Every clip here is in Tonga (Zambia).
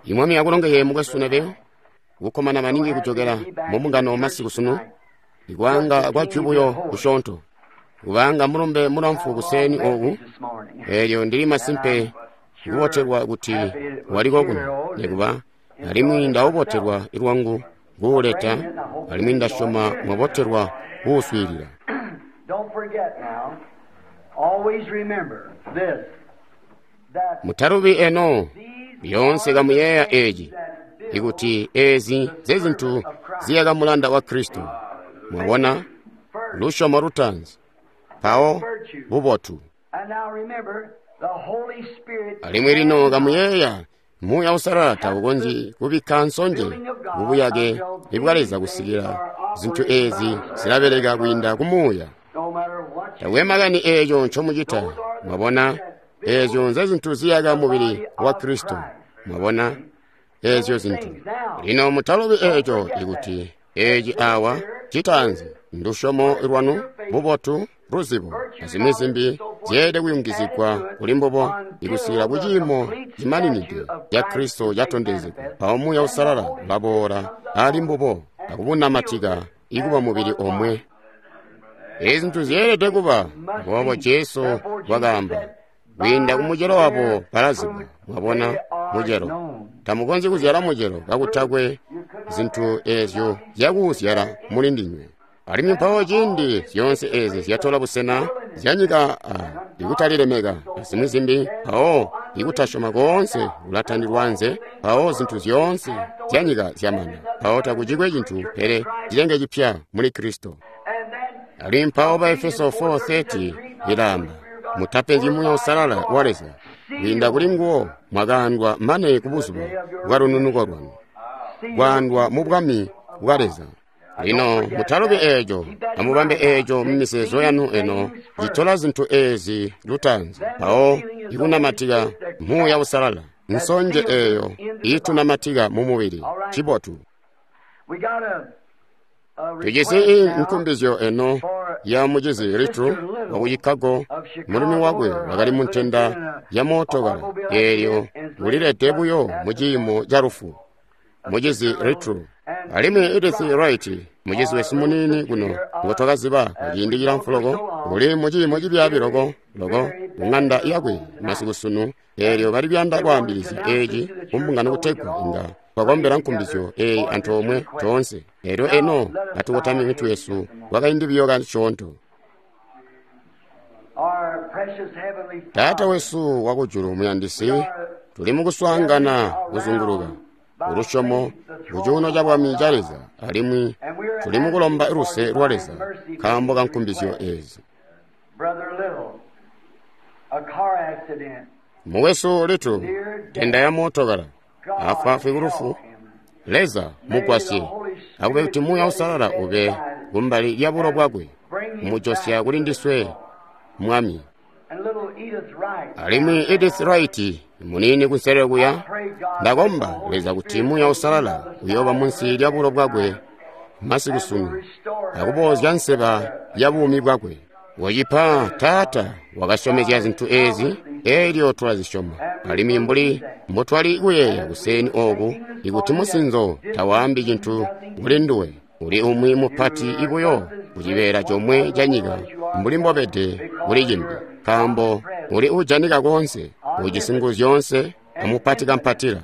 I Mwami akulongeye mukwesu Neville, kukkomana maningi kujokela mu mbungano masiku sunu, ikwaanga kwa jwi buyo kusyoonto, kubaanga mulumbe mulamfu kuseeni oku, eelyo ndili masimpe kubotelwa kuti waliko kuno, nekuba alimwi ndaubotelwa lwangu kuuleta, alimwi ndasyoma mwabotelwa kuuswiilila. Don't forget now, always remember this, that Mutalubi eno, these lyoonse kamuyeeya eeci, ikuti eezi zezintu ziyaka mulanda wa Kristo. Mwabona, lusyomo lutaanzi, mpawo bubotu. And now remember, the Holy Spirit Alimwi lino kamuyeeya, Muuya Uusalala taukonzyi kubikka nsonje mubuyake bwa Leza kusikila zintu eezi zilabeleka kwiinda ku Muuya. no matter what you Takwe makani eeco ncomucita, mwabona, eezyo nzezintu ziyaka mubili wa Kristo. Mwabona, eezyo zintu. Lino mutalubi eeco ikuti eeci awa citaanzi ndusyomo lwanu, bubotu, luzibo, azimwi zimbi zyeelede kuyungizigwa kuli mbubo ikusikila ku ciimo cimaninide ca Kristo catondezegwa. Mpawo Muuya Uusalala ulaboola ali mbubo akubunamatika ikuba mubili omwe. Ezi zintu zyeelede kuba, aboobo Jesu wakaamba, kwiinda ku mucelo wabo balazibwa. Mwabona, mucelo. Tamukonzyi kuzyala mucelo kakutakwe zintu eezyo zyakuuzyala muli ndinywe. Alimwi mpawo ciindi zyoonse eezi zyatola busena zyanyika a ikutalilemeka azimwi zimbi, mpawo ikutasyoma koonse kulatandilwa anze, mpawo zintu zyoonse zyanyika zyamana. Mpawo takucikwe cintu pele cilenge cipya muli Kristo. and then Alimwi mpawo ba Efeso 4:30 ilaamba, mutapenzyi Muuya Uusalala wa Leza, kwiinda kuli nguwo mwakaandwa mane ku buzuba bwa lununuko lwanu, kwaandwa mu bwami bwa Leza. Lino mutalubi eeco, amubambe eeco mu mizeezo yanu eno, citola zintu eezi lutaanzi, mpawo ikunamatika Muuya Uusalala, nsonje eeyo iitunamatika mu mubili, cibotu. we got a Tujisi request now nkumbizyo eno ya mucizi Little wa ku Chicago, mulumi wakwe wakali mu ntenda ya mootokala eelyo ulilede buyo mu ciimo ca lufu. Mucizi Little alimwi Edith Wright, mucizi wesu muniini kuno ngo twakaziba kwa ciindi cilamfu loko, uli mu ciimo cibyaabi loko loko ku ng'anda yakwe masiku sunu, eelyo bali kuyanda kwaambilizya eeci ku mbungano kutegwa inga twakombela nkumbizyo eeyi antoomwe toonse. Eelyo eno atukotamye mitwe yesu kwakaindi buyo kasyoonto. our precious heavenly Taata Father, wesu wakujulu muyandisi, tuli mukuswaangana kuzunguluka kulusyomo ku cuuno ca bwami ca Leza, alimwi tuli mukulomba luse lwa Leza nkaambo ka nkumbizyo eezi. Brother Little, a car accident. Mukwesu Little, ntenda ya mootokala, afwaafwi ku lufu, Help him. Leza mugwasye, akube kuti Muuya Uusalala ube kumbali lya bulo bwakwe, kumujosya kuli ndiswe, Mwami. And little Edith Wright. Alimwi Edith Wright muniini kunselelo kuya, Pray God ndakomba that the Holy Leza kuti Spirit Muuya Uusalala uyooba munsi lya bulo bwakwe masiku sunu, restore her akuboozya nseba ya buumi bwakwe. Wacipa Taata wakasyomezya zintu eezi, eelyo tulazisyoma. Alimwi mbuli mbotwali kuyeeya kuseeni ooku, ikuti musinzo tawaambi cintu kuli nduwe, uli umwi mupati ibuyo ku cibeela comwe ca nyika mbuli mbobede kuli cimbi, nkaambo uli uujanika koonse, ujisi nguzu zyoonse, amupati kampatila.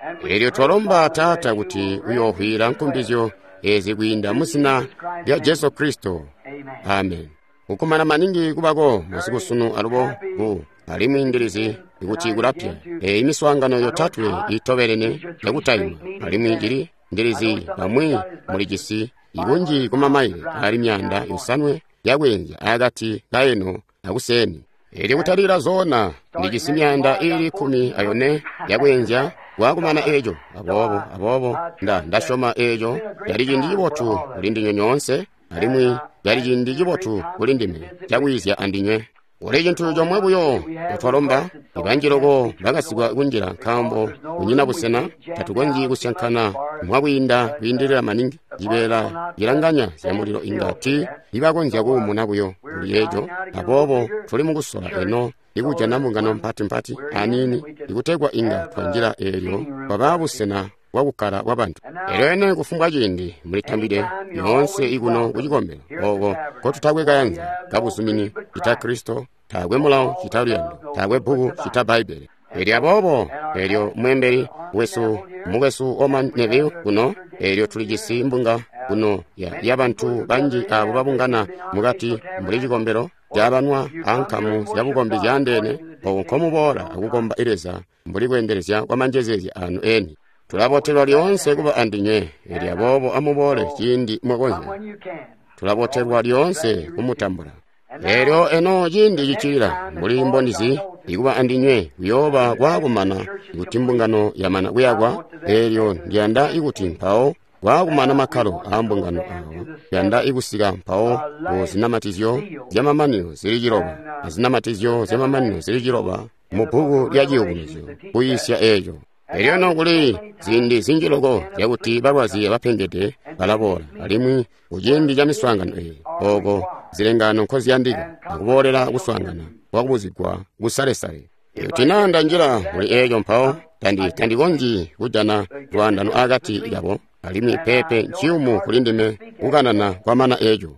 And we Eelyo pray, twalomba Father, Taata that kuti you will uyoohwila nkumbizyo eezi kwiinda mu zina lya Jesu Kristo. Amen. Amen. Kukumana maningi kubako masiku sunu alubo ku alimwi ndilizi ikuti kulapya. Eeyi miswaangano yotatwe itobelene yakutaima alimwi cili ndilizi bamwi mulijisi ibunji ku mamaile ali 700 yakweenzya akati ka eno akuseeni. Eelyo kutalika zoona ndijisi 14 yakweenzya kwakumana eeco. Aboobo ndasyoma eeco cali ciindi cibotu kuli ndinywe nyoonse, alimwi cali ciindi cibotu kuli ndime cakwiizya andinywe. Kuli cintu comwe buyo ncotwalomba, ibanji loko bakasikwa kunjila nkaambo kunyina busena, tatukonzyi kusyankana mwakwiinda kwiindilila maningi. Cibeela cilanganya zya mulilo inga ti ibakonzya kuumuna buyo kuli eco. Aboobo tuli mukusola eno ikujana mbungano mpati-mpati aniini ikutegwa inga twanjila eelyo kwaba busena bwakukkala bwabantu. Elyo eno kufumbwa ciindi mulitambide yoonse ikuno kucikombelo oko kotutakwe kayanza kabuzumini cita Kristo, taakwe mulawo cita luyando, taakwe bbuku cita Bbaibbele. Elyo aboobo elyo mweembeli wesu mukwesu Orman Neville kuno, elyo tulijisi mbunga kuno ya bantu banji abo babungana mukati mbuli cikombelo cabanwa ankamu zyabukombi zyaandeene, oko nkomuboola akukomba Leza mbuli kweendelezya kwa manjezeezya anu eni. Tulabotelwa lyoonse kuba andinywe, elyo aboobo amuboole ciindi mwakonzya. Tulabotelwa lyoonse kumutambula. Elyo eno ciindi cicilila mbuli mbondizi ikuba andinywe kuyooba kwakumana ikuti mbungano yamana kuyakwa. Elyo ndiyanda ikuti mpawo kwakumana makkalo aa mbungano awo, ndiyanda ikusika mpawo ku zinamatizyo zyamamanino zili ciloba azinamatizyo zyamamanino zili ciloba mu bbuku lya Ciyubunuzyo kuyiisya eeco. Elyo eno kuli ziindi zinji loko zyakuti balwazi abapengede balaboola, alimwi kuciindi ca miswaangano eyi oko zilengano nkoziyandika akuboolela kuswaangana kwakubuzigwa kusalesale. Ikuti naa ndanjila muli eeco mpawo tandikonzyi kujana lwaandano akati kabo, alimwi peepe nciyumu kuli ndime kukanana kwamana eeco.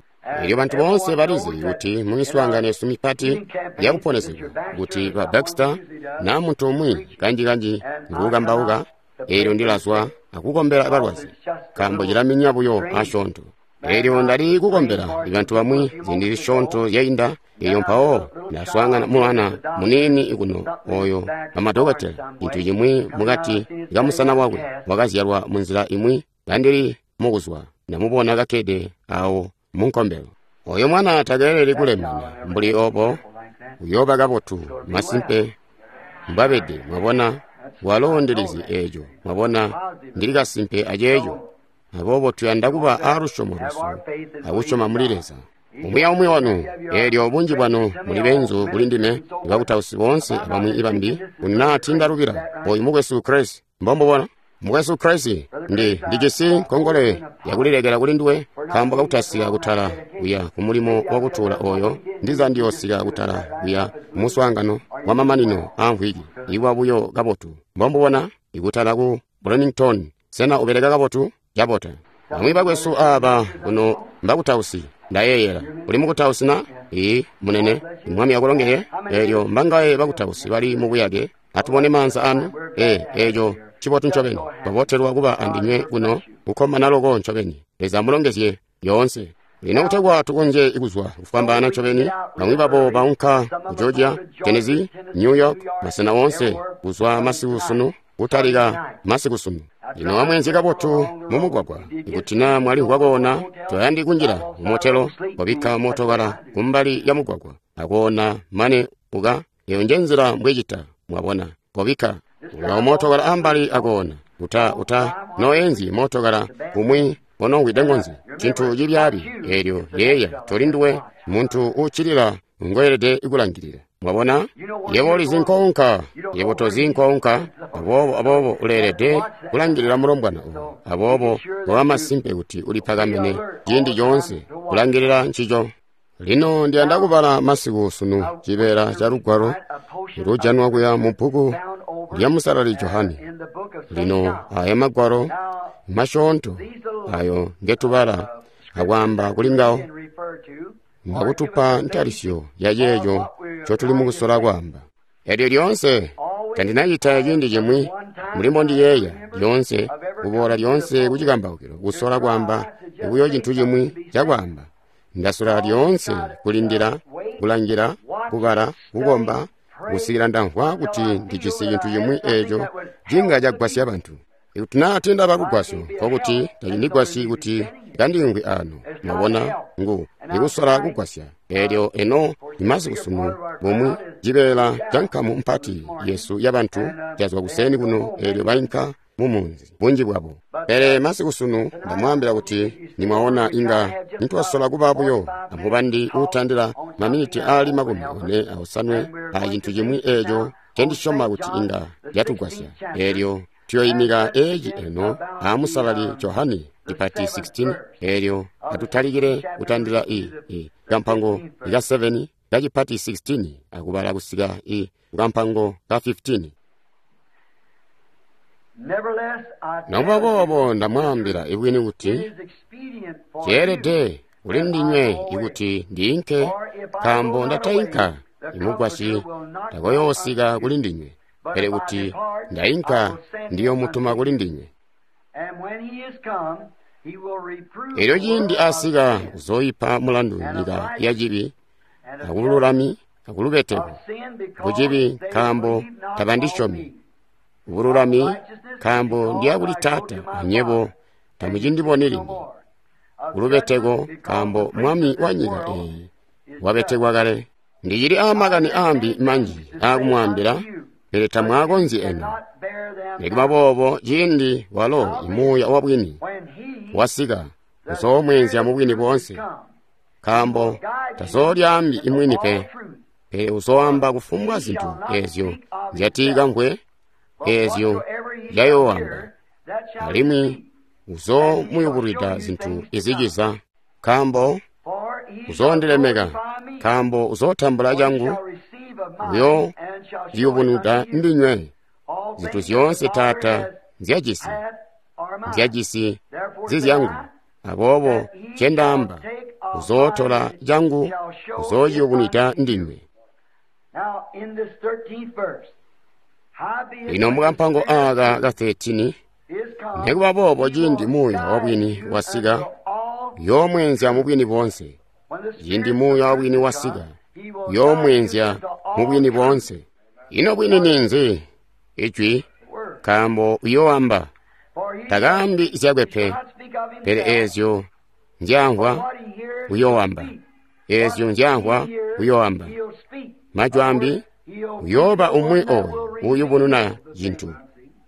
Elyo bantu boonse balizi kuti mu miswaangano yesu mipati yakuponesegwa kuti ba Baxter na muntu umwi kanji-kanji nguukambauka, elyo ndilazwa akukombela balwazi, nkaambo cilaminya buyo asyoonto. Elyo ndali kukombela bantu bamwi ziindi zisyoonto zyainda, elyo mpawo ndaswaangana mwana muniini kuno oyo bamadokotela cintu cimwi mukati kamusana wakwe wakazyalwa munzila imwi kandili mukuzwa, ndamubona kakkede awo munkombelo. Oyo mwana takeeleli kulemana mbuli obo, uyooba kabotu masimpe mbwabede. Mwabona, walo ndilizi eeco, mwabona, ndili kasimpe aceeco. Aboobo tuyanda kuba aalusyomo lwesu akusyoma muli Leza. Umwi aumwi wanu, eelyo bunji bwanu muli beenzu kuli ndime, bakutausi boonse abamwi ibambi, kuna tindalubila oyu mukwesu Chris, mbombubona mukwesu Chris, ndijisi nkongole yakulilekela kuli nduwe nkaambo kakutasika kutala kuya kumulimo wakutuula oyo ndiza ndiyoosika kutala kuya kumuswaangano wa mamanino aamvwiki iwa buyo kabotu. Mbombubona ikutala ku Bloomington. Sena ubeleka kabotu? Cabota. Bamwi bakwesu aaba kuno mbakutausi, ndayeeyela. Uli mukutausi na? Ii, munene, Mwami akulongele. Elyo mbangaye bakutausi bali mubuyake? Atubone maanza anu. Eeco cibotu ncobeni. Twabotelwa kuba andinywe kuno, kukkomana loko ncobeni. Leza amulongezye yoonse. Lino kutegwa tukonzye kuzwa kufwambaana ncobeni, bamwi babo baunka ku Georgia, Tennessee, New York, masena oonse kuzwa masiku sunu kutalika masiku sunu. Lino amweenzye kabotu mumugwagwa. Ikuti naa mwalimvwa koona, toyandi kunjila mumotelo, wabikka mootokala kumbali ya mugwagwa akoona mane uka. Eyo nje nzila mbwecita, mwabona, kobikka uka mootokala ambali akoona. Uta noenzi mootokala kumwi onongwide ngonzi, cintu cibyaabi. Eelyo yeeya toli nduwe muntu uuccilila ngoelede kulangilila. Mwabona, yebo ulizi nkounka, yebo tozi nkounka, aboobo uleelede kulangilila mulombwana oyo. Aboobo koba masimpe kuti ulipakamene ciindi coonse kulangilila ncico. Lino ndiyanda kubala masiku sunu cibeela ca lugwalo lujanwa kuya mu bbuku lya Musalali Johane. Lino aya magwalo masyoonto ayo ngetubala akwaamba kuli ngawo ngakutupa ntalisyo ya ceeco ncotuli mukusola kwaamba. Elyo lyoonse tandinacita ciindi cimwi mbuli mbondiyeeya lyoonse kuboola lyoonse kucikambaukilo kusola kwaamba buyo cintu cimwi cakwaamba. Ndasola lyoonse kulindila, kulangila, kubala, kukomba, kusikila ndamvwa kuti ndijisi cintu cimwi eeco cinga cagwasya bantu. Ikuti naa tiindaba lugwasyo, nkokuti tacindigwasyi kuti kandiimvwi aano. Mwabona, ngu ikusola kugwasya. Eelyo eno imasiku sunu bumwi cibeela ca nkamu mpati yesu yabantu cazwa kuseni kuno, eelyo bainka mumunzi bunji bwabo. Pele masiku sunu ndamwaambila kuti nimwaona inga nitwasola kuba buyo amubandi uutandila maminiti aali 45 a cintu cimwi eeco ncendisyoma kuti inga catugwasya. Eelyo tuyoimika eci eno a Musalali Johane ipati 16, elyo atutalikile kutandila i kampango ka 7 kacipati 16 akubala kusika i kampango ka 15. Nokuba boobo ndamwaambila ibwini kuti ceelede kuli ndinywe ikuti ndiinke, nkaambo ndatainka imugwasyi takoyoosika kuli ndinywe, pele kuti ndainka ndiyomutuma kuli ndinywe. Elyo ciindi asika uzooipa mulandu nyika ya cibi akululami akulubeteko, kucibi nkaambo tabandisyomi, kubululami nkaambo ndiya kuli Taata anywebo tamucindiboni limbi, kulubeteko nkaambo mwami wa nyika eeyi wabetekwa kale. Ndicili aamakani aambi manji aakumwaambila, pele tamwaakonzyi eno. Nikuba boobo ciindi walo imuuya wabwini wasika uzoomweenzya mubwini boonse, nkaambo tazoolyaambi imwini pe, pele uzooamba kufumbwa zintu eezyo nzyatiikamvwe, eezyo nzyayooamba, alimwi uzoomuyubulwida zintu iziciza. Nkaambo uzoondilemeka, nkaambo uzootambula cangu, uyoociyubunwida ndinywe. Zintu zyoonse Taata nzyajisi, nzyajisi zizyangu. Aboobo ncendaamba, uzootola cangu, uzoociyubunwida ndinywe. Lino mukampango aaka ka 13, nikuba boobo ciindi muuya wabwini wasika, uyoomweenzya mubwini boonse. Ciindi muuya wabwini wasika, uyoomweenzya mubwini boonse. Ino bwini ninzi? Ijwi, nkaambo uyooamba. Takaambi zyakwe pe, pele eezyo nzyamvwa uyooamba. Eezyo nzyamvwa uyooamba. Majwi ambi, uyooba umwi ooyo uuyubununa cintu.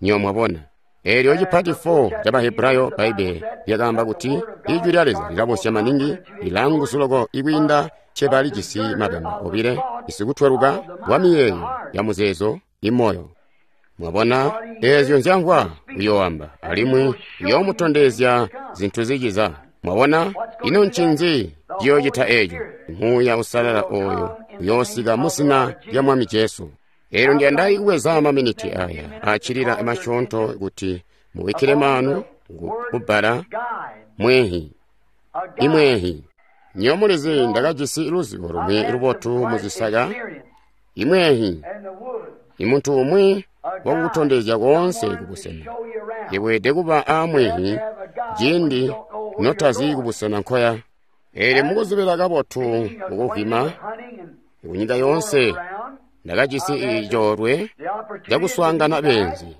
Nywebo mwabona. Eelyo cipati 4 ca Bahebrayo Bbaibbele lyakaamba kuti Ijwi lya Leza lilabosya maningi, lilaanguzu loko ikwiinda cceba lijisi mabemba obile, isikutweluka wa miyeeyo ya muzeezo imoyo. Mwabona, eezyo nzyamvwa uyooamba, alimwi uyoomutondezya zintu ziciza. Mwabona, ino ncinzi ciyoocita eeco? Muuya Usalala ooyo uyoosika muzina lya Mwami Jesu. Eelyo ndiyanda kubweza maminiti aya accilila masyoonto kuti mubikkile maanu kubbala mwehi, imwehi. Nywebo mulizi ndakajisi luzibo lumwi lubotu muzisaka, imwehi, imuntu umwi wakukutondezya koonse kubusena. Iweelede kuba aamwehi ciindi notazi kubusena nkoya. Eelyo mukuzibila kabotu kukuvwima kunyika yoonse, ndakajisi coolwe cakuswaangana beenzi.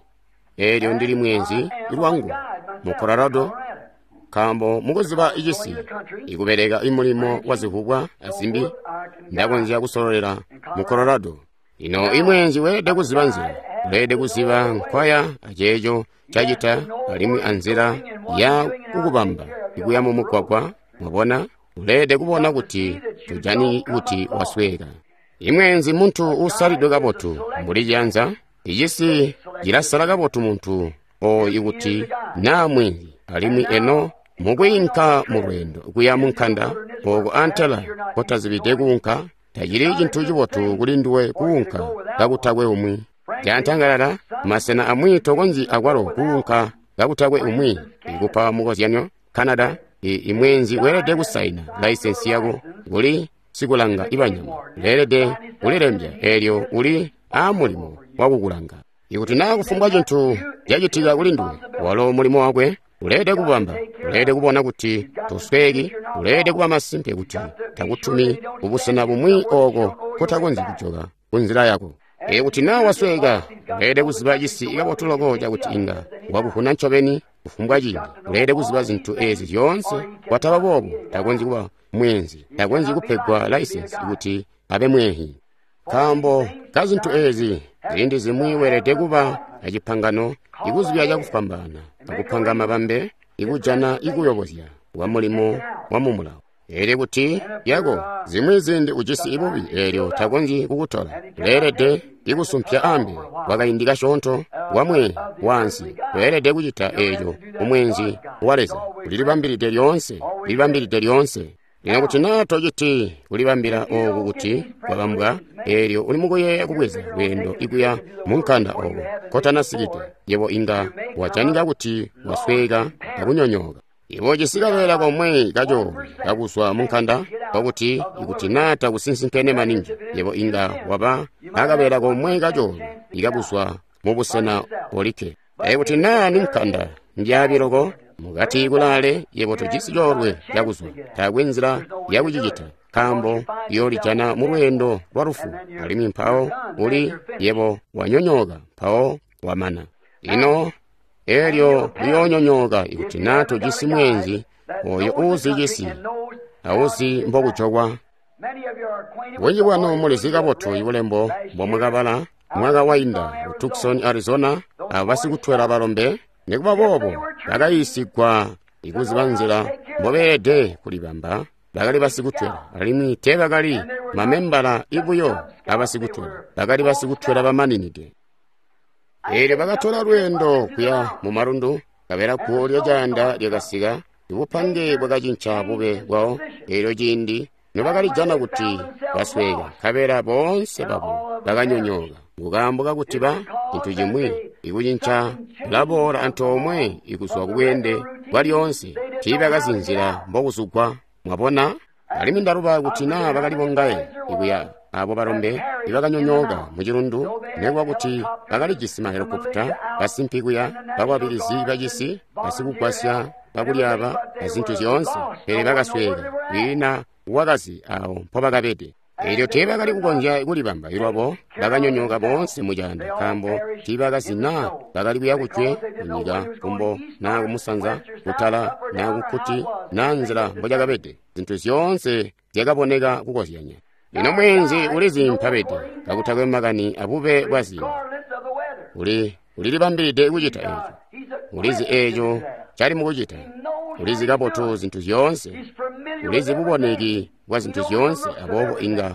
Eelyo ndili mweenzi lwangu mu Colorado, nkaambo mukuziba cisi ikubeleka imulimo wa zivubwa azimbi, ndakonzya kusololela mu Colorado. Lino imweenzi weelede kuziba nzila, uleelede kuziba nkwaya aceeco cacita alimwi anzila ya kukubamba ikuya mumugwagwa. Mwabona, uleelede kubona kuti tujani kuti wasweeka. Imweenzi muntu uusalidwe kabotu mbuli ciyanza, icisi cilasala kabotu muntu ooyu ikuti naa mwenzi, alimwi eno mukwiinka mulweendo kuya munkanda ooko antela kotazibide kuunka, tacili cintu cibotu kuli nduwe kuunka kakutakwe umwi. Cantangalala, masena amwi tokonzyi akwalo kuunka kakutakwe umwi. Ikupa mukozyanyo, Canada, imweenzi weelede kusaina laisensi yako kuli sikulanga ibanyama, uleelede kulilembya eelyo uli aamulimo wakukulanga. Ikuti naa kufumbwa cintu cacitika kuli nduwe, walo mulimo wakwe uleelede kubamba, uleelede kubona kuti tosweeki, uleelede kuba masimpe kuti takutumi kubusena bumwi ooko kotakonzyi kujoka kunzila yako. Ikuti naa wasweeka, uleelede kuziba cisi kabotu loko cakuti inga wakuvuna ncobeni kufumbwa ciindi. Uleelede kuziba zintu eezi zyoonse. Kwataba boobo takonzyi kuba mweenzi, takonzyi kupegwa laisensi kuti abe mwehi. Nkaambo kazintu eezi, ziindi zimwi weelede kuba acipangano ikuzibya cakufwambaana, akupanga mabambe, ikujana ikuyobozya kwa mulimo wa mumulawo. Eelyo kuti yako zimwi ziindi ujisi ibubi eelyo takonzyi kukutola, uleelede ikusumpya ambi kwakaindi kasyoonto wamwehi. waansi. Weelede kucita eco kumweenzi wa Leza. Ulilibambilide lyoonse, ulilibambilide lyoonse. Lino kuti naa tociti kulibambila ooku kuti kwabambwa, eelyo uli mukuyeeya kubweza lweendo ikuya munkanda ooko kotanasikide, yebo inga wajanika kuti wasweeka akunyonyooka. Ibo ujisi kabeela komwe kacoolwe kakuzwa munkanda, nkokuti ikuti naa takusinsinkene maningi, yebo inga waba akabeela komwe kacoolwe ikakuzwa mubusena olikke. Ikuti naa ni nkanda mbyaabi loko mukati kulaale, yebo tojisi coolwe cakuzwa, taakwe nzila yakucicita, nkaambo uyoolijana mulweendo lwa lufu, alimwi mpawo uli yebo wanyonyooka, mpawo wamana. Lino eelyo liyoonyonyooka ikuti naa tojisi mweenzi oyo uuzi cisi auzi mbokujokwa. Bunji bwanu mulizi kabotu ibulembo mbomwakabala mwaka wainda ku Tucson, Arizona, abo basikutwela balombe, nikuba boobo bakayiisigwa ikuziba nzila mbobeelede kulibamba. Bakali basikutwela, alimwi teebakali mamembala ibuyo abasikutwela, bakali basikutwela bamaninide. Eelyo bakatola lweendo kuya mu malundu, nkabela guwo lyacaanda lyakasika, ibupange bwakacinca bube bwawo. Eelyo ciindi nobakalijana kuti basweeka, nkabela boonse babo bakanyonyooka. Nkaambo kakuti ba cintu cimwi ikucinca kulaboola antoomwe ikuzwa kubweende bwalyoonse, tiibakazi nzila mbokuzugwa. Mwabona? Alimwi ndaluba kuti naa bakali bongaye ikuya abo balombe ibakanyonyooka mucilundu, nekuba kuti bakalijisi mahelikopita, basimpi kuya, bakwabilizi bacisi, basikugwasya bakulyaaba, azintu zyoonse, pele bakasweeka, kwiina wakazi awo mpobakabede. Eelyo teebakali kukonzya kulibamba ilwabo, bakanyonyooka boonse mucaanda, nkaambo tiibakazi naa bakali kuya kujwe, kunyika, kumbo, naa kumusanza, kutala, naa kukkuti, naa nzila mbocakabede. Zintu zyoonse zyakaboneka kukozyanya. Lino mweenzi ulizi mpabede, kakutakwe makani abube bwa ziindi. Ulilibambilide kucita eeco. Ulizi eeco cali mukucita. Ulizi kabotu zintu zyoonse. Ulizi buboneki bwa zintu zyoonse, aboobo inga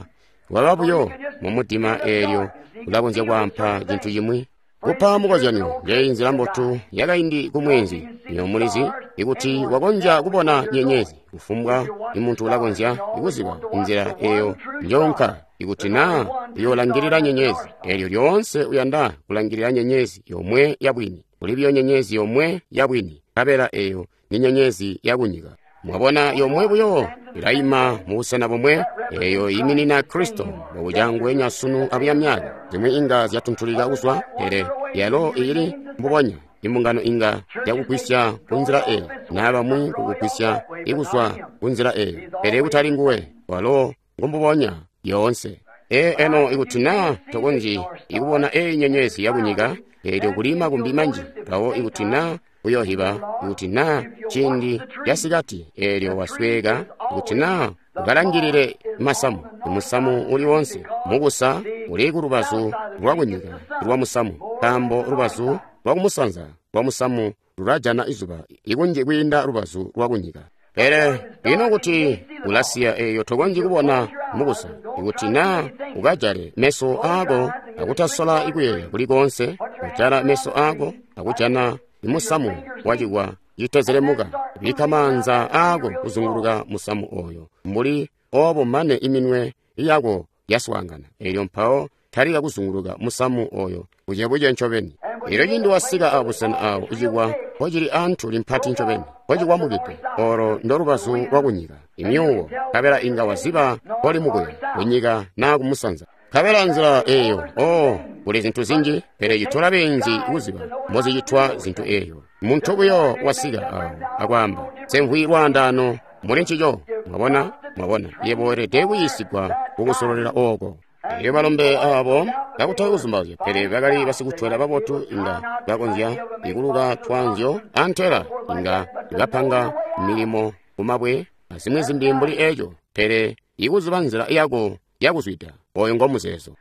waba buyo mumudima eelyo ulakonzya kwaampa cintu cimwi. Kupa mukozyanyo, njeyi nzila mbotu yakaindi kumweenzi. Lino mulizi ikuti wakonzya kubona nyenyezi, kufumbwa imuntu ulakonzya kuziba nzila eyo njoonka ikuti naa uyoolangilila nyenyezi. Eelyo lyoonse uyanda kulangilila nyenyezi yomwe yabwini. Kuli buyo nyenyezi yomwe yabwini, nkabela eyo ni nyenyezi yakunyika. Mwabona, yomwe buyo ilayima mubusena bomwe, eyo iiminina Kristo mbobucangwenya sunu abuya myaka. Zimwi inga zyatuntulika kuzwa, pele yalo ili mbubonya. Imbungano inga yakugwisya kunzila eyo, naa bamwi kukugwisya ikuzwa kunzila eyo, pele kutali nguwe, walo ngumbubonya yoonse. Eno ikuti naa tokonzyi ikubona eyi nyenyezi yakunyika, eelyo kuli makumbi manji, mpawo ikuti naa uyohiba, ikuti naa ciindi casikati, eelyo wasweeka, ikuti naa ukalangilile masamu, imusamu uli wonse mukusa uli kulubazu lwakunyika lwa musamu, nkaambo lubazu lwakumusanza lwa musamu lulajana izuba ikunji kwiinda lubazu lwakunyika. Pele ino kuti ulasiya eeyo tokonzyi kubona mukusa, ikuti naa ukajale meso aako akutasola ikuyeeya kuli koonse, kujala meso aako akujana imusamu wacikwa citezelemuka, bikka maanza aako kuzunguluka musamu oyo mbuli oobo mane iminwe yako yaswaangana, eelyo mpawo talika kuzunguluka musamu oyo bucebuce ncobeni. Eelyo ciindi wasika abusena aawo icikwa mpocili antuli mpati ncobeni, mpocikwamukide, olo ndolubazu lwakunyika, imyuwo, nkabela inga waziba mpoli mukuya kunyika naa kumusanza. Nkabela nzila eyo, oh, kuli zintu zinji, pele citola beenzi kuziba mbozicitwa zintu eyo. Muntu buyo wasika awo akwaamba, "Nsemvwi lwaandaano muli ncico." Mwabona, mwabona, yebo weelede kuyiisigwa kukusololela ooko. Elyo balombe abo kakutakwe kuzumbauzya, pele bakali basikutwela babotu, inga bakonzya ikuluka twaanzyo antela inga bapanga milimo kumabwe azimwi zimbi mbuli eco, pele ikuziba nzila yako yakuzwida, oyo ngomuzeezo.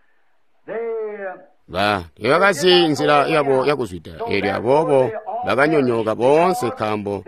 Teebakazi nzila yabo yakuzwida, eelyo aboobo bakanyonyooka boonse nkaambo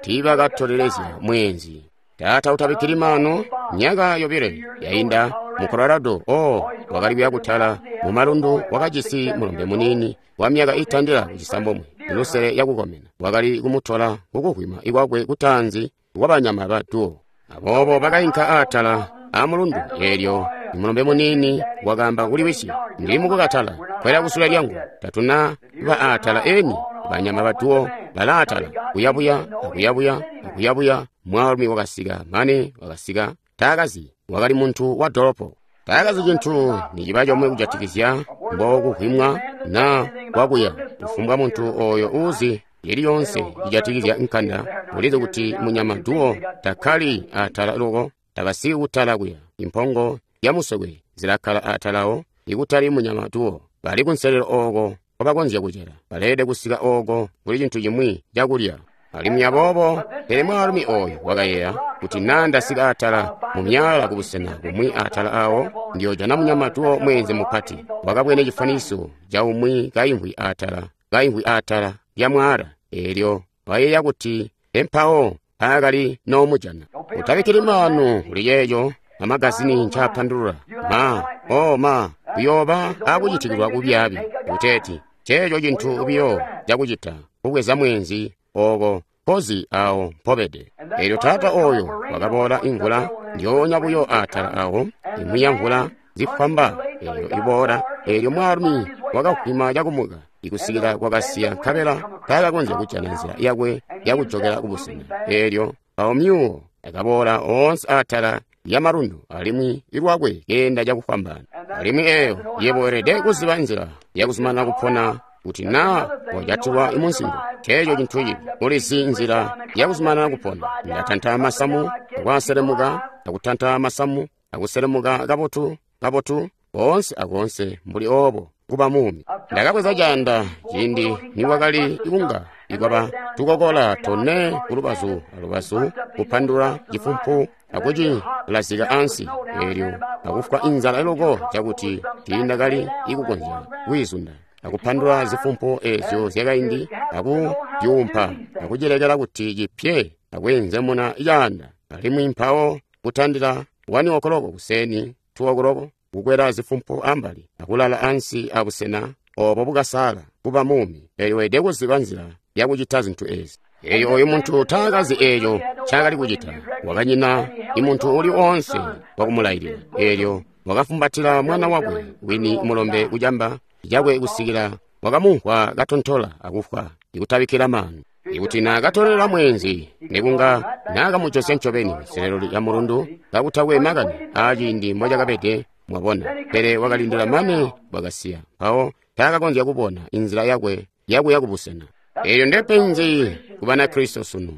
tiibakatolelezya mweenzi. Taata utabikkili maano, myaka yobile yainda mu Colorado. Oh, wakali kuya kutala mu malundu, wakajisi mulombe muniini wa myaka itandila kucisambomwe, lusele yakukomena. Wakali kumutola kukuhwima ikwakwe kutaanzi kwa banyama ba duo. Aboobo bakainka aatala a mulundu. Eelyo mulombe muniini wakaamba kuli wisi, ndili mukukatala, kwela kusule lyangu, tatuna ba aatala eni banyama ba duo balaatala, kuyabuya akuyabuya akuyabuya. Mwaalumi wakasika mane wakasika taakazi, wakali muntu wa dolopo. Taakazi cintu niciba comwe kujatikizya mbokuhwimwa na kwakuya. Kufumbwa muntu oyo uuzi yeli yonse ijatikizya nkanda ulizi kuti munyama duo takkali atala loko, takasiki kutala kuya. Impongo yamusokwe zilakkala atalawo, ikutali munyama duo. Bali kunselelo ooko nkobakonzya kucela, baleelede kusika ooko kuli cintu cimwi cakulya. Alimwi aboobo, pele mwaalumi oyo wakayeeya kuti naa ndasika atala mu myala kubusena bumwi atala awo, ndiyojana munyama duo mweenze mupati. Wakabwene cifaniso ca umwi kaimvwi atala lya mwaala. Eelyo wayeeya kuti empawo paakali noomujana. Utabikkili maanu kuli ceeco amagazini ncaapandulula. Ma, oh ma, kuyooba akucitikilwa kubyaabi. Kuteeti ceeco cintu biyo cakucita kubweza mweenzi ooko mpozi awo mpobede. Eelyo taata oyo wakaboola imvula ndyoonya buyo atala awo, imwi ya mvula zifwamba eelyo iboola. Eelyo mwaalumi wakahwima cakumuka ikusikila kwakasiya, nkabela taakakonzya kujana nzila yakwe yakujokela kubusena. Eelyo awo myuwo akaboola oonse atala ya malundu, alimwi ilwakwe keenda cakufwambaana. Alimwi eeyo yebo weelede kuziba nzila yakuzumanana kupona, kuti naa wajatilwa imunsingo teeco cintu cibi. Ulizi nzila yakuzumanana kupona. Ndatanta masamu akwaselemuka, akutanta masamu akuselemuka kabotu kabotu koonse akoonse mbuli oobo kuba muumi. Ndakabweza caanda ciindi nikwakali kunga ikwaba tukokola tone kulubazu alubazu, kupandula cifumpu akucilazika ansi. Eelyo akufwa inzala loko cakuti tiindakali ikukonzya kwiizunda, akupandula zifumpu eezyo zyakaindi akudyuumpa akucilekela kuti cipye akweenzemuna caanda. Alimwi mpawo kutandila 1 o'clock kuseni, 2 o'clock kukwela zifumpu ambali akulala ansi abusena obo bukasala kuba muumi. Eelyo weelede kuziba nzila yakucita zintu ezi. Eelyo oyu muntu taakazi eeco ncaakali kucita, wakanyina imuntu uli oonse wakumulailila. Eelyo wakafumbatila mwana wakwe wini mulombe kucamba cakwe kusikila wakamumvwa katontola akufwa, ikutabikkila maanu. Ikuti naakatolela mweenzi, nekunga naakamujosya ncobeni nselelo lya mulundu kakutakwe makani aaciindi mbocakabede, mwabona. Pele wakalindila mane bwakasiya, mpawo taakakonzya kubona inzila yakwe yakuya kubusena. Eelyo ndepenzi ku Banakristo sunu.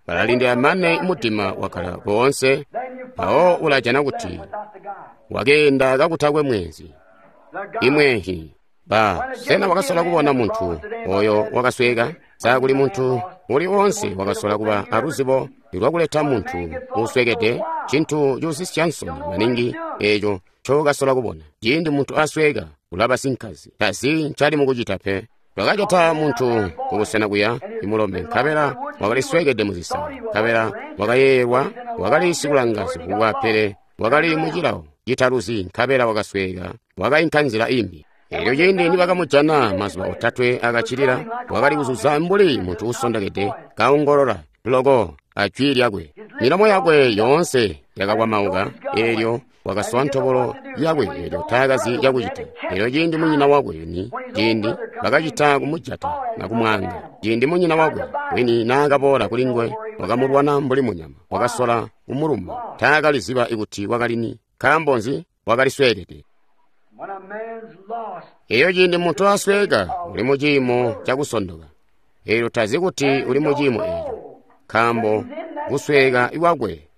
Balalindila mane mudima wakkala koonse, mpawo ulajana kuti wakeenda kakutakwe mweenzi. Imweehi. Ba, sena wakasola kubona muntu oyo wakasweka? Sa kuli muntu uli oonse wakasola kuba aluzibo lwakuleta muntu uuswekede? Cintu cuusisya nsoni maningi eeco ncokasola kubona. Ciindi muntu asweka, ulaba sinkazi, tazi ncali mukucita pe. Twakajata muntu kubusena kuya imulombe, nkabela wakali swekede muzisani, nkabela wakayeeyelwa wakali sikulanga zivubwa, pele wakali mucilawo citaluzi, nkabela wakasweka, wakainka nzila imbi. Eelyo ciindi nibakamujana mazuba otatwe akacilila, wakali kuzuza mbuli muntu uusondokede, kaongolola loko ajwi lyakwe. Milomo yakwe yoonse yakakwamauka. Eelyo wakasowa ntobolo yakwe, eelyo taakazi cakucita. Eelyo ciindi munyina wakwe wini, ciindi bakacita kumujata na kumwaanga, ciindi munyina wakwe wini naakaboola kuli nguwe, wakamulwana mbuli munyama, wakasola kumuluma. Taakaliziba ikuti wakali ni. Nkaambo nzi? Wakali sweekede. Eyo ciindi muntu asweka, uli mu ciimo cakusondoka. Eelyo tazi kuti uli mu ciimo eeco, nkaambo kusweka kwakwe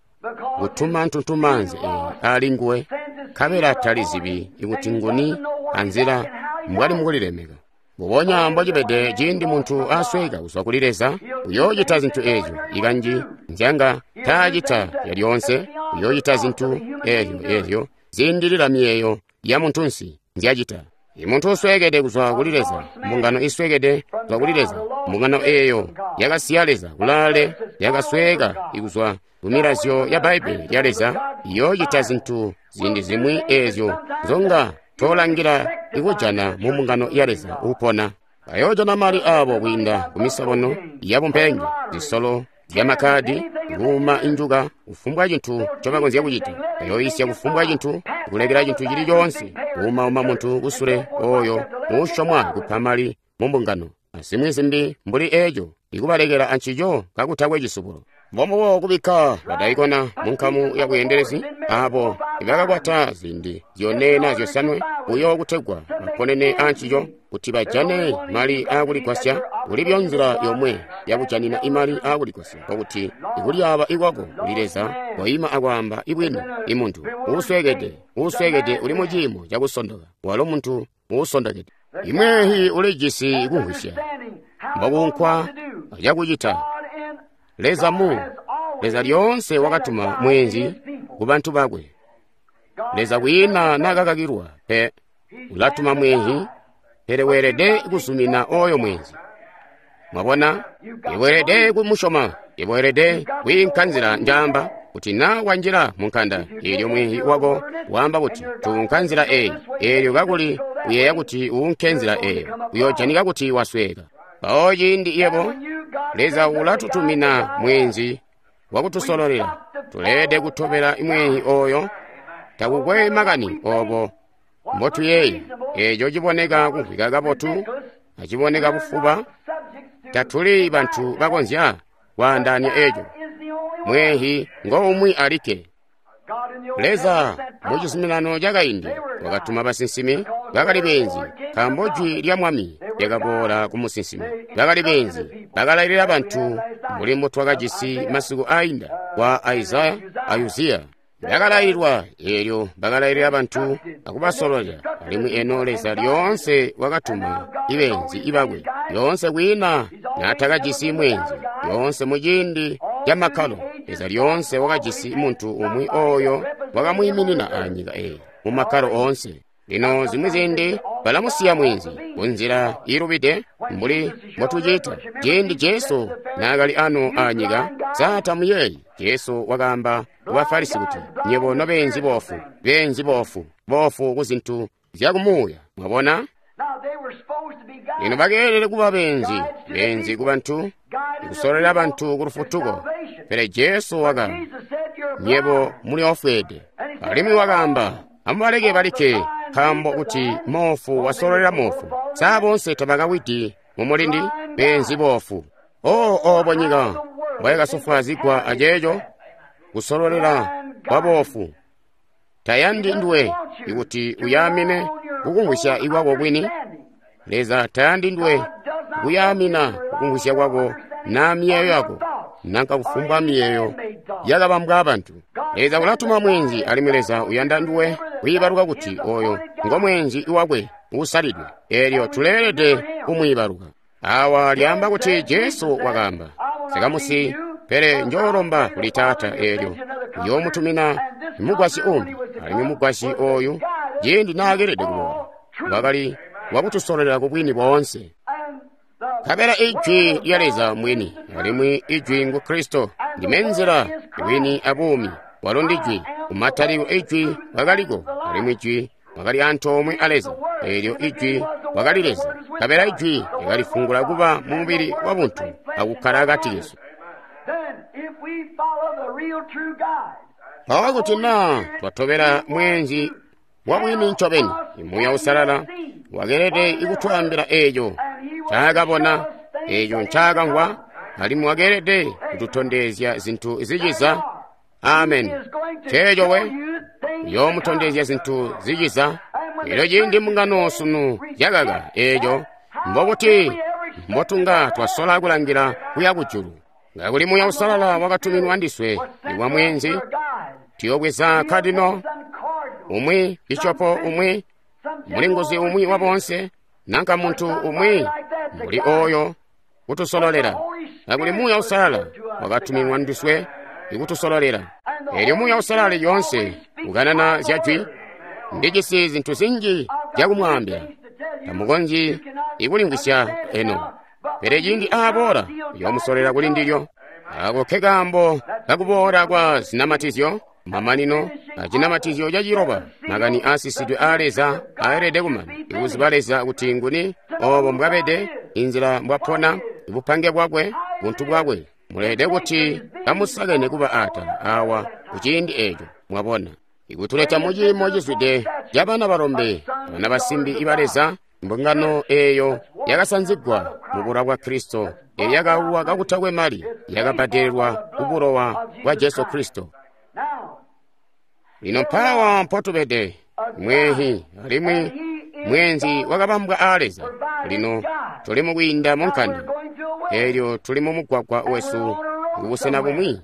kutuma ntuntumaanzi eeyi ali nguwe, nkabela talizibi ikuti nguni anzila mbwali mukulilemeka. Mbubonya mbocibede ciindi muntu asweka kuzwa kuli Leza, uyoocita zintu eezyo ikanji nzyanga taacita lyalyoonse. Uyoocita zintu eezyo ziindilila miyeeyo ya muntunsi nzyacita. I muntu usweekede kuzwa kuli Leza, mbungano isweekede kuzwa kuli Leza, mbungano eyo yakasiya Leza kulaale, yakasweeka ikuzwa ku milazyo ya Bbaibbele lya Leza, iyoocita zintu ziindi zimwi eezyo nzonga tolangila ikujana mu mbungano ya Leza uupona. Bayoojana mali abo kwiinda ku misobono yabumpenge, zisolo zyamakadi, kuuma injuka, kufumbwa cintu ncobakonzya kucita. Bayoisya kufumbwa cintu, kulekela cintu cili coonse, kuumauma muntu kusule oyo uusyomwa kupa mali mu mbungano, azimwi zimbi mbuli eeco, ikubalekela ancico kakutakwe cisubulo. Mbombubo kubikka badaikona mu nkamu ya bweendelezi abo ibakakwata ziindi zyone na zyosanwe buyo kutegwa baponene ancico kuti bajane mali aakuligwasya. Kulibyo nzila yomwe yakujanina imali aakuligwasya, nkokuti ikulyaaba ikwako kuli Leza, koima akwaamba ibwini. Imuntu uusweekede, uusweekede uli mu ciimo cakusondoka, walo muntu uusondokede. Imweehi ulijisi kumvwisya mbokunkwa acakucita. Leza mu Leza lyoonse wakatuma mweenzi ku bantu bakwe. Leza kwiina nakakakilwa pe, ulatuma mweenzi, pele weelede kuzumina oyo mweenzi. Mwabona, iweelede kumusyoma, iweelede kwiinka nzila njaamba kuti na wanjila mu nkanda, eelyo mweenzi wako waamba kuti tuunka nzila eyi, eelyo kakuli uyeeya kuti uunke nzila eyo, uyoojanika kuti wasweeka. Mpawo ciindi yebo Leza ulatutumina mweenzi wakutusololela, tuleelede kutobela mweenzi oyo. Takukwe makani obo mbotuyeeya, eeco ciboneka kumvwika kabotu aciboneka bufuba, tatuli bantu bakonzya kwaandaanya eeco. Mweenzi ngo umwi alikke. Leza mu cizuminano cakaindi wakatuma basinsimi bakali beenzi, nkaambo jwi lya Mwami lyakaboola ku musinsimi. Bakali beenzi, bakalailila bantu mbuli mbotwakajisi masiku ainda kwa Isaya a Uziya. Bakalaililwa, eelyo bakalailila bantu akubasololela. Alimwi eno Leza lyoonse wakatuma ibeenzi ibakwe, lyoonse kwiina naatakajisi mweenzi, lyoonse muciindi camakkalo Leza lyoonse wakajisi muntu umwi oyo wakamwiiminina anyika eyi mu makkalo oonse. Lino zimwi ziindi balamusiya mweenzi kunzila iilubide mbuli mbotucita. Ciindi Jesu naakali ano anyika, sa tamuyeeyi? Jesu wakaamba ku Bafarisi kuti, nyebo nobeenzi boofu, beenzi boofu, boofu ku zintu zyakumuuya. Mwabona? Lino bakeelede kuba beenzi, beenzi ku bantu, kusololela bantu ku lufutuko. Pele Jesu wakaamba, nyebo muli ofweede. Alimwi wakaamba, amubaleke balikke, nkaambo kuti moofu wasololela moofu, sa boonse tabakawidi mu mulindi? Beenzi boofu. O obo nyika mbwayakasofwaazigwa aceeco kusololela kwa boofu. Tayandi nduwe ikuti uyaamine kukumvwisya ikwako kwini. Leza tayandi nduwe kuyaamina kukumvwisya kwako na miyeeyo yako, nanka kufumbwa miyeeyo yakabambwa abantu. Leza ulatuma mweenzi, alimwi Leza uyanda nduwe kwiibaluka kuti oyo ngo mweenzi wakwe uusalidwe, eelyo tuleelede kumwiibaluka. Awa lyaamba kuti Jesu wakaamba, sikamusi, pele njoolomba kuli Taata, eelyo uyoomutumina mugwasyi umbi. Alimwi mugwasyi oyu ciindi naakelede kuboola, wakali wakutusololela ku bwini boonse. Nkabela ijwi lya Leza mwini, alimwi ijwi ngu Kristo. Ndime nzila, bwini abuumi. Walo ndijwi. Kumatalikilo ijwi wakaliko, alimwi ijwi wakali antoomwe a Leza. Eelyo ijwi wakali Leza. Nkabela ijwi lyakalifungula kuba mu mubili wa buntu akukkala akati kesu. Mpawo kuti naa twatobela mweenzi wa bwini ncobeni, Muuya Uusalala wakeelede ikutwaambila eeco ncaakabona, eeco ncaakamvwa, alimwi wakeelede kututondezya zintu ziciza. Amen. Nceeco we, uyoomutondezya zintu ziciza. Elyo ciindi mbungano sunu yakaka eeco, mbokuti mbotunga twasola kulangila kuya kujulu. Ngakuli Muuya Uusalala wakatuminwa ndiswe iwa mweenzi, tuyobweza kadino umwi, bishopo umwi, mulinguzi umwi wa bonse, nanka muntu umwi mbuli oyo kutusololela. Kakuli Muuya Uusalala wakatuminwa ndiswe ikutusololela. Eelyo Muuya Uusalala lyoonse ukanana zya jwi. Ndijisi zintu zinji zyakumwaambila, Tamukonzyi ikulimvwisya eno. Pele ciindi aaboola, uyoomusolela kuli ndilyo. Ako ke kaambo kakuboola kwa zinamatizyo, mamanino a cinamatizyo caciloba, makani aasisidwe aa Leza aelede kumana. Ikuziba Leza kuti nguni, obo mbwabede, inzila mbwapona, bupange bwakwe, buntu bwakwe. Muleelede kuti kamusakene kuba atala awa kuciindi eeco, mwabona. Ikutuleta muciimo cizwide ca bana balombe abana basimbi iba Leza, mbungano eeyo yakasanzigwa mu bulowa bwa Kristo, eyo yakaulwa kakutakwe mali, yakabbadelelwa ku bulowa bwa Jesu Kristo. Lino mpaawa mpotubede, mwehi alimwi mweenzi wakabambwa aa Leza. Lino tuli mukwiinda mu nkanda, eelyo tuli mu mugwagwa wesu kubusena bumwi,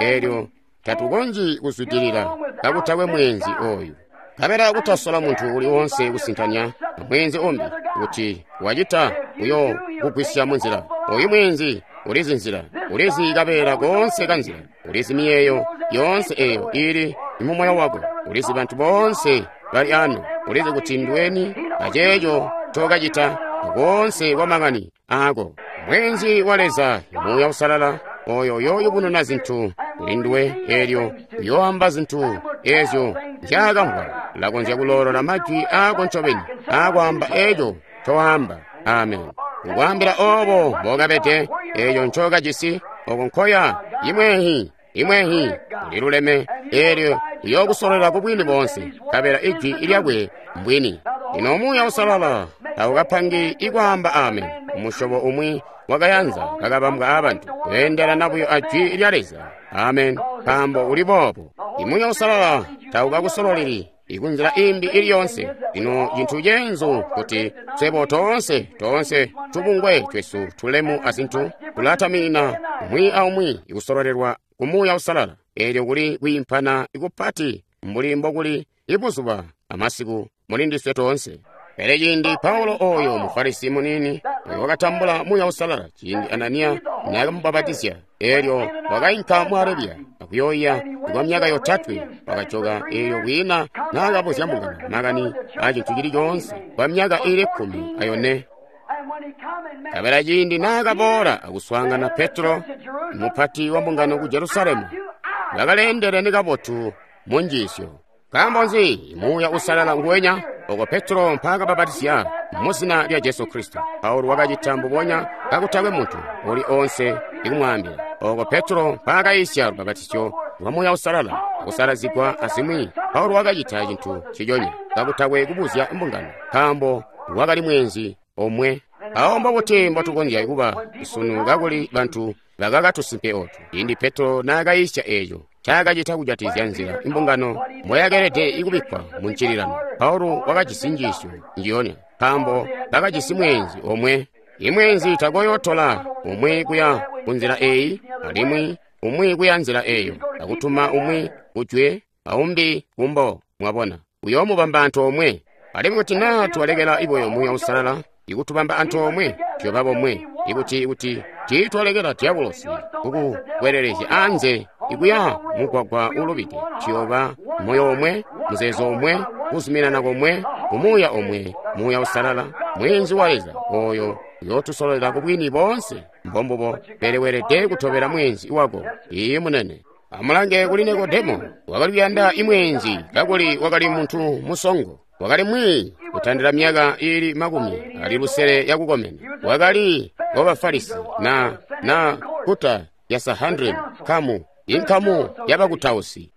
eelyo tatukonzyi kuzwidilila kakutakwe mweenzi oyu. Nkabela kutasola muntu uli woonse kusintanya mweenzi umbi, kuti wacita uyo kugwisya munzila. Oyu mweenzi ulizi nzila, ulizi kabeela koonse kanzila, ulizi miyeeyo yoonse eyo ili mu moyo wako, ulizi bantu boonse bali ano, ulizi kuti nduweni aceeco ncokacita koonse kwa makani aako. Mweenzi wa Leza, Muuya Uusalala, oyo uyooyubununa zintu kuli nduwe, eelyo uyooamba zintu eezyo nzyaakamvwa. Ulakonzya kuloolola majwi aako ncobeni aakwaamba eeco ncowaamba. Amen. Kukwaambila oobo mbokabede, eeco ncokajisi, oko nkoya, imwehi, imwehi, uliluleme, eelyo uyookusololela ku bwini boonse, nkabela ijwi lyakwe mbwini. Lino Muuya Uusalala taukapangi ikwaamba amen, umusyobo umwi wakayanza kakabambwa aabantu, weendelana buyo a jwi lya Leza. Amen. Nkaambo uli boobo. Imuuya Uusalala taukakusololeli ikunzila imbi ili yoonse. Lino cintu ceenzu kuti swebo toonse toonse tubungwe twesu tulemu azintu tulatamina umwi aumwi ikusololelwa ku Muuya Uusalala. Eelyo kuli kwiimpana kupati mbuli mbokuli ibuzuba amasiku muli ndiswe toonse. Pele ciindi Paulo oyo Mufarisi muniini oyo wakatambula Muuya Uusalala ciindi Ananiya naakamubapatizya, eelyo wakainka mu Arabiya akuyooiya kwa myaka yotatwe, wakajoka eelyo kwiina naakabuzya mbungano makani aa cintu cili coonse kwa myaka iili 14. Nkabela ciindi naakaboola akuswaangana Petro, mupati wa mbungano ku Jerusalemu, bakaleendelene kabotu mu njiisyo. Nkaambo nzi? Muuya Uusalala nguwenya oko Petro mpaakabapatizya mu zina lya Jesu Kristo. Paulo wakacita mbubonya kakutakwe muntu uli oonse ikumwaambila. Oko Petro mpaakayisya lubapatizyo lwa Muuya Uusalala akusalazigwa azimwi, Paulo wakacita cintu nciconya kakutakwe kubuzya mbungano, nkaambo wakali mweenzi omwe. Awo mbobuti mbotukonzya kuba sunu kakuli bantu bakakatusimpe otu? Ciindi Petro naakayisya eeco ncaakacita kujatizya nzila imbungano mboyakeelede ikubikkwa mu ncililano, Paulo wakajisi njiisyo njiyonya, nkaambo bakajisi mweenzi omwe. Imweenzi takoyootola umwi kuya kunzila eyi alimwi umwi kuya nzila eyo, akutuma umwi kujwe aumbi kumbo. Mwabona, uyoomubamba antoomwe. Alimwi kuti naa twalekela ibuyo Muuya Uusalala ikutubamba antoomwe, tuyoba bomwe. Ikuti kuti tiitwalekela diabolosi kukukwelelezya anze ikuya mugwagwa ulubide, tuyoba moyo omwe, muzeezo omwe, kuzuminana komwe, kumuuya omwe, Muuya Uusalala, mweenzi wa Leza oyo uyootusololela ku bwini boonse. Mbombubo, pele weelede kutobela mweenzi wako. Iiyi munene. Amulange kuli Nikodemo, wakali kuyanda imweenzi kakuli wakali muntu musongo. Wakali mwiiyi kutandila myaka iili 60 yakukomena. Wakali wa Bafarisi na kuta ya Sanhedrin, nkamu inkamu yabakutausi.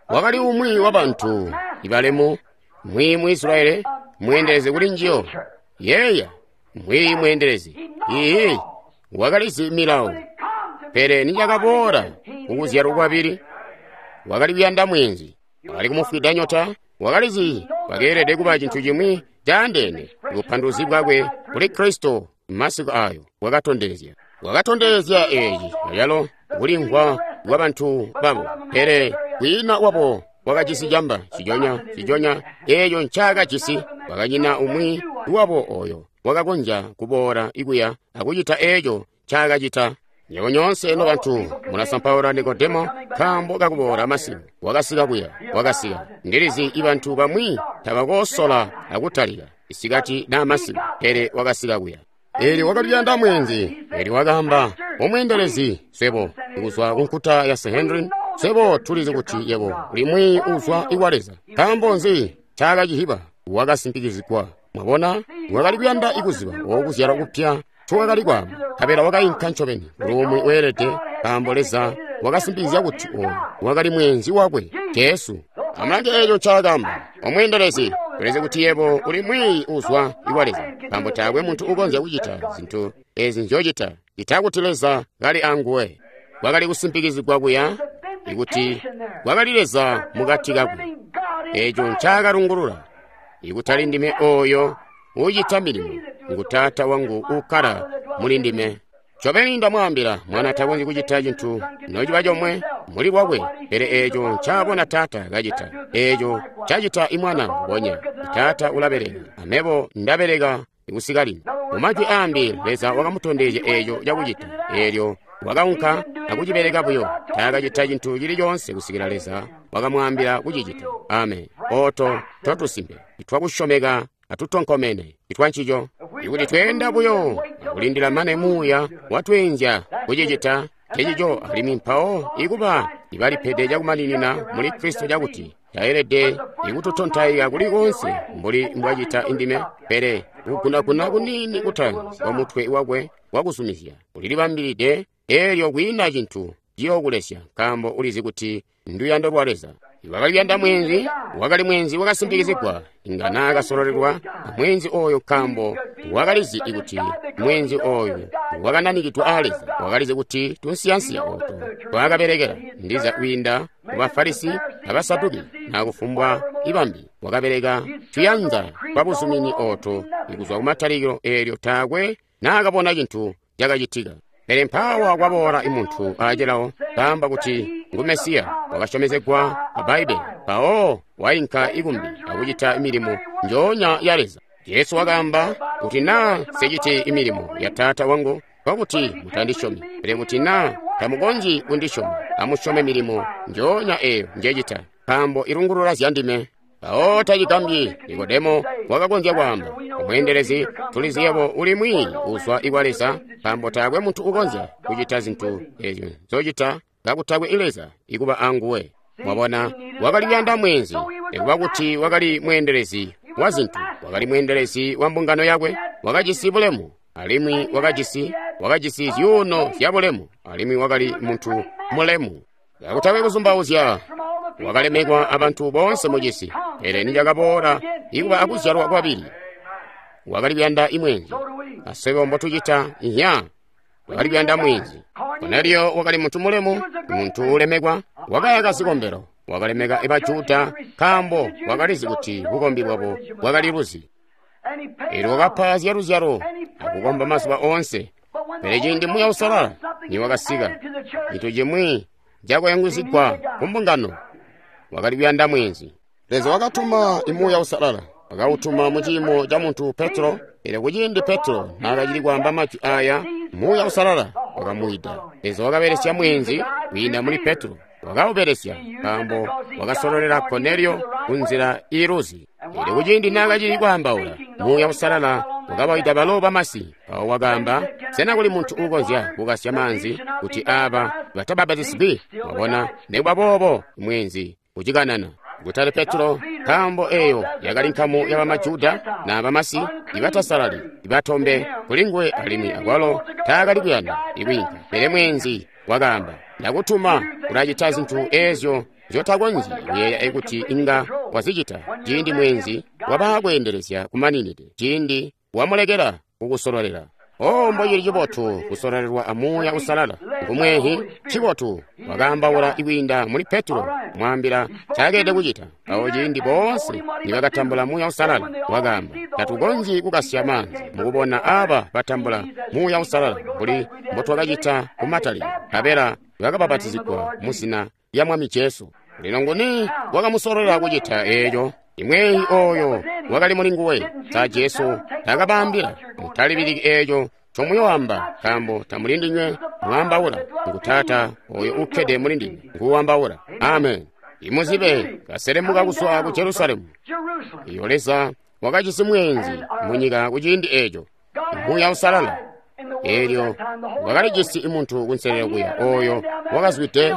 Wakali umwi wa bantu ibalemu, mwiiyi mu Israeli, mweendelezi kuli njiyo. Yeeya, mwiiyi mweendelezi. Iiyi, wakalizi milawo. Pele nicakaboola kukuzyalwa kwabili, wakali kuyanda mweenzi. Wakali kumufwida nyota, wakalizi wakeelede kuba cintu cimwi caandeene. Bupanduluzi bwakwe kuli Kristo masiku ayo bwakatondezya. Wakatondezya eeci ayalo kulimvwa kwa bantu babo, pele kwiina wabo wakajisi camba cijonya cijonya eeco ncaakajisi. Wakanyina umwi wabo oyo wakakonzya kuboola ikuya akucita eeco ncaakacita. Nywebo nyoonse nobantu mulasampaula Nikodemo nkaambo kakuboola masiku. Wakasika kuya, wakasika. Ndilizi ibantu bamwi tabakoosola akutalika isikati naa masiku, pele wakasika kuya. Eelyo wakali kuyanda mweenzi. Eelyo wakaamba, omweendelezi, swebo kuzwa kunkuta ya Sanhedrin, swebo tulizi kuti yebo uli mwiiyi uzwa kwa Leza. Nkaambo nzi ncaakacihiba? Wakasimpikizigwa. Mwabona, wakali kuyanda ikuziba wokuzyalwa kupya ncowakali kwaamba, nkabela wakainka ncobeni kuli weelede, nkaambo Leza wakasimpikizya kuti ooyu wakali mweenzi wakwe Jesu. Amulange eeco ncaakaamba, omweendelezi, tulizi kuti yebo uli mwiiyi uzwa kwa Leza, nkaambo taakwe muntu ukonzya kucita zintu ezi nzyocita ccita kuti Leza kali anguwe. Kwakali kusimpikizigwa kuya ikuti kwakali Leza mukati kakwe. Eeco ncaakalungulula, ikutali ndime ooyo uucita milimo, ngu Taata wangu uukkala muli ndime. Ncobeni ndamwaambila, Mwana takonzyi kucita cintu nociba comwe muli lwakwe, pele eeco ncaabona Taata kacita, eeco ncacita Imwana mbubonya. Taata ulabeleka, amebo ndabeleka kusika lino. Mumajwi aambi, Leza wakamutondezya eeco cakucita, eelyo wakaunka akucibeleka buyo. Taakacita cintu cili coonse kusikila Leza wakamwaambila kucicita. Amen. Ooto ntotusimpe itwakusyomeka atutonkomene itwancico. Ikuti tweenda buyo akulindila mane Muuya watweenzya kucicita ncecico, alimwi mpawo ikuba ibalipede cakumaninina muli Kristo cakuti taelede ikututontaika kuli koonse mbuli mbwacita indime, pele kugunaguna kuniini kutaanzi kwa mutwe wakwe wakuzumizya ulilibambilide, eelyo kwiina cintu ciyookulesya, nkaambo ulizi kuti nduyando lwa Leza. Wakali kuyanda mweenzi, wakali mweenzi wakasimpikizigwa, inga naakasololelwa amweenzi ooyo nkaambo wakalizi kuti mweenzi ooyu wakananikidwe aa Leza. Wakalizi kuti tunsiyansiya ooto twaakabelekela ndiza kwiinda ku Bafarisi abasaduki naa kufumbwa ibambi. Wakabeleka tuyanza twabuzumini ooto kuzwa kumatalikilo, eelyo taakwe naakabona cintu cakacitika. Pele mpaawa kwaboola imuntu aacelawo kaamba kuti ngu Mesiya wakasyomezegwa a Bbaibbele, mpawo wainka ikumbi akucita milimo njoonya ya Leza. Jesu wakaamba kuti naa nseciti imilimo ya Taata wangu, nkokuti mutandisyomi, pele kuti naa tamukonzyi kundisyoma, amusyome milimo njoonya eeyo njecita, nkaambo ilungulula zyandime. Mpawo tacigambyi Nikodemo wakakonzya kwaamba, omweendelezi, tulizi yebo uli mwiiyi uzwa kwa Leza, nkaambo taakwe muntu ukonzya kucita zintu eezyo nzocita kakutakwe Leza ikuba anguwe. Mwabona, wakali kuyanda mweenzi, nikuba kuti wakali mweendelezi wa zintu, wakali mweendelezi wa mbungano yakwe, wakajisi bulemu, alimwi wakajisi zyuuno zya bulemu, alimwi wakali muntu mulemu. Kakutakwe kuzumbauzya, wakalemekwa abantu boonse mucisi, pele nicakaboola ikuba akuzyalwa kwabili, wakali kuyanda imweenzi. Aswebo mbotucita inya, wakali kuyanda mweenzi. Korneliyo wakali muntu mulemu, muntu ulemekwa, wakayaka zikombelo, wakalemeka ibajuda nkaambo wakalizi kuti bukombi bwabo bwakali luzi. Eelyo wakapa zyaluzyalo akukomba mazuba oonse. Pele ciindi Muuya Uusalala niwakasika, cintu cimwi cakuyungizigwa kumbungano, wakali kuyanda mweenzi. Leza wakatuma Muuya Uusalala, wakawutuma muciimo ca muntu Petro. Pele kuciindi Petro naakacili kwaamba majwi aaya, Muuya Uusalala wakamuwida. Leza wakabelesya mweenzi kwiinda muli Petro, wakawubelesya nkaambo wakasololela Korneliyo kunzila iiluzi. Eelyo kuciindi naakacili kwaambaula, Muuya Uusalala wakabawida balo bamasi. Mpawo wakaamba, sena kuli muntu uukonzya kukasya maanzi kuti aaba batabapatizigwi? Mwabona, nikuba boobo mweenzi ucikanana. Kutali Petro, nkaambo eeyo yakali nkamu ya bamajuda na bamasi ibatasalali ibatombe kulinguwe, alimwi akwalo taakali kuyanda ikwiinka. Pele mweenzi wakaamba, ndakutuma ulacita zintu eezyo nzyotakonzyi kuyeeya kuti inga wazicita. Ciindi mweenzi wabakweendelezya kumaninide, ciindi wamulekela kukusololela. O mbocili cibotu kusololelwa a Muuya Uusalala. Ngumweehi ncibotu wakaambaula ikwiinda muli Petro, mwaambila ncaakelede kucita. Mpawo ciindi boonse nibakatambula Muuya Uusalala, wakaamba, tatukonzyi kukasya maanzi mukubona aaba batambula Muuya Uusalala mbuli mbotwakacita kumatalikilo. Nkabela bakabapatizigwa muzina lya Mwami Jesu. Lino nguni wakamusololela kucita eeco? Imweeyi ooyo wakali muli nguwe. Sa Jesu taakabaambila, mutalibiliki eeco ncomuyoamba, nkaambo tamuli ndinywe mwaambaula, ngu Taata oyo ukkede muli ndinywe nguwambaula. Amen. Imuzibe kaselemuka kuzwa ku Jerusalemu. Iyo Leza wakajisi mweenzi munyika kuciindi eco, Muuya Uusalala. Eelyo wakalijisi muntu kunselelo kuya oyo wakazwide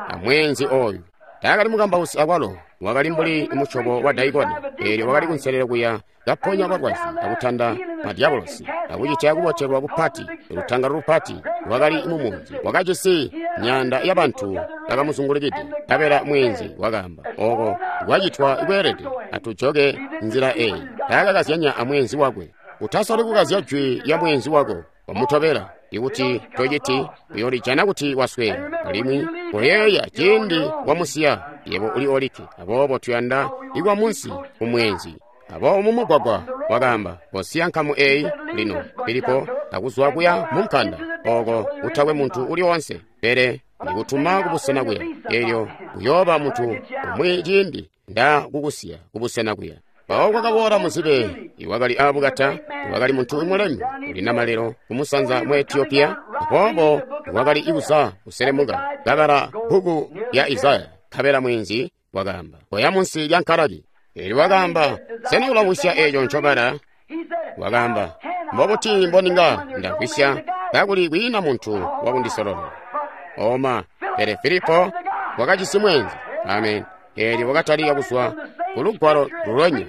amweenzi oyu. Taakali mukambausi akwalo, wakali mbuli musyobo wa daikona. Eelyo wakali kunselelo kuya kaponya balwazi akutanda madiabolosi akucitya kubotelwa kupati, lutangalo lupati lwakali mumunzi. Wakajisi myaanda yabantu bakamuzungulikide. Nkabela mweenzi wakaamba, oko kwacitwa kweelede, atujoke nzila eyi. Taakakazyanya amweenzi wakwe. Utasoli kukazya jwi lya mweenzi wako, wamutobela. Ikuti tociti, uyolijana kuti wasweeka. Alimwi koyeeya ciindi wamusiya, yebo uli olikke. Aboobo tuyanda ikwa munsi kumweenzi. Aboobo mumugwagwa wakaamba, kosiya nkamu eyi lino, Filipo, akuzwa kuya munkanda, oko kutakwe muntu uli onse, pele ndikutuma kubusena kuya. Elyo uyooba muntu umwi ciindi ndakukusiya kubusena kuya. Mpawo kwakaboola muzibe iwakali aabukata, iwakali muntu mulemu uli namalelo kumusanza mu Etiopiya. Aboobo wakali ikuza kuselemuka kabala bbuku lya Isaya. Nkabela mweenzi wakaamba, koya munsi lya nkalaki. Eelyo wakaamba, sena ulamvwisya eeco ncobala? Wakaamba, mbobuti mboninga ndamvwisya kakuli kwiina muntu wakundisololela? Oma, pele Filipo wakajisi mweenzi. Amen. Eelyo wakatalika kuzwa ku lugwalo lulonya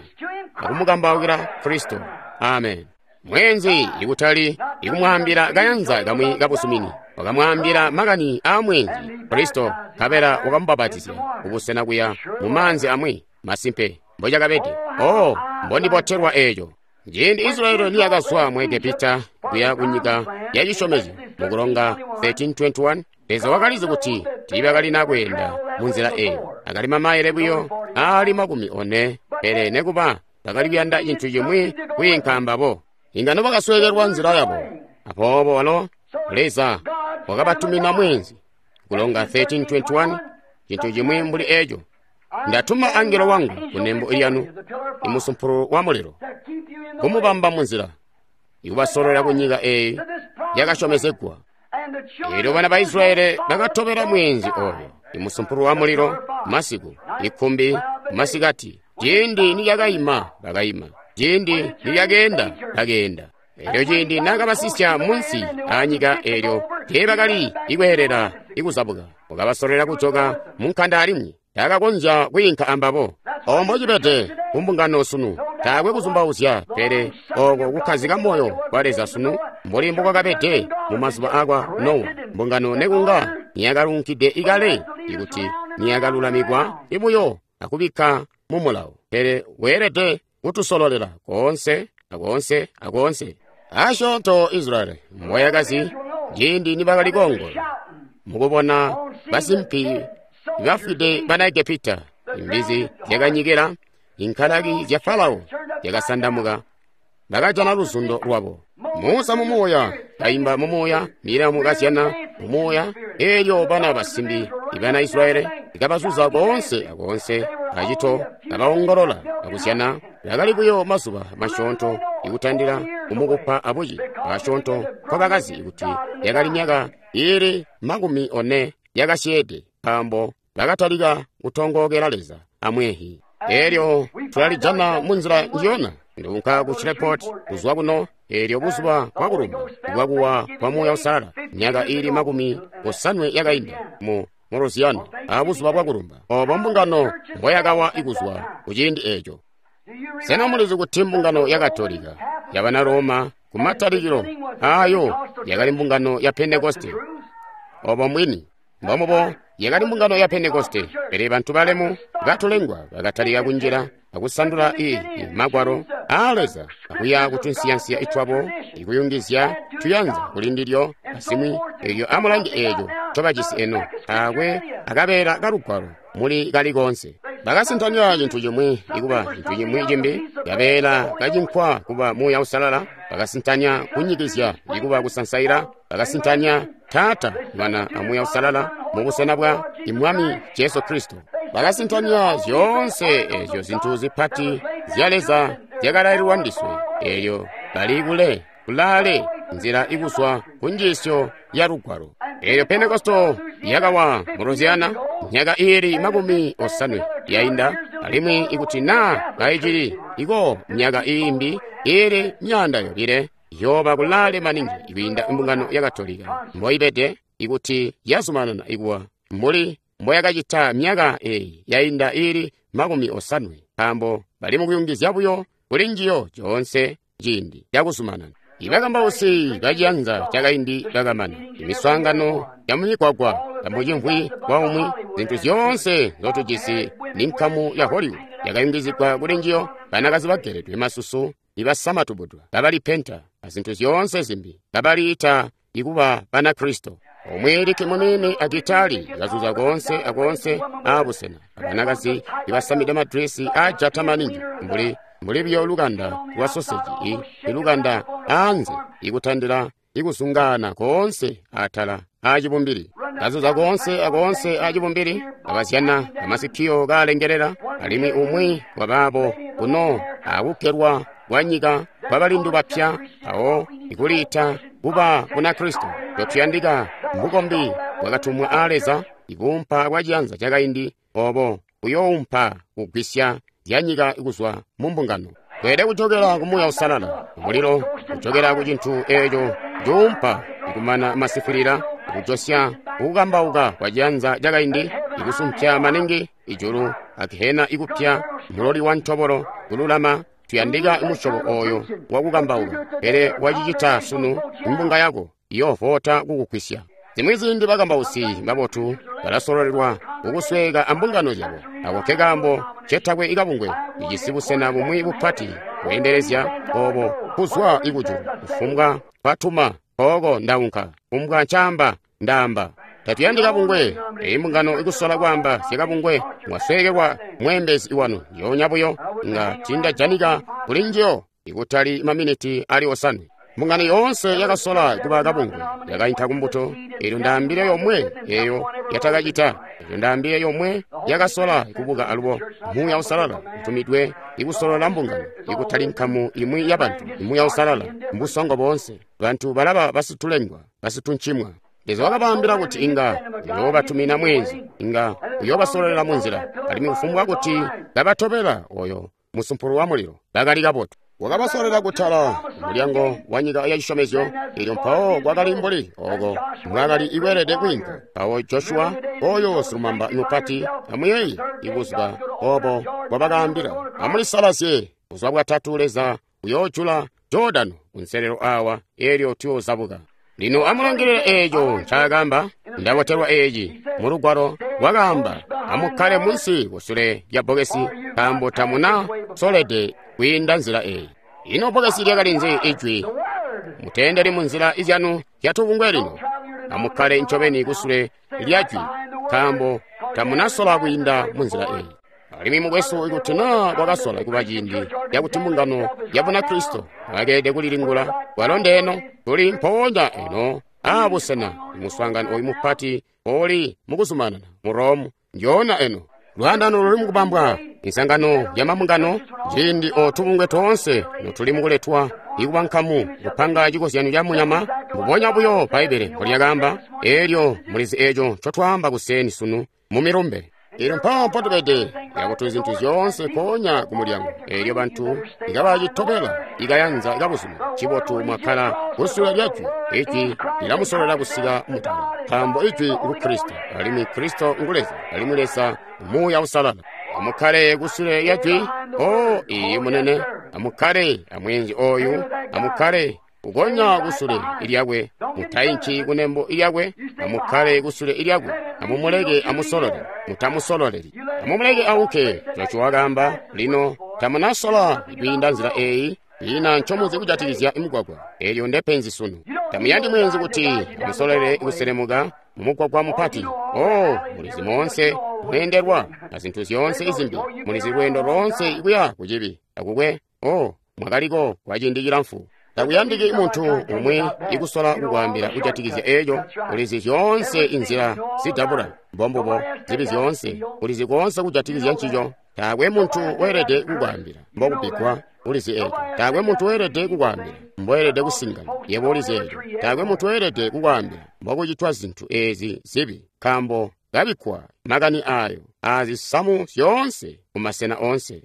akumukambaukila Kristo. Amen. Mweenzi ikutali ikumwaambila kayanza kamwi kabusumini, wakamwaambila makani aa mweenzi Kristo, nkabela wakamubapatizya kubusena kuya mu maanzi amwi. Masimpe mbocakabede. Oh, mbondibotelwa eeco. Ciindi Israeli niyakazwa mu Egepita kuya kunyika ya cisyomezyo mukulonga 13:21, Leza wakalizi kuti tiibakalina kweenda munzila eeyo. Akali mamaile buyo aali 40, pele nekuba bakali kuyanda cintu cimwi kwiinka ambabo. Inga nobakasweekelwa nzila yabo. Aboobo walo Leza wakabatumina mweenzi. Kulonga 13:21, cintu cimwi mbuli eeco. Ndatuma angelo wangu kunembo lyanu, imusumpulu wa mulilo, kumubamba munzila, ikubasololela kunyika eyi yakasyomezegwa. Eelyo bana ba Israeli bakatobela mweenzi oyo, imusumpulu wa mulilo masiku, ikumbi masikati. Ciindi nilyakayima bakayima, ciindi nilyakeenda bakeenda. Eelyo ciindi naakabasisya munsi aanyika eelyo teebakali ikweelela ikuzabuka, wakabasolela kujoka munkanda alimwi taakakonzya kwiinka ambabo. Obo mbocibede kumbungano sunu, taakwe kuzumbauzya, pele oko kukkazika moyo kwa Leza sunu mbuli mbokwakabede mu mazuba akwa Nowa. Mbungano nekunga niyakalunkide ikale, ikuti niyakalulamikwa ibuyo akubikka mu mulawo, pele weelede kutusololela koonse akoonse akoonse. Asyoonto Israeli mboyakazi ciindi nibakali koongola mukubona basimpi bafwide bana Egepita, imbizi zyakanyikila, inkalaki zya Farao zyakasandamuka, bakajana luzundo lwabo. Musa mumuuya kaimba mumuuya, Miriamu kazyana mumuuya. Eelyo bana basimbi ibana Israeli ikabazuza koonse akoonse acito, kabaongolola akuzyana. Bakali buyo mazuba masyoonto ikutandila kumukupa abuci, asyoonto nkobakazi kuti yakali myaka iili 40 yakasyeede, nkaambo bakatalika kutongookela Leza amwehi. Eelyo tulalijana munzila njiyona. Ndiunka ku Shreveport kuzwa kuno, eelyo buzuba bwakulumba bwakuwa kwa Muuya Uusalala, myaka iili 80 yakainda mu Louisiana, abuzuba bwakulumba obo mbungano mboyakawa ikuzwa kuciindi eeco. Sena mulizi kuti mbungano ya Katolika yabana Roma kumatalikilo aayo yakali mbungano ya Pentekoste? Obo mbwini. Mbomubo yakali mbungano ya Pentekoste, pele bantu balemu batulengwa bakatalika kunjila akusandula magwalo aa Leza akuya kutunsiyansiya itwabo, ikuyungizya tuyanza kuli ndilyo asimwi. Elyo amulange eeco ncobajisi eno, taakwe akabeela kalugwalo muli kali koonse. Bakasintanya cintu cimwi ikuba cintu cimwi cimbi, kabeela kacinkwa kuba Muuya Uusalala, bakasintanya kunyikizya ikuba kusansaila, bakasintanya Taata, Mwana a Muuya Uusalala mubusena bwa Mwami Jesu Kristo. Bakasintanya zyoonse ezyo zintu zipati zya Leza zyakalaililwa ndiswe. Eelyo bali kule kulaale nzila ikuzwa ku njiisyo ya Lugwalo. Elyo Pentekoste yakawa mu Louisiana myaka iili 50 yainda, alimwi ikuti naa kaicili iko myaka iimbi iili 200 yooba kulaale maningi kwiinda mbungano ya Katolika mboibede ikuti yazumanana ikuwa mbuli mboyakacita myaka eyi yainda iili 50, nkaambo bali mukuyungizya buyo kuli njiyo coonse ciindi cakuzumanana. Ibakambausi baciyanza cakaindi bakamana, imiswaangano yamumigwagwa yamucimvwi kwaumwi, zintu zyoonse nzotujisi ni nkamu ya Hollywood yakayungizigwa kuli njiyo, banakazi bageledwe masusu ibasamatubudwa babalipenta azintu zyoonse zimbi babaliita ikuba Banakristo. Omwe liki munini agitali kazuza koonse akoonse aabusena, abanakazi ibasamide madresi aajata maningi mbuli biyo lukanda lwa soseji ilukanda aanze ikutandila ikuzungaana koonse atala aacibumbili, kazuza koonse akoonse aacibumbili, abazyana amasikiyo kaalengelela, alimwi umwi wabaabo kuno akukkelwa kwa nyika kwa balindu bapya awo ikuliita kuba Bunakristo. Totuyandika mbukombi bwakatumwa aa Leza, ikuumpa kwa ciyanza cakaindi obo buyoumpa kugwisya zyanyika kuzwa mu mbungano. Tweelede kujokela ku Muuya Uusalala, mulilo, kujokela ku cintu eeco cuumpa ikumana masifwilila, ikujosya kukambauka kwa ciyanza cakaindi, ikusumpya maningi ijulu akihena ikupya muloli wa ntobolo kululama. Tuyandika musyobo oyo wakukambauka, pele wacicita sunu imbunga yako iyoovota kukugwisya. Zimwi ziindi bakambausi babotu balasololelwa kukusweeka ambungano zyabo. Ako nke kaambo cetakwe ikabungwe ijisi busena bumwi bupati bweendelezya obo kuzwa ikujulu. Kufumbwa kwatuma kooko ndaunka, kufumbwa ncaamba ndaamba. Tatuyandi kabungwe. Eyi mbungano ikusola kwaamba zyakabungwe, mwasweekelwa mweembezi wanu yoonya buyo nga tiindajanika kuli njiyo ikutali maminiti ali 5. Mbungano yoonse yakasola kuba kabungwe yakainka kumbuto. Elyo ndaambile yomwe eyo yatakacita. Elyo ndaambile yomwe yakasola kubuka alubo. Muuya Uusalala utumidwe ikusolola mbungano, ikutali nkamu imwi ya bantu. Muuya Uusalala mbusongo boonse. Bantu balaba basitulengwa, basituncimwa. Leza wakabaambila kuti inga uyoobatumina mweenzi, inga uyoobasololela munzila, alimwi kufumbwa kuti babatobela oyo musumpulu wa mulilo bakali kabotu. Wakabasololela kutala mulyango wa nyika ya cisyomezyo, elyo mpawo kwakali mbuli oko mwakali ikweelede kwiinka. Mpawo Joshua oyo silumamba mupati amuyeeyi ibuzuba obo bwabakaambila, amulisalazye buzuba bwatatu Leza uyoojula Jordano kunselelo awa, elyo tuyoozabuka. Lino amulangilile eeco ncaakaamba. Ndabotelwa eeci mu Lugwalo. Wakaamba, amukkale munsi kusule lya bbokesi, nkaambo tamuna solede kwiinda nzila eeyi. Ino bbokesi lyakali nzi? Ijwi. Muteendeli mu nzila izyanu zyatubungwe lino. Amukkale ncobeni kusule lya jwi, nkaambo tamunasola kwiinda mu nzila eeyi. Alimwi mukwesu, ikuti naa kwakasola kuba ciindi cakuti mbungano ya Bunakristo bakeelede kulilingula, kwalo ndeeno tuli mpoonya eno aabusena muswaangano oyu mupati oli mukuzumanana mu Rome njoona eno. Lwaandano luli mukubambwa, insangano ya mambungano, ciindi otubungwe toonse notuli mukuletwa ikuba nkamu kupanga cikozyanyo ca munyama, mbubonya buyo Bbaibbele mbolyakaamba. Elyo mulizi eeco ncotwaamba kuseeni sunu mu milumbe. Elyo mpawo mpotubede yakuti zintu zyoonse koonya ku mulyango. Elyo bantu ikabacitobela ikayanza ikabuzuma cibotu mwakkala kusule lya jwi. Ijwi lilamusololela kusika mutala, nkaambo ijwi ngu Kristo, alimwi Kristo ngu Leza, alimwi Leza Muuya Uusalala. Amukkale kusule lya jwi. O iyi munene, amukkale amweenzi oyu, amukkale kukonya kusule ilyakwe, mutainki kunembo ilyakwe. Amukkale kusule ilyakwe, amumuleke amusolole, mutamusololeli. Amumuleke aunke. Joshua wakaamba, lino tamunasola kwiinda nzila eeyi, ina ncomuzi kujatikizya mugwagwa. Elyo ndepenzi sunu. Tamuyandi mweenzi kuti amusololele kuselemuka mumugwagwa mupati. O mulizi moonse mweendelwa na zintu zyoonse izimbi, mulizi lweendo loonse ikuya kucibi akukwe. O mwakaliko kwa ciindi cilamfu. Takuyandiki muntu umwi ikusola kukwaambila kujatikizya eeco. Ulizi zyoonse inzila zidabula mbombubo zibi zyoonse, ulizi koonse kujatikizya ncico. Taakwe muntu weelede kukwaambila mbokubikkwa, ulizi eco. Taakwe muntu weelede kukwaambila mboelede kusingana, yebo ulizi eco. Taakwe muntu weelede kukwaambila mbokucitwa zintu ezi zibi, nkaambo kabikkwa makani ayo azisamu zyoonse kumasena oonse.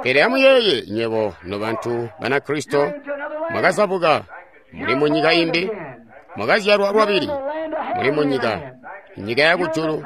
Pele amuyeeye, nywebo nobantu Banakristo, mwakazabuka, muli mu nyika imbi, mwakazyalwa lwabili, muli mu nyika, nyika ya kujulu,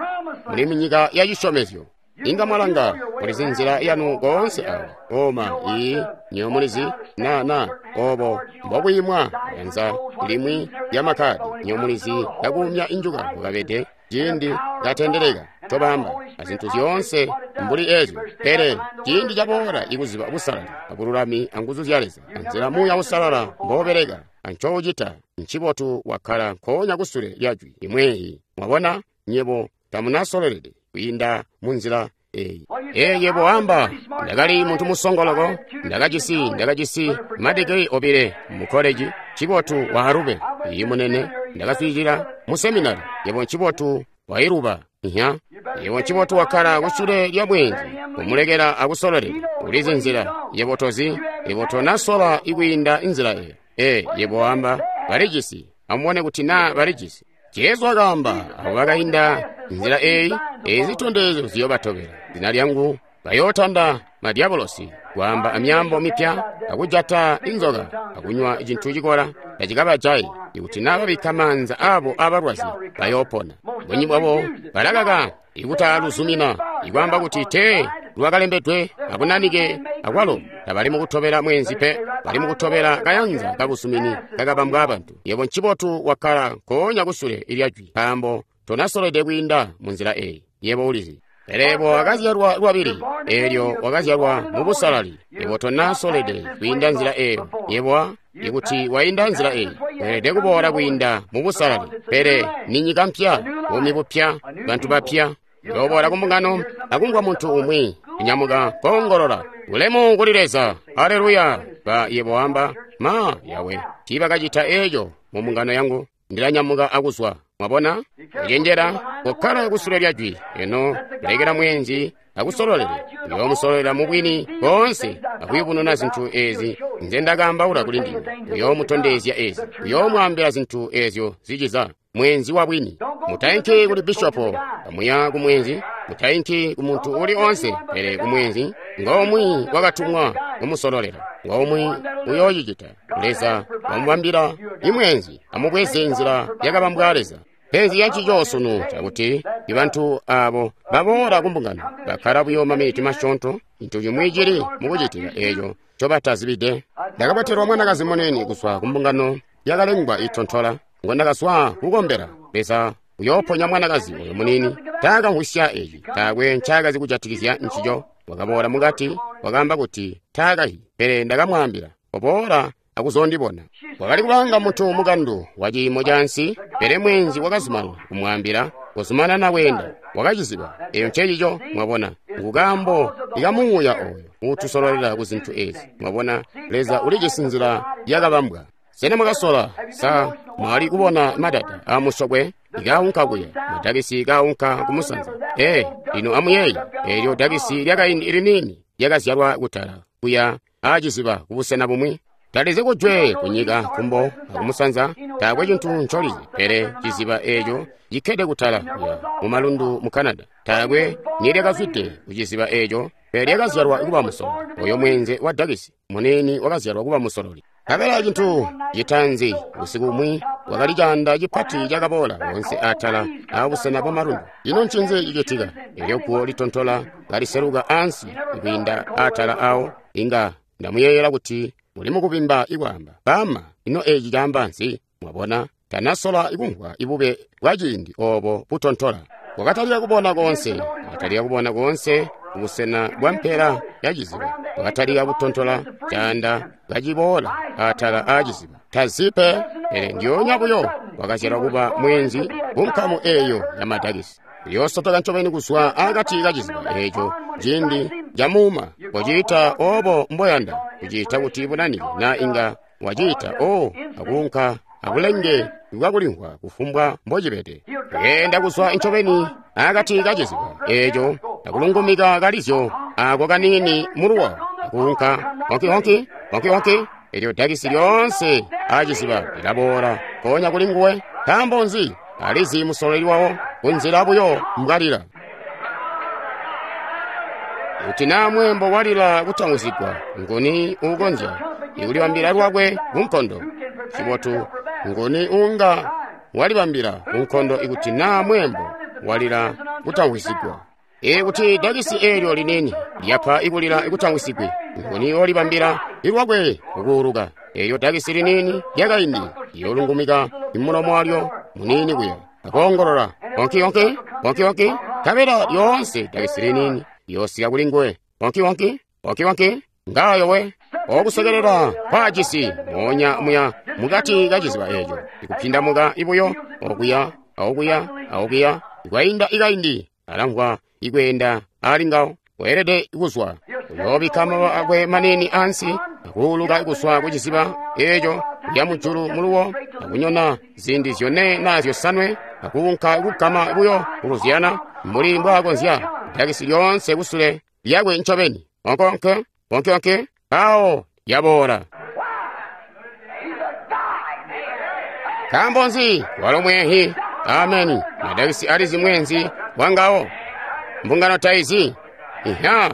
muli mu nyika ya cisyomezyo. Inga mwalanga, mulizi nzila yanu koonse awa. Oma, ii, nywebo mulizi, na, obo mbokwiimwa yanza limwi lya makkadi. Nywebo mulizi kakuumya injuka bukabede, ciindi katendeleka, tobamba, azintu zyoonse mbuli ezyo. Pele ciindi caboola ikuziba busalali abululami anguzu zya Leza, anzila Muuya Uusalala mboubeleka, ancoucita, ncibotu wakkala nkoonya kusule lya Jwi imweyi. Mwabona, nywebo tamunasololede kwiinda mu nzila eyi. Yebo wamba, ndakali muntu musongoloko, ndakajisi madigiri 2 mu koleji, ncibotu wa Harube, iyi munene, ndakaswiilila mu seminari, yebo ncibotu wailuba, nya, yebo ncibotu wakkala kusule lya bwenzi, kumulekela akusololele, ulizi nzila, yebo tozi, yebo tonasola ikwiinda nzila eyo. Yebo wamba, balijisi, amubone kuti naa balijisi. Jesu wakaamba, abo bakainda nzila eyi, ezi zitondezyo ziyobatobela. Zina lyangu bayootanda madiabolosi, kwaamba amyaambo mipya, akujata inzoka, akunywa cintu cikola, tacikabajayi. Ikuti naa babikka maanza abo abalwazi, bayoopona. Bunji bwabo balakaka ikutaluzumina, ikwaamba kuti tee lwakalembedwe abunanike akwalo tabali mukutobela mwenzi pe, bali mukutobela kayanza kabuzumini kakabambwa abantu. Yebo ncibotu wakkala nkoonya kusule lya Jwi, nkaambo tonasolede kwiinda mu nzila eyi. Yebo ulizi. Pele yebo wakazyalwa lwabili, eelyo wakazyalwa mu busalali. Yebo tonasolede kwiinda nzila eyo. Yebo ikuti wainda nzila eyi, weelede kuboola kwiinda mu busalali. Pele ni nyika mpya, buumi bupya, bantu bapya. Yooboola kumbungano akumvwa muntu umwi kunyamuka koongolola, ulemu kuli Leza, aleluya. Ba yebo wamba, ma yawe, tiibakacita eeco mu mbungano yangu, ndilanyamuka akuzwa. Mwabona? Kucenjera, kukkala kusule lya Jwi, eno kulekela mwenzi akusololele, uyoomusololera mu bwini boonse akuyubununa zintu ezi nze ndakaambaula kuli ndinywe. Uyoomutondezya ezi, uyoomwaambila zintu ezyo ziciza. Mwenzi wa bwini. Mutainki kuli bishopo, kamuya ku mwenzi, mutainki ku muntu uli onse, pele ku mwenzi ngomwi wakatumwa kumusololera, ngomwi uyoocicita. Leza wamubambila imwenzi, amubweze nzila yakabambwa Leza. Penzi yancico sunu cakuti ibantu abo baboola kumbungano bakkala buyo maminiti masyoonto, cintu cimwi cili mukucitika eeco ncobatazibide. Ndakabotelwa mwanakazi munene kuzwa kumbungano yakalengwa itontola, ngondakazwa kukombela. Leza uyooponya mwanakazi oyo munini. Taakamvwisya eci, taakwe ncaakazi kujatikizya ncico. Wakaboola mukati, wakaamba kuti taakayi, pele ndakamwaambila, oboola akuzondibona. Wakali kubanga muntu mukandu wa ciimo cansi, pele mwenzi wakazumana kumwaambila, kuzumanana weenda. Wakaciziba eyo ncecico, mwabona, ngukaambo ikamuuya oyo uutusololela ku zintu ezi. Mwabona, Leza ulijisi nzila yakabambwa. Sena mwakasola, sa mwali kubona madada amusokwe ikaunka kuya, madakisi kaunka kumusanza? Lino amuyeeye, eelyo dakisi lyakaindi liniini lyakazyalwa kutala kuya aciziba kubusena bumwi. Talizi kujwe kunyika kumbo akumusanza, taakwe cintu ncolizi, pele ciziba eeco cikkede kutala kuya mumalundu mu Canada. Taakwe nilyakazwide kuciziba eeco, pele lyakazyalwa kuba musololi. Oyo mwenze wa dakisi munini wakazyalwa kuba musololi. Kabela cintu citanzi usiku umwi wakali caanda cipati cakaboola wonse atala abusena bwa malundu. Ino ncinzi cicitika? Elyo guwo litontola kaliseluka ansi kwiinda atala awo. Inga ndamuyeeyela kuti muli mukubimba ikwaamba, bama, ino eci caamba nzi? Mwabona, tanasola ikumvwa ibube bwa ciindi obo butontola. Wakatalika kubona koonse, wakatalika kubona koonse kubusena bwa mpela ya ciziba. Wakatalika kutontola caanda kaciboola atala aaciziba. Tazipe, pele ndyoonya buyo wakazyalwa kuba mwenzi kunkamu eyo ya madakisi. Uyoosotoka ncobeni kuzwa akati kaciziba eeco ciindi camuuma. Kociita obo mboyanda kuciita kuti bunanike, na inga waciita akuunka abulenge bwakulimvwa kufumbwa mbocibede. Kuyenda kuzwa ncobeni akati kaciziba eeco akulungumika kalizyo ako kaniini muluwa akuunka honki-honki honki-honki. Elyo dakisi lyoonse aciziba lilaboola mpoonya kuli nguwe. Nkaambo nzi? Alizi musololi wawo kunzila buyo mbwalila. Kuti naa mweembo walila kutamwisigwa, nguni uukonzya ikulibambila lwakwe kunkondo? Cibotu, nguni uunga walibambila kunkondo ikuti naa mweembo walila kutamwisigwa? Ikuti dakisi eelyo liniini lyapa ikulila kutamwisigwe, nguni olibambila ilwakwe kukuuluka? Eelyo dakisi liniini lyakaindi liyoolungumika imulomo walyo muniini kuya akoongolola honki-honki honki-honki, nkabela lyoonse dakisi liniini liyoosika kuli nguwe. Honki-honki honki-honki, ngaayo we okusekelela kwajisi moonya muya mukati kaciziba eeco, ikupindamuka ibuyo okuya aokuya aokuya. Ikwainda ikaindi alamvwa ikweenda ali ngawo. Weelede kuzwa, uyoobikka mababa akwe maniini ansi akuuluka kuzwa kuciziba eeco kuya mujulu muluwo akunyona ziindi zyone naa zyosanwe akuunka kugama buyo kuluzyana mbuli mbwaakonzya dakisi lyoonse kusule lyakwe ncobeni. Onke onke onke mpawo lyaboola. Nkaambo nzi? Walo mweehi. Ameni. Madakisi alizi mweenzi wangawo. Mbungano taizi. Iha,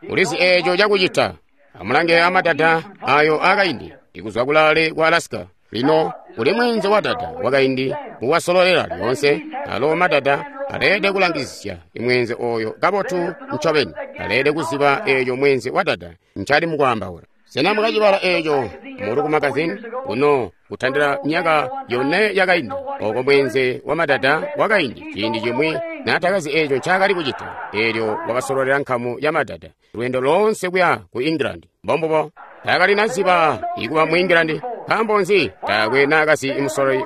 ulizi eeco cakucita. Amulange amadada ayo akaindi ikuzwa kulaale kwa Alaska. Lino uli mweenze wa dada wakaindi uwasololela lyoonse. Alo madada aleede kulangisisya imweenze oyo kabotu ncobeni. Aleede kuziba eeco mweenze wa dada ncali mukwaambaula. Sena mwakacibala eeco mulu ku magazini uno kutandila myaka yone yakaindi, oko mweenze wa madada wakaindi ciindi cimwi naatakazi eeco ncaakali kucita, eelyo wakasololela nkamu ya madada lweendo loonse kuya ku England. Mbombubo, taakali naziba ikuba mu England. Nkaambo nzi? Taakwe naakazi imusololi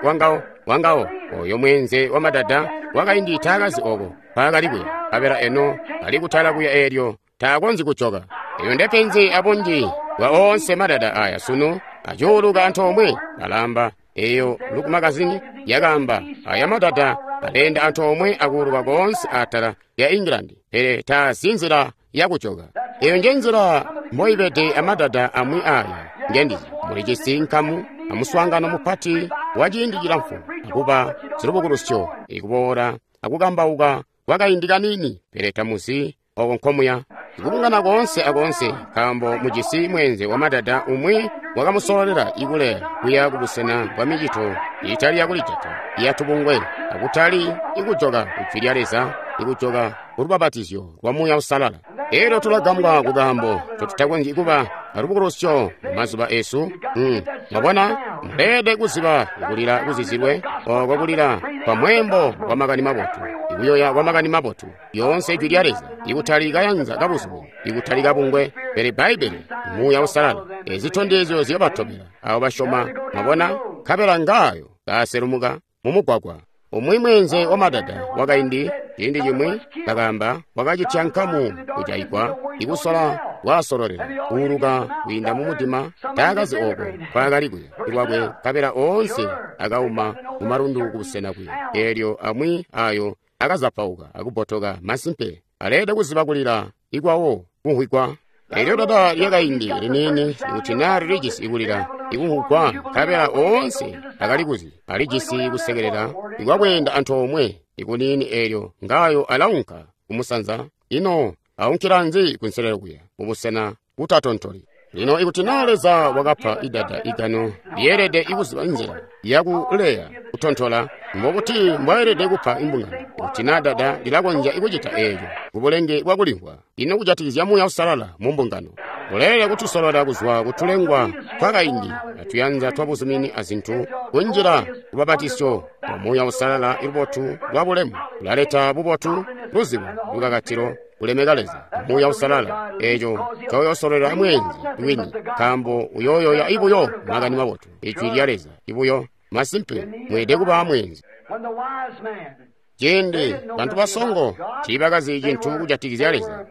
wangawo oyo mweenze wa madada wakaindi taakazi oko mpaakali kuya, nkabela eno ali kutala kuya eelyo taakonzyi kujoka. Eyo ndepenzi abunji bwa oonse madada aya sunu acuuluka antoomwe alamba. Eyo Look magazini yakaamba aya madada aleenda antoomwe akuuluka koonse atala lya England, pele taazi nzila yakujoka. Eyo nje nzila mboibede amadada amwi aya ngendizi. Mulijisi nkamu amuswaangano mupati wa ciindi cilamfu akuba zilubukulusyo ikuboola akukambauka kwakaindi kaniini, pele tamuzi oko nkomuya. Ikubungana koonse akoonse nkaambo mujisi mweenze wa madada umwi wakamusololela ikule kuya kubusena bwa micito itali yakulijata iyatubungwe, akutali ikujoka kujwi lya Leza, ikujoka kulubapatizyo lwa Muuya Uusalala. Elyo tulagambwa kukaambo totutakonzyi kuba alubukulusyo mumazuba esu. Mwabona, muleede kuziba ikulila kuzizilwe oko kulila kwa mweembo wa makani mabotu, ikuyoya kwa makani mabotu, yoonse ijwi lya Leza, ikutali kayanza kabuzuba, ikutali kabungwe, pele Bbaibbele, Muuya Uusalala. Ezitondezyo ziyobatobela abo basyoma. Mwabona, nkabela ngaayo kaaselumuka mumugwagwa. Umwi mweenze wa madada wakaindi ciindi cimwi kakaamba wakacitya nkamu kujaigwa ikusola kwasololela kuuluka kwiinda mumudima. Taakazi oko nkwaakali kuya lwakwe, nkabela oonse akauma mumalundu kubusena kuya. Eelyo amwi ayo akazapauka akubotoka. Masimpe aleede kuziba kulila ikwawo kumvwigwa. Elyo dada lyakaindi liniini ikuti naa lilijisi ikulila ikumvwigwa, nkabela oonse akalikuzi alijisi kusekelela ikwakweenda antoomwe ikuniini. Eelyo ngayo alaunka kumusanza. Ino aunkila nzi kunselelo kuya mubusena butatontoli? Lino ikuti naa Leza wakapa idada igano lyeelede ikuziba nzila yakuleya kutontola, mbokuti mbwaelede kupa imbungano. Ikuti naa dada lilakonzya ikucita eeco kubulenge bwakulimvwa, ino kujatikizya Muuya Uusalala mu mbungano? Uleelede kutusolola kuzwa kutulengwa twakaindi atuyanza twabuzumini azintu kunjila kubabatisyo lwa Muuya Uusalala. Ilubotu lwa bulemu lulaleta bubotu, luzibo, lukakatilo, kulemeka Leza, Muuya Uusalala. Eeco ncoyoosololela mweenzi wini, nkaambo uyooyoya ibuyo makani mabotu, ijwi lya Leza ibuyo. Masimpe mweelede kuba mweenzi. Ciindi bantu basongo tiibakazi cintu kujatikizya Leza,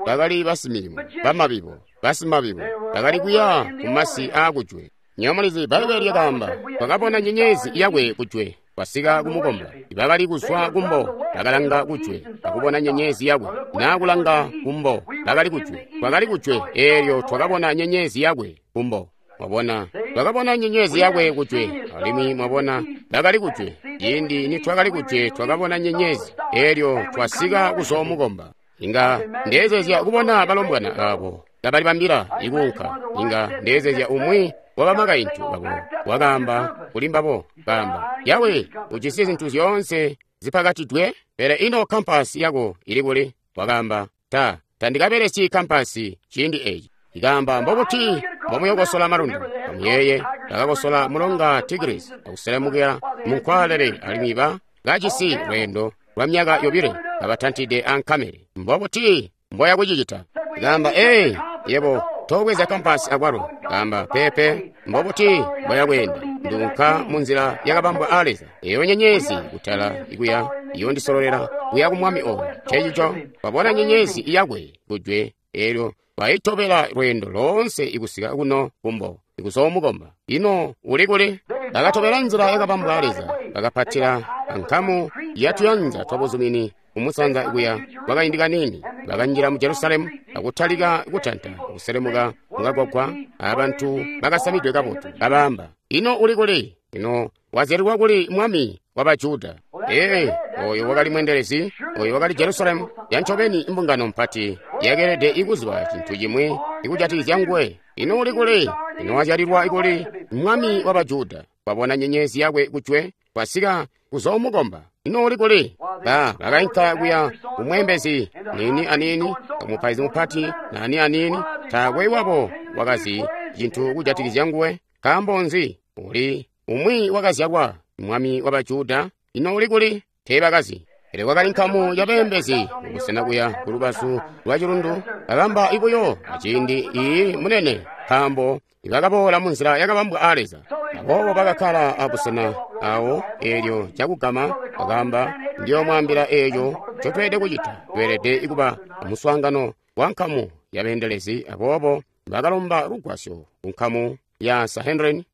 bakali basimilimo, bamabibo, basimabibo, bakali kuya kumasi aakujwe. Nywebo mulizi, Bbaibbele lyakaamba, twakabona nyenyezi yakwe kujwe, twasika kumukomba. Bakali kuzwa kumbo, bakalanga kujwe, akubona nyenyezi yakwe. Na kulanga kumbo, bakali kujwe. Twakali kujwe, eelyo twakabona nyenyezi yakwe kumbo. Mwabona, twakabona nyenyezi yakwe kujwe, alimwi mwabona, bakali kujwe. Ciindi nitwakali kujwe, twakabona nyenyezi, eelyo twasika kuzoomukomba. Inga ndeezezya kubona balombwana abo kabalibambila ikuunka. Inga ndeezezya umwi wa bamakaintu babo wakaamba kuli mbabo, kaamba, Yawe, ujisi zintu zyoonse zipakatidwe, pele ino kampasi yako ili kuli? Wakaamba, ta, tandikabelesyi kampasi ciindi eci. Ikaamba, mbobuti mbomuyokosola malundu? Amuyeeye, bakakosola mulonga Tigris akuselemukila munkwaalele, alimwi ba kajisi lweendo lwa myaka yobile kabatantide ankamele. Mbobuti mboya kucicita? Ikaamba, ee, yebo tobweza kampasi akwalo. Kaamba, pepe, mbobuti mboya kweenda? Nduunka munzila yakabambwa a Leza. Eyo nyenyezi kutala ikuya iyondisololela kuya ku mwami oyo. Ncencico twabona nyenyezi yakwe kujwe, eelyo twayitobela lweendo loonse ikusika kuno kumbo ikuzoomukomba. Ino uli kuli? Bakatobela nzila yakabambwa a Leza, bakapatila ankamu yatuyanza twabuzumini kumusanza kuya kwakaindi kaniini. Bakanjila mu Jerusalemu akutalika kutanta kuselemuka mukagwagwa, abantu bakasamidwe kabotu kabaamba, ino uli kuli? Ino wazyalilwa kuli mwami wa Bajuda? Ee, oyo wakali mwendelezi, oyo wakali Jerusalemu yancobeni. Imbungano mpati yakeelede ikuziba cintu cimwi ikujatikizya nguwe. Ino uli kuli? Ino wazyalilwa kuli mwami wa Bajuda? Twabona nyenyezi yakwe kujwe, twasika kuzoomukomba. Ino uli kuli? Ba bakainka kuya kumweembezi niini aniini, kumupaizi mupati naani aniini. Taakwe wabo wakazi cintu kujatikizya nguwe. Nkaambo nzi? Uli umwi wakazyalwa mwami wa Bajuda. Ino uli kuli? Teebakazi. Pele kwakali nkamu yabeembezi kubusena kuya kulubazu lwa cilundu, bakamba ibuyo aciindi iyi munene, nkaambo bakaboola munzila yakabambwa a Leza. Aboobo bakakkala abusena awo, eelyo cakugama bakaamba, ndiyoomwaambila eeco ncotweelede kucita. Tweelede kuba amuswaangano wa nkamu yabeendelezi. Aboobo bakalomba lugwasyo ku nkamu ya Sanhedrin,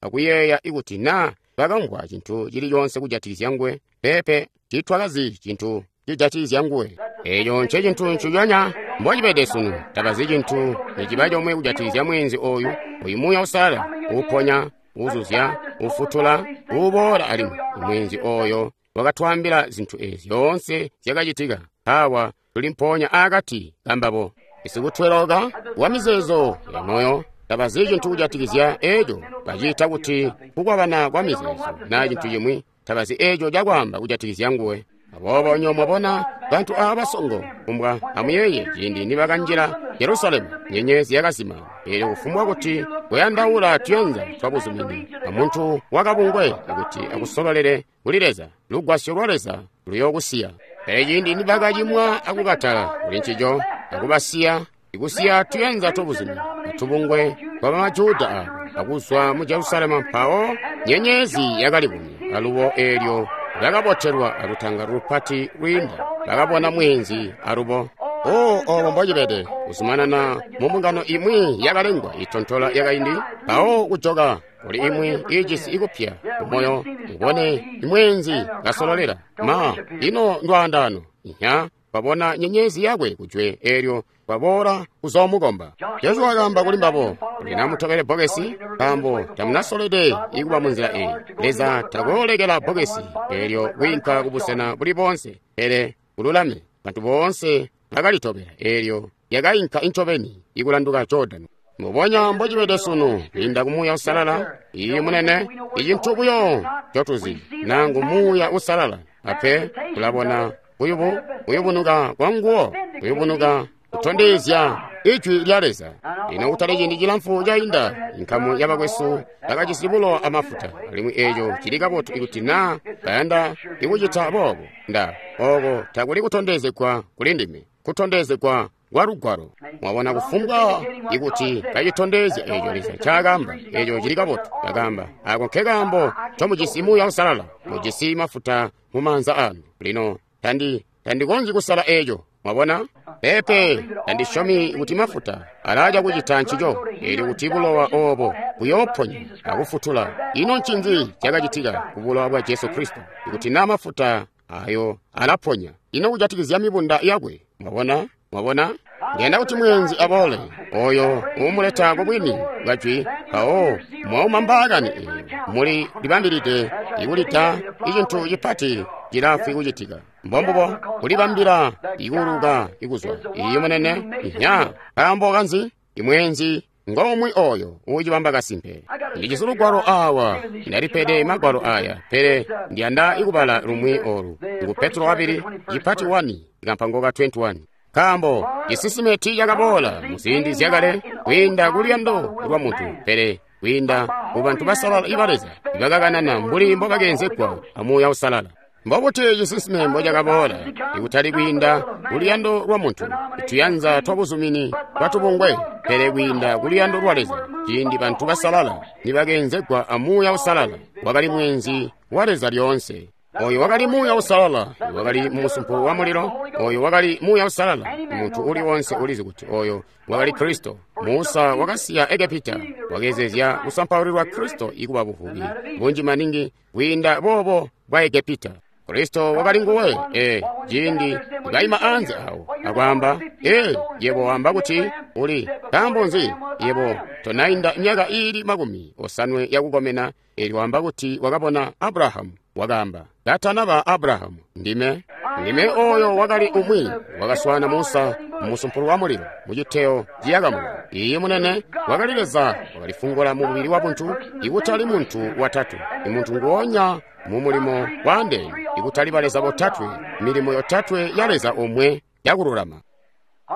akuyeeya ikuti naa bakamvwa cintu cili coonse kujatikizya nguwe. Peepe, tiitwakazi cintu cijatikizya nguwe. Eeco ncecintu nciconya mbocibede sunu. Tabazi cintu niciba comwe kujatikizya mweenzi oyu, oyu Muuya Uusalala uuponya, uuzuzya, uufutula, uuboola alimwi. Mweenzi oyo wakatwaambila zintu eezi zyoonse zyakacitika. Awa tuli mpoonya aakati kambabo. Isikutweloka wa mizeezo ya moyo tabazi cintu kujatikizya eeco. Baciita kuti kukwabana kwa mizeezo naa cintu cimwi. Tabazi eeco cakwaamba kujatikizya nguwe. Aboobo nyo mwabona bantu aaba basongo kumbwa. Amuyeeye ciindi nibakanjila Jerusalemu, nyenyezi yakazima. Eelyo kufumbwa kuti kuyandaula tuyanza twabuzumini amuntu wakabungwe kuti akusololele kuli Leza, lugwasyo lwa Leza luyookusiya. Pele ciindi nibakacimwa akukatala kuli ncico akubasiya, ikusiya tuyanza twabuzumini atubungwe twa bamajuda aabo akuzwa mu Jerusalemu, mpawo nyenyezi yakalibonya alubo. Eelyo bakabotelwa alutangalo lupati lwiinda, bakabona mweenzi alubo. O, obo mbocibede kuzumanana mu mbungano imwi yakalengwa itontola yakaindi, mpawo kujoka kuli imwi iijisi ikupya kumoyo, ubone imweenzi kasololela. Ma, ino ndwaandano! Inya, twabona nyenyezi yakwe kujwe, eelyo twaboola kuzoomukomba. Jesu wakaamba kuli mbabo, lino amutobele bbokesi, nkaambo tamunasolede ikuba munzila eyi. Leza takoolekela bbokesi eelyo kwiinka kubusena buli boonse, pele kululame. Bantu boonse bakalitobela, eelyo lyakainka incobeni ikulanduka Jordani. Mbubonya mbocibede sunu, kwiinda ku Muuya Uusalala, iyi munene, icintu buyo ncotuzi nangu Muuya Uusalala, ape tulabona kuyubunuka kwa nguwo, kuyubunuka kutondezya Ijwi lya Leza. Lino kutali ciindi cilamfu cainda, inkamu yabakwesu bakajisi bulowa amafuta, alimwi eeco cili kabotu ikuti naa bayanda ikucita boobo. Nda oko takuli kutondezegwa kuli ndime, kutondezegwa kwa Lugwalo. Mwabona, kufumbwa ikuti kacitondezya eeco Leza ncaakaamba, eeco cili kabotu. Bakaamba, ako nkekaambo ncomujisi Muuya Uusalala, mujisi mafuta mu maanza anu. Lino tandikonzyi kusala eeco. Mwabona? Peepe, tandisyomi kuti mafuta alaaca kucita ncico, eelyo kuti bulowa obo buyooponya akufutula. Ino ncinzi cakacitika ku bulowa bwa Jesu Kristo? Ikuti na mafuta ayo alaponya, ino kujatikizya mibunda yakwe? Mwabona? Mwabona? Ndiyanda kuti mwenzi aboole, oyo uumuleta ku bwini bwa jwi, mpawo mwauma mbaakani eyo, muli libambilide ikulita icintu cipati cilaafwi kucitika. Mbombubo, kulibambila ikuuluka ikuzwa. Iyo munene, nya, nkaambo kanzi? Imwenzi ngomwe oyo uucibamba kasimpe. Ndijisi lugwalo awa, ndalipede magwalo aya, pele ndiyanda ikubala lumwi olu. Ngu Petro wabili, cipati 1, kampango ka 21. Nkaambo cisinsime tiicakaboola muziindi zyakale kwiinda kuluyando lwa muntu, pele kwiinda ku bantu basalala iba Leza ibakakanana mbuli mbobakeenzegwa a Muuya Uusalala. Mbobuti cisinsime mbocakaboola ikutali kwiinda kuluyando lwa muntu, tuyanza twabuzumini bwatubungwe, pele kwiinda kuluyando lwa Leza, ciindi bantu basalala nibakeenzegwa a Muuya Uusalala, wakali mwenzi wa Leza lyoonse. Oyo wakali Muuya Uusalala, wakali mu musumpu wa mulilo. Oyo wakali Muuya Uusalala. Muntu uli wonse ulizi kuti oyo wakali Kristo. Musa wakasiya Egepita, wakeezezya kusampaulilwa Kristo ikuba buvubi bunji maningi kwiinda boobo bwa Egepita. Kristo wakali nguwe, ciindi kaima anze awo akwaamba, yebo wamba kuti uli, nkaambo nzi yebo tonainda myaka iili 50 yakukomena, eelyo wamba kuti wakabona Abrahamu. Wakaamba, katanaba Abrahamu, ndime. Ndime oyo wakali umwi wakaswana Musa mu musumpu wa mulilo muciteyo ciyaka mulilo. Iye munene wakali Leza wakalifungula mu mubili wa buntu, ikutali muntu watatu, imuntu nguonya mu mulimo waandeene, ikutali baleza botatwe, milimo yotatwe ya Leza omwe yakululama.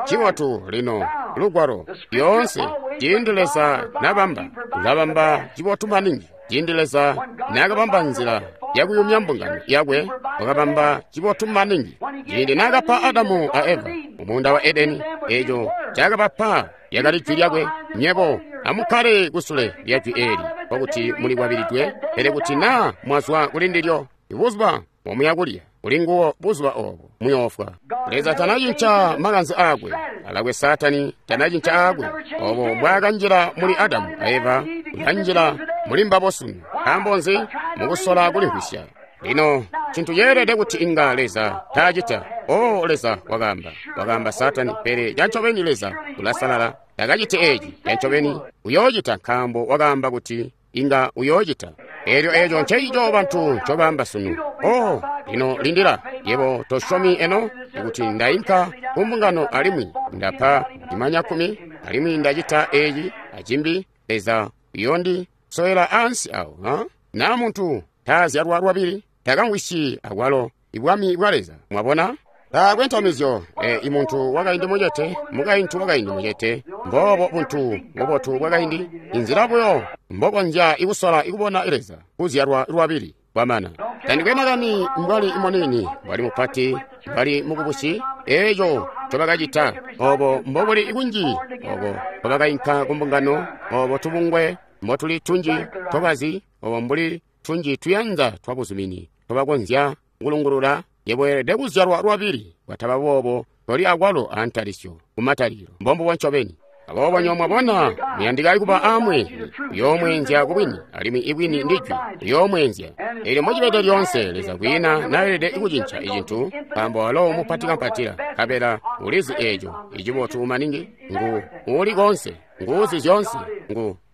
Cibotu lino lugwalo lyoonse, ciindi Leza nabamba, ulabamba cibotu maningi. Ciindi Leza nakabamba nzila yakuyumya mbungano yakwe, wakabamba cibotu maningi. Ciindi nakapa Adamu a Eva mu muunda wa Edeni, eco cakabapa lyakali jwi lyakwe. Nyebo amukkale kusule lya jwi eeli, nkokuti muli kwabilidwe, pele kuti naa mwazwa kuli ndilyo, ibuzuba mwamuya kulya kuli nguwo buzuba obo muyoofwa. Leza tanacinca makanze aakwe, alakwe Saatani tanacinca aakwe. Obo mbwaakanjila muli Adamu a Eva, ulanjila muli mbabo sunu. Nkaambo nzi? Mukusola kulimvwisya. Lino cintu ceelede kuti inga Leza taacita. O Leza wakaamba, wakaamba Saatani, pele cancobeni Leza ulasalala, takaciti eci. Cancobeni uyoocita, nkaambo wakaamba kuti inga uyoocita. Eelyo eco ncencico bantu ncobaamba sunu. O, lino lindila, yebo tosyomi eno kuti ndainka ku mbungano alimwi ndapa imanya 10, alimwi ndacita eci acimbi, Leza uyondi sowela ansi awo, ha? Na muntu taazyalwa lwabili, takamvwisyi akwalo ibwami bwa Leza. Mwabona? Taakwe ntamizyo, imuntu wakaindi mucete, mukaintu wakaindi mucete, mboobo buntu bubotu bwakaindi, inzila buyo mbokonzya ikusola ikubona Leza, kuzyalwa lwabili kwamana. Tandikwe makani mbwali munini, mbwali mupati, mbwali mukubusi, eco ncobakacita, obo mbobuli kunji, obo mbobakainka ku mbungano, obo tubungwe mbotuli tunji tobazi, obo mbuli tunji tuyanza twabuzumini tobakonzya kulungulula. Yebo weelede kuzyalwa lwabili, kwataba boobo toli akwalo antalisyo kumatalikilo. Mbombubo ncobeni. Aboobo nyo mwabona, muyandika kuba amwe, uyoomweenzya kubwini, alimwi ibwini ndi jwi, uyoomweenzya. Eelyo mocibede lyoonse, Leza kwiina naelede kucinca icintu, nkaambo walo mupati kampatila, nkabela ulizi eeco icibotu maningi, ngu uuli koonse, nguuzi zyoonse,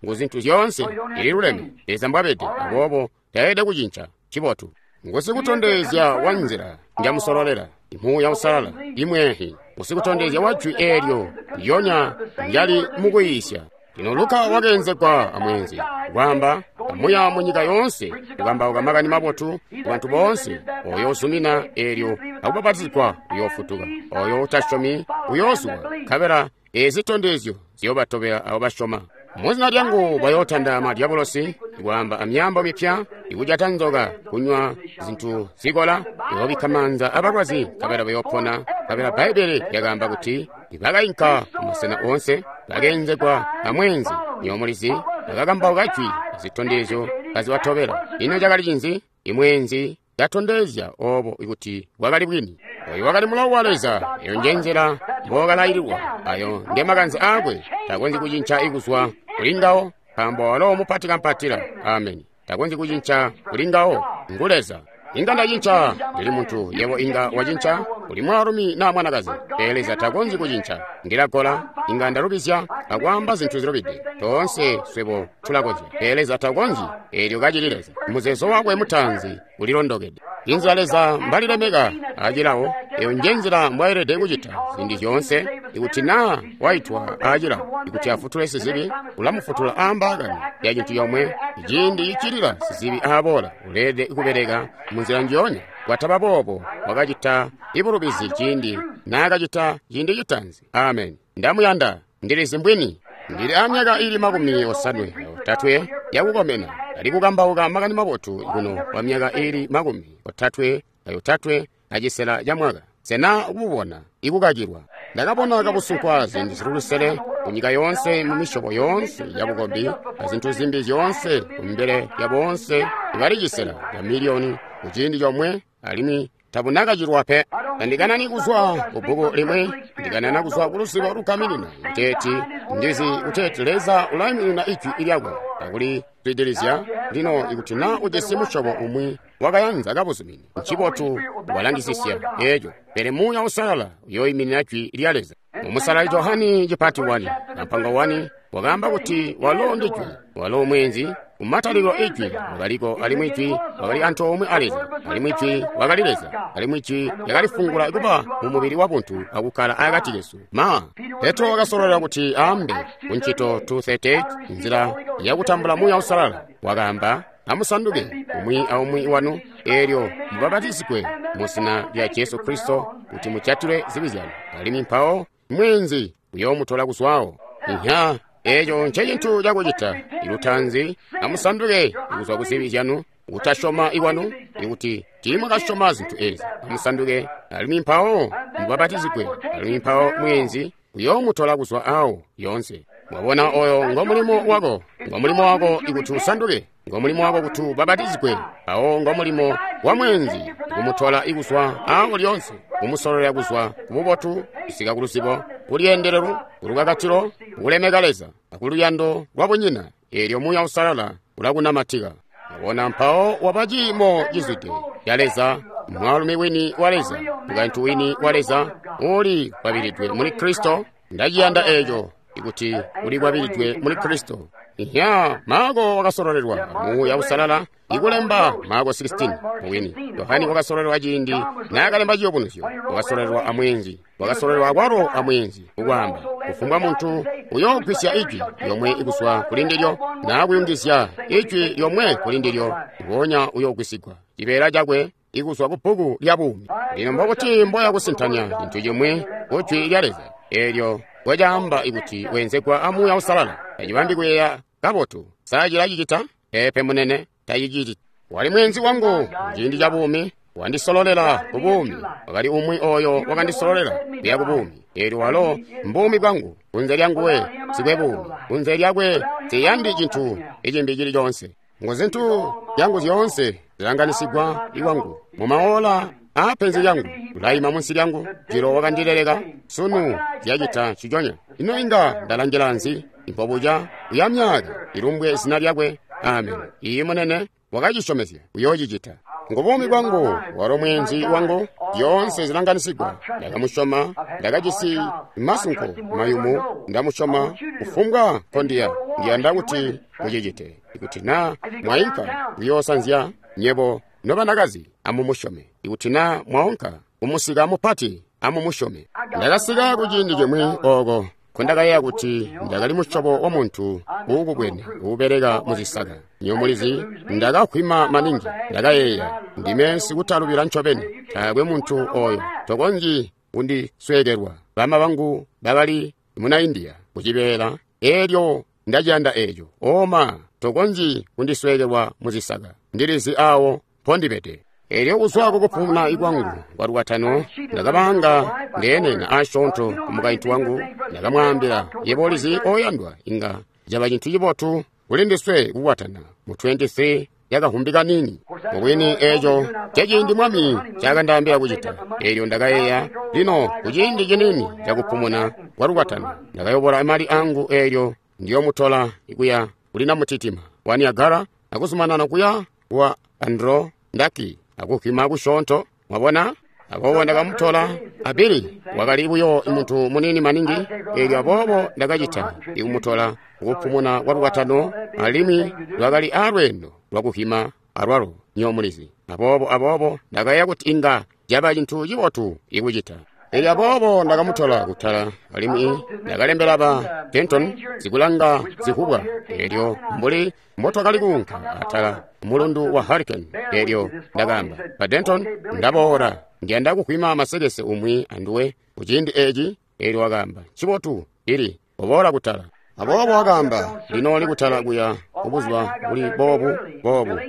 ngu zintu zyoonse, ililuleme. Leza mbwabede, aboobo taelede kucinca cibotu. Ngusikutondezya wa nzila njamusololela, Muuya Uusalala, imweehi, ngusikutondezya wa jwi eelyo lyonya njali mukuyiisya. Lino Luka wakeenzegwa amweenzi, kwaamba, amuya mu nyika yoonse, kukambauka makani mabotu ku bantu boonse. Oyo uzumina eelyo akubapatizigwa uyoofutuka, oyo utasyomi uyoozulwa, nkabela eezi zitondezyo ziyoobatobela abo basyoma. Muzina lyangu bayootanda madyabulosi, ikwaamba amyaambo mipya, ikujata nzoka, kunywa zintu zikola, iyoobikka maanza abalwazi, nkabela bayoopona. Nkabela Bbaibbele lyakaamba kuti ibakainka kumasena oonse, bakeenzegwa amweenzi, nyomulizi, bakakambauka jwi, zitondezyo kazibatobela. Ino cakali cinzi? Imweenzi katondezya obo kuti bwakali bwini. Oyo wakali mulawo wa Leza. Eyo nje nzila mbokalaililwa. Ayo nge makanze aakwe. Takonzyi kucinca ikuzwa kuli ngawo, nkaambo walo mupati kampatila. Ameni. Takonzyi kucinca kuli ngawo. Ngu Leza. Inga ndacinca, ndili muntu. Yebo inga wacinca, uli mwaalumi naa mwanakazi. Pele Leza takonzyi kucinca. Ndilagola, inga ndalubizya akwaamba zintu zilubide. Toonse swebo tulakonzya. Pele Leza takonzyi, eelyo kacili Leza. Muzeezo wakwe mutaanzi ulilondokede. Inzila Leza mbalilemeka acilawo, eyo nje nzila mbwayelede kucita ziindi zyoonse. Ikuti naa waitwa acilawo, ikuti afutule sizibi, ulamufutula aambaakani ya cintu yomwe. Ciindi cicilila sizibi aaboola, uleelede kubeleka munzila njionya. Kwataba boobo, wakacita ibulubizi ciindi naakacita ciindi citaanzi. Amen. Ndamuyanda, ndilizi mbwini. Ndili amyaka ili 53 yakukomena. Ali kukambauka makani mabotu kuno kwa myaka ili 33 acisela ca mwaka. Sena kububona ikukakilwa. Ndakabona kabusunkwa ziindi zili lusele kunyika yoonse mu misyobo yoonse ya bukombi azintu zimbi zyoonse kumbele ya boonse ibali cisela ca miliyoni ku ciindi comwe, alimwi tabunakacilwa pe. Tandikanani kuzwa ku bbuku limwi, ndikanana kuzwa ku luzibo lugaminina kuteeti ndizi kuteeti Leza ulaiminina ijwi lyakwe akuli zwidilizya. Lino ikuti naa ujisi musyobo umwi wakayanza kabuzumini, ncibotu walangisisya eeco, pele Muuya Uusalala uyooiminina jwi lya Leza. Mumusalali Johani cipati 1 kampango 1 wakaamba kuti walo ndi jwi, walo mweenzi. Kumatalikilo ijwi wakaliko, alimwi ijwi wakali antoomwe a Leza, alimwi ijwi wakali Leza, alimwi ijwi lyakalifungula kuba mu mubili wa buntu akukkala akati kesu. Ma Petro wakasololela kuti aambe ku Ncito 2:38 nzila yakutambula Muuya Uusalala. Wakaamba, amusanduke umwi aumwi wanu, eelyo mubapatizigwe mu zina lya Jesu Kristo kuti mujatile zibi zyanu, alimwi mpawo mweenzi uyoomutola kuzwawo. Inya, eeco ncecintu cakucita. Ilutaanzi, amusanduke kuzwa ku zibi zyanu, kutasyoma ikwanu, ikuti tiimwakasyoma zintu eezi. Amusanduke, alimwi mpawo mubapatizigwe, alimwi mpawo mweenzi uyoomutola kuzwa awo yoonse. Mwabona, oyo ngo mulimo wako. Ngo mulimo wako ikuti usanduke. Ngo mulimo wako kuti ubapatizigwe. Mpawo ngo mulimo wa mweenzi kumutola ikuzwa awo lyoonse, kumusololela kuzwa ku bubotu kusika ku luzibo, kulyendelelo, kulukakatilo, kulemeka Leza, akuluyando lwabunyina. Eelyo Muuya Uusalala ulakunamatika. Mwabona, mpawo waba ciimo cizwide ca Leza, mwaalumi wini wa Leza, mukaintu wini wa Leza, uli kwabilidwe muli Kristo. Ndaciyanda eeco, ikuti uli kwabilidwe muli Kristo. Inya, Marko wakasololelwa Muuya Uusalala ikulemba Marko 16 mubwini. Yohane wakasololelwa ciindi naakalemba Ciyubunuzyo, wakasololelwa amweenzi, wakasololelwa akwalo amweenzi ukwaamba, kufumbwa muntu uyoogwisya ijwi lyomwe ikuzwa kuli ndilyo naa kuyungizya ijwi lyomwe kuli ndilyo, ngoonya uyoogwisigwa cibeela cakwe ikuzwa ku bbuku lya buumi. Lino mbokuti mboya kusintanya cintu cimwi ku jwi lya Leza eelyo ngocaamba ikuti weenzegwa a Muuya Uusalala, tacibambi kuyeeya kabotu. Sa cilacicita? Peepe munene, taciciti. Wali mweenzi wangu muciindi ca buumi, wandisololela ku buumi. Wakali umwi oyo wakandisololela kuya ku buumi. Eelyo walo mbuumi bwangu. Kunze lyanguwe nsikwe buumi, kunze lyakwe nsiyandi cintu icimbi cili coonse. Ngu zintu zyangu zyoonse zilanganisigwa iwangu mumaola aapenzi lyangu, ulaima munsi lyangu. Jilo wakandileleka, sunu zyacita nciconya. Ino inga ndalangila nzi? Impobuca uya myaka ilumbwe zina lyakwe. Amen. Iyi munene wakacisyomezya uyoocicita. Ngu buumi bwangu, walo mweenzi wangu, zyoonse zilanganisigwa. Ndakamusyoma, ndakajisi masunko mayumu, ndamusyoma kufumbwa nkondiya. Ndiyanda kuti mucicite. Ikuti naa mwainka kuyoosanzya, nyebo nobanakazi amumusyome. Ikuti naa mwaunka kumusika mupati, amumusyome. Ndakasika kuciindi cimwi ooko nkondakayeeya kuti ndakali musyobo wa muntu uukubwene uubeleka muzisaka. Nywebo mulizi, ndakakhwima maningi. Ndakayeeya, ndime sikutalubila ncobeni. Taakwe muntu oyo tokonzyi kundisweekelwa. Bama bangu bakali muna India kucibeela, eelyo ndaciyanda eeco. Oma, tokonzyi kundisweekelwa muzisaka. Ndilizi awo mpondibede. Eelyo kuzwa kukupumuna kwangu kwa lukwatano, ndakabanga ndeenena asyoonto ku mukaintu wangu. Ndakamwaambila, yebo ulizi oyandwa, inga caba cintu cibotu kuli ndiswe kukwatana mu 23 yakahumbi kaniini. Mubwini eeco ceciindi Mwami ncakandaambila kucita. Eelyo ndakayeeya, lino kuciindi ciniini cakupumuna kwa lukwatano, ndakayobola mali angu eelyo ndiyomutola kuya kuli namutitima wa Niagara akuzumanana kuya wa Andro Ndaki akuhwima kusyoonto. Mwabona? Aboobo ndakamutola Abili, wakali buyo muntu muniini maningi, eelyo aboobo ndakacita ikumutola kukupumuna kwa lukwatano, alimwi lwakali aalweendo lwakuhwima alwalo nyomulizi. Aboobo ndakayeeya kuti inga caba cintu cibotu ikucita. Eelyo aboobo ndakamutola kutala, alimwi ndakalembela ba Denton zikulanga zivubwa. Eelyo mbuli mbotwakali kuunka atala mulundu wa Hurricane, eelyo ndakaamba, ba Denton, ndaboola ndiyanda kuhwima masekese umwi anduwe kuciindi eeci. Eelyo wakaamba, ncibotu, ili oboola kutala. Aboobo wakaamba, lino likutala kuya kubuzuba buli boobu boobu.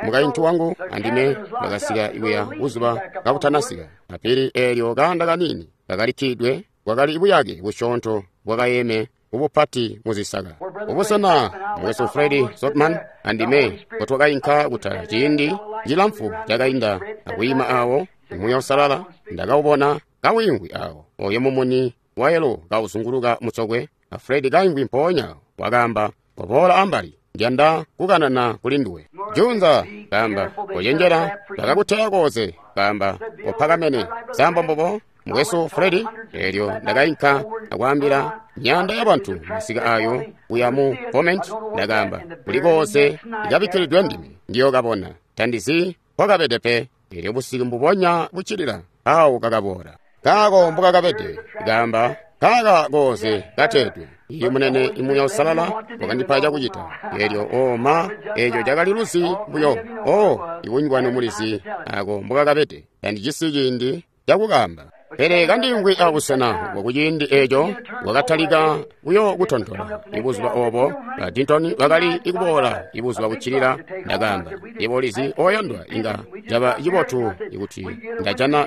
Mukaintu wangu andime bakasika kuya buzuba kabutanasika. Apili eelyo kaanda kaniini kakalikkidwe, kwakali buyake busyoonto bwakayeme ubupati muzisaka. Ubusena mukwesu Fred Sotman andime mbotwakainka kutala ciindi cilamfu cakainda akwiima awo Muuya Uusalala ndakawubona kawiimvwi awo, oyo mumuni wayelo kauzunguluka mutsokwe. Fred kaimvwi mpoonya wakaamba, koboola ambali, ndiyanda kukanana kuli nduwe. Junza, kaamba, kocenjela, ndakakuteya koze, kaamba, kopakamene, sambo mbobo, mukwesu Fred. Eelyo ndakainka akwaambila myaanda ya bantu masika ayo kuya mu comment. Ndakaamba, kuli koze ikabikkilidwe ndime, ndiyokabona, tandizi mpokabede pe. Eelyo busiku mbubonya buccilila awo kakaboola. Kaako mbokakabede, kaamba, kaaka koze kateedwe. Iye munene Muuya Uusalala wakandipa cakucita. Eelyo oma eeco cakali luzi buyo. O ikunywanu mulizi ako mbokakabede, tandijisi ciindi cakukamba. Pele kandiimvwi abusena bwakuciindi eeco wakatalika buyo kutontola. Ibuzuba oobo ba Dinton bakali ikuboola ibuzuba buccilila. Ndakaamba, yebo ulizi oyandwa, inga caba cibotu ikuti ndajana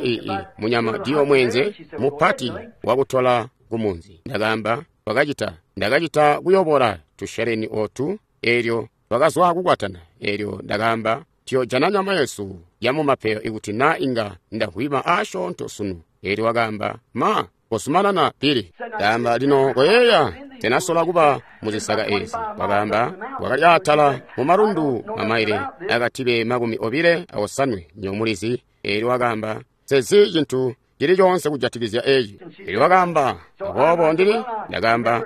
munyama diyo mwenze mupati wakutola kumunzi. Ndakaamba, ndakacita kuyobola tusheleni otu. Eelyo twakazwa kukwatana. Eelyo ndakaamba, tuyojana nyama yesu yamumapeyo ikuti na inga ndahwima asyoonto sunu. Eelyo wakaamba, ma, kozumanana Pili. Kaamba, lino koyeeya, tenasola kuba muzisaka eezi. Wakaamba, wakali atala mumalundu mamaile akatibe 25 nyomulizi. Eelyo wakaamba, sezi cintu cili coonse kujatikizya eeci. Eelyo wakaamba, aboobo ndili. Ndakaamba,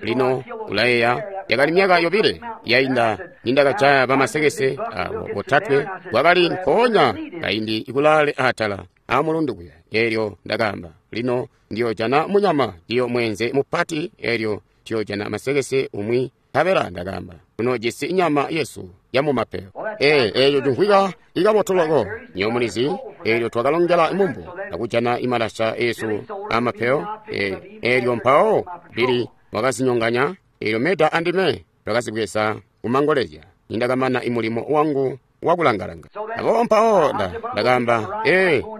lino ulayeeya, yakali myaka 2 yainda nindakajaya bamasekese abo botatwe, kwakali nkoonya kaindi ikulaale atala amulundu kuya. Eelyo ndakaamba, lino ndiyojana munyama ndiyo mwenze mupati, eelyo ndiyojana masekese umwi. Nkabela ndakaamba, tunojisi inyama yesu yamumapeyo. Eeco cimvwika ikabotu loko nyomulizi. Eelyo twakalongela mumbo akujana imalasha esu amapeyo. Eelyo mpawo Bili wakazinyonganya. Eelyo Meda andime twakazibweza kumangolezya nindakamana imulimo wangu wakulangalanga. Aboobo mpawo ndakaamba,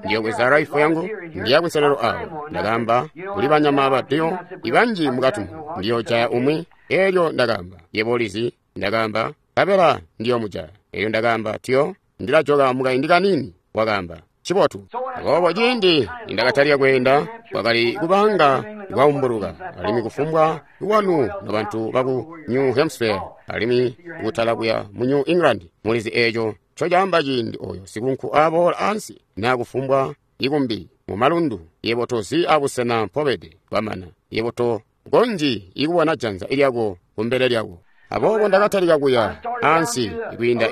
ndiyobweza rifle yangu ndiya kunselelo awo. Ndakaamba, kuli banyama badiyo ibanji mukati, ndiyojaya umwi. Eelyo ndakaamba, yebo ulizi, ndakaamba, nkabela ndiyomujaya. Eelyo ndakaamba, tiyo ndilajoka mukaindi kanini. Wakaamba, cibotu. Aboobo ciindi nindakatalika kweenda, kwakali kubanga kwaumbuluka, alimwi kufumbwa wanu nobantu baku New Hampshire, alimwi kutala kuya mu New England, mulizi eeco ncocaamba ciindi oyo sikunku aboola ansi naa kufumbwa ikumbi mumalundu, yebo tozi abusena mpobede kwamana, yebo tokonzyi ikubona janza lyako kumbele lyako. Aboobo ndakatalika kuya ansi kwiinda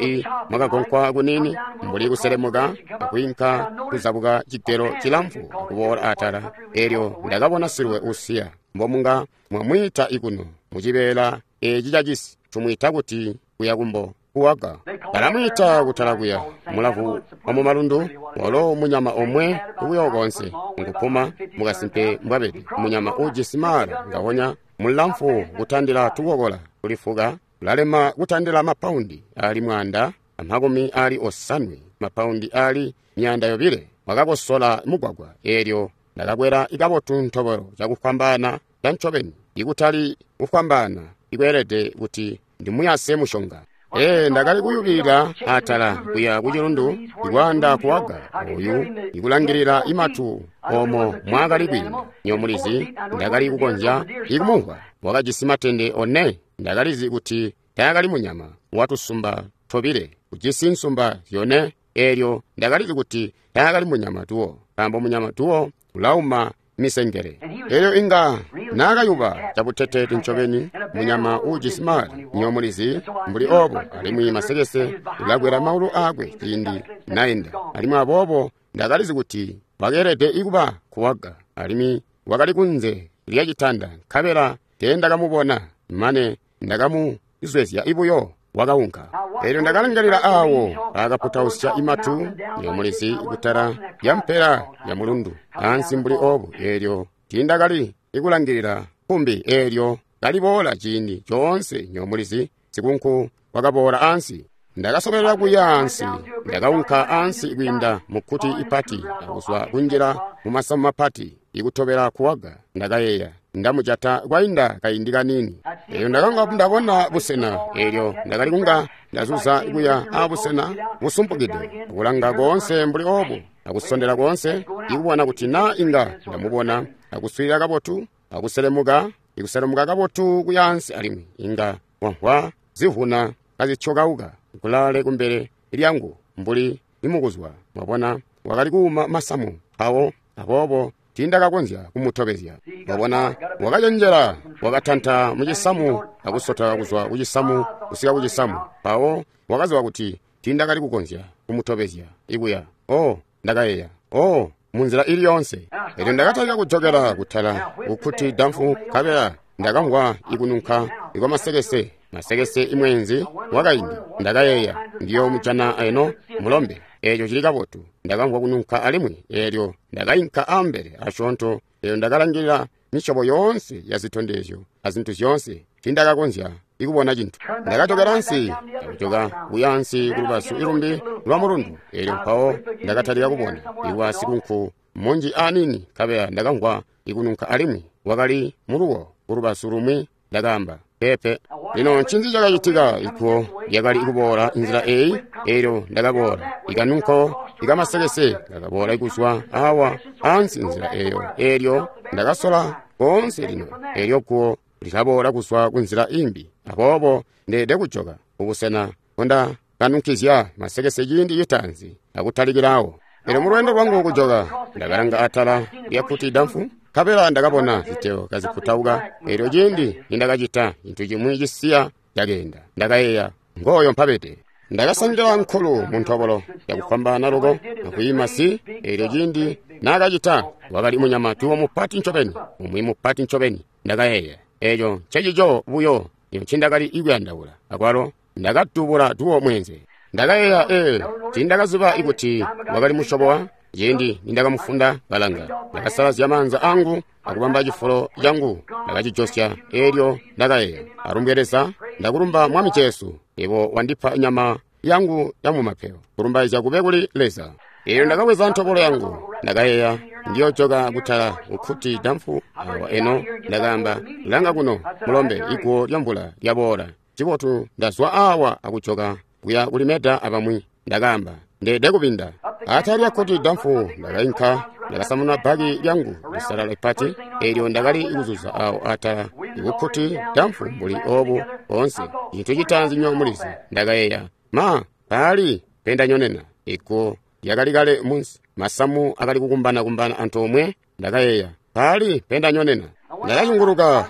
mwakagonkwa kunini mbuli kuselemuka akwiinka kuzabuka cigelo cilamfu akuboola atala. Eelyo ndakabona silwe usiya, mbomunga mwamwiita ikuno mucibeela eeci cacisi tumwiita kuti kuya kumbo kuwaga. Balamwiita kutala kuya mulavu wamumalundu, walo munyama omwe buyo konse nkupuma mukasimpe mbwabede, munyama ujisi maala ngaonya mulamfu kutandila tukokola kulifuka, ulalema kutandila mapaundi ali 150, mapaundi ali 200. Wakakosola mugwagwa. Eelyo ndakakwela ikabotu ntobolo cakufwambaana cancobeni, ikutali kufwambaana ikweelede kuti ndimuyase mushonga. Ee, ndakali kuyubilila atala kuya kucilundu ikwaanda kuwaga oyu ikulangilila imatu omo mwakali kwiinda. Nyomulizi, ndakali kukonzya ikumumvwa. Wakajisi matende one. Ndakalizi kuti taakali munyama watusumba tobile, ujisi nsumba zyone. Eelyo ndakalizi kuti taakali munyama tuwo, nkaambo munyama tuwo ulauma misengele. Elyo inga naakayuba cabuteteete ncobeni munyama uujisi maali, nyomulizi mbuli obo, alimwi masekese ulakwela maulu aakwe ciindi naenda. Alimwi aboobo ndakalizi kuti wakeelede ikuba kuwaga, alimwi wakali kunze lya citanda, nkabela teendakamubona mane ndakamuzwezya ibuyo wakaunka. Elyo ndakalangalila awo akaputausya imatu, nyomulizi, kutala lya mpela ya mulundu ansi mbuli obu. Elyo tiindakali ikulangilila kumbi eelyo kaliboola ciindi coonse, nyomulizi, sikunku wakaboola ansi. Ndakasobelela kuya ansi, ndakaunka ansi kwiinda mukkuti ipati akuzwa kunjila mumasamu mapati ikutobela kuwaga. Ndakayeeya, ndamujata kwainda kaindi kaniini. Elyo ndakanga ndabona busena, elyo ndakali kunga ndazuza kuya abusena busumpukide, akulanga koonse mbuli obu, akusondela koonse, ikubona kuti na inga ndamubona, akuswilila kabotu, akuselemuka, ikuselemuka kabotu kuya ansi, alimwi inga wamvwa zivuna kazithyokauka kulaale kumbele lyangu mbuli imukuzwa. Mwabona, wakali kuuma masamu awo, aboobo tiindakakonzya kumutobezya. Mwabona, wakacenjela, wakatanta mucisamu akusota kuzwa kucisamu kusika kucisamu. Mpawo wakaziba kuti tiindakali kukonzya kumutobezya ikuya. Oh, ndakayeeya, oh, munzila ili yoonse. Elyo ndakatalika kujokela kutala kukkuti damfu, nkabela ndakamvwa ikununka ikwamasekese, masekese imweenzi wakaindi. Ndakayeeya, ndiyoomujana eno mulombe, eeco cili kabotu. Ndakamvwa kununka alimwi, eelyo ndakainka ambele asyoonto. Eelyo ndakalangilila misyobo yoonse ya zitondezyo azintu zyoonse, tiindakakonzya ikubona cintu. Ndakajokela ansi, ndakujoka kuya ansi kulubazu ilumbi lwa mulundu. Eelyo mpawo ndakatalika kubona iwa sikunku munji aniini, nkabela ndakamvwa ikununka alimwi wakali muluwo kulubazu lumwi. Ndakaamba, pepe. Lino ncinzi cakacitika? Iguwo lyakali kuboola nzila eyi, eelyo ndakaboola ikanunko ikamasekese kakaboola kuzwa awa ansi nzila eyo. Eelyo ndakasola koonse lino, eelyo guwo lilaboola kuzwa kunzila imbi. Aboobo ndeede kujoka kubusena mbondakanunkizya masekese ciindi citaanzi akutalikirawo. Elyo mulweendo lwangu kujoka, ndakalanga atala lyakkuti damfu, nkabela ndakabona ziteo kaziputauka. Elyo ciindi nindakacita, cintu cimwi cisiya cakeenda. Ndakayeeya, ngooyo mpabede. Ndakasangila nkulu mu ntobolo yakufwambaana loko akwiima si. Elyo ciindi naakacita, wakali munyama tuwo mupati ncobeni, umwi mupati ncobeni. Ndakayeeya, eeco ncecico buyo ncindakali ikuyandaula. Akwalo ndakadubula tuwo mweenze. Ndakayeeya, ee, tiindakaziba ikuti wakali musyobo wa. Ciindi nindakamufunda kalanga, ndakasalazya maanza angu akubamba cifulo cangu, ndakacijosya. Eelyo ndakayeeya, alumbwe Leza, ndakulumba Mwami Jesu, yebo wandipa nyama yangu ya mumapeyo. Kulumbaizya kube kuli Leza. Eelyo ndakabweza ntobolo yangu, ndakayeeya, ndiyojoka kutala kukkuti damfu awa eno. Ndakaamba, langa kuno mulombe, iguwo lya mvula lyaboola. Cibotu ndazwa awa akujoka kuya kulimeda abamwi. Ndakaamba, ndeede kubinda. Atala lyakkuti damfu ndakainka, ndakasamuna bbaki lyangu lisalala ipati. Eelyo ndakali kuzuza awo atala ikukkuti damfu mbuli obu koonse. Cintu citaanzi nyomulizi, ndakayeeya, ma paali pendanyonena. Iguwo lyakali kale munsi, masamu akali kukumbana-kumbana antoomwe. Ndakayeeya, paali pendanyonena. Ndakazunguluka,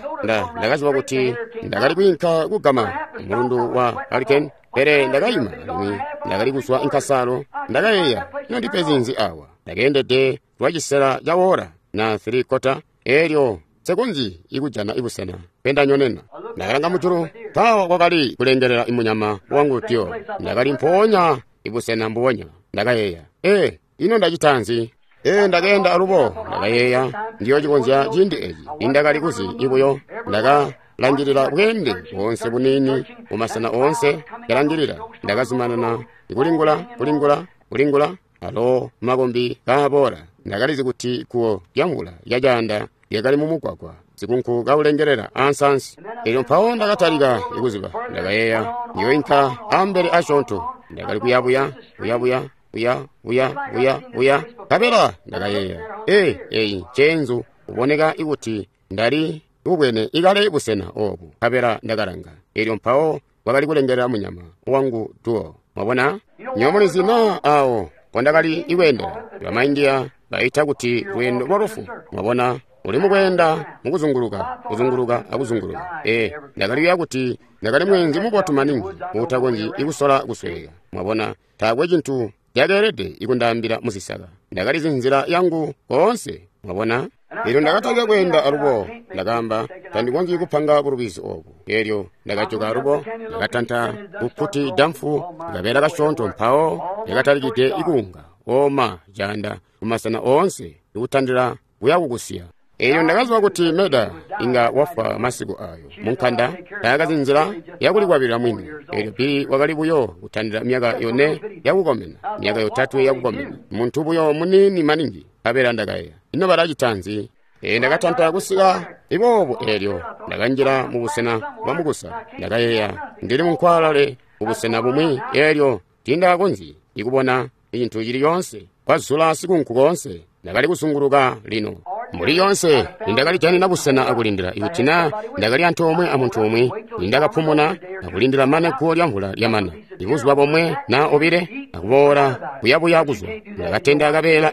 ndakaziba kuti ndakali kwiinka kugama mulundu wa Hurricane, pele ndakayima alimwi ndakali kuzwa inkasalo. Ndakayeeya, ino ndipe zinzi awa? Ndakeendede lwacisela ca wora na 3/4, eelyo nsekonzyi ikujana ibusena pendanyonena. Ndakalanga mujulu, mpawo kwakali kulengelela imunyama wangu tyo. Ndakali mpoonya ibusena mbubonya. Ndakayeeya, ee, ino ndacita nzi? Ee, ndakeenda alubo. Ndakayeeya, ndiyocikonzya ciindi eci. Nindakali kuzi ibuyo, ndakalangilila bweende boonse buniini mumasena oonse kalangilila. Ndakazumanana kulingula, kulingula, kulingula, alo makombi kaaboola. Ndakalizi kuti guwo lyamvula lyacaanda lyakali mumugwagwa. sikunku kaulengelela aansaansi. Elyo mpawo ndakatalika ikuziba. Ndakayeeya, ndiyoinka ambele asyoonto. Ndakali kuyabuya, kuyabuya, kuya, kuya, kuya, kuya. Nkabela ndakayeeya, ee, eyi nceenzu kuboneka ikuti ndali kubwene ikale busena obu. Nkabela ndakalanga. Elyo mpawo kwakali kulengelela munyama wangu duo. Mwabona? Nyomulizi na awo pondakali ikweendela. Bamaindiya baita kuti lweendo lwa lufu. Mwabona? Uli mukweenda mukuzunguluka, kuzunguluka akuzunguluka. Ee, ndakali kuti ndakali mweenzi mubotu maningi uutakonzyi ikusola kusweka. Mwabona, taakwe cintu cakeelede ikundaambila muzisaka. Ndakalizi nzila yangu koonse. Mwabona? Elyo ndakatalika kweenda alubo. Ndakaamba, tandikonzyi kupanga bulubizi obu. Elyo ndakajoka alubo, ndakatanta kukkuti damfu, kabeela kasyoonto mpawo lyakatalikide ikuunga oma caanda kumasena oonse ikutandila kuya kukusiya. Elyo ndakaziba kuti Meda inga wafwa masiku ayo munkanda, taakazi nzila yakulikwabilila mwini. Elyo Billy wakali buyo kutandila myaka 4 yakukomena, myaka 3 yakukomena, muntu buyo muniini maningi. Nkabela ndakayeeya, ino balacita nzi? Ee, ndakatanta kusika iboobu. Elyo ndakanjila mubusena bwa mukusa. Ndakayeeya, ndili munkwalale kubusena bumwi. Elyo tiindakakonzyi ikubona cintu cili coonse, kwazula sikunku koonse. Ndakali kuzunguluka lino mbuli yoonse nindakalijanina busena akulindila. Ikuti na ndakali antoomwe amuntu umwi, nindakapumuna akulindila mane guwo lyamvula lyamana, ibuzuba bomwe na obile, akuboola kuyabuya kuzwa. Ndakatenda akabeela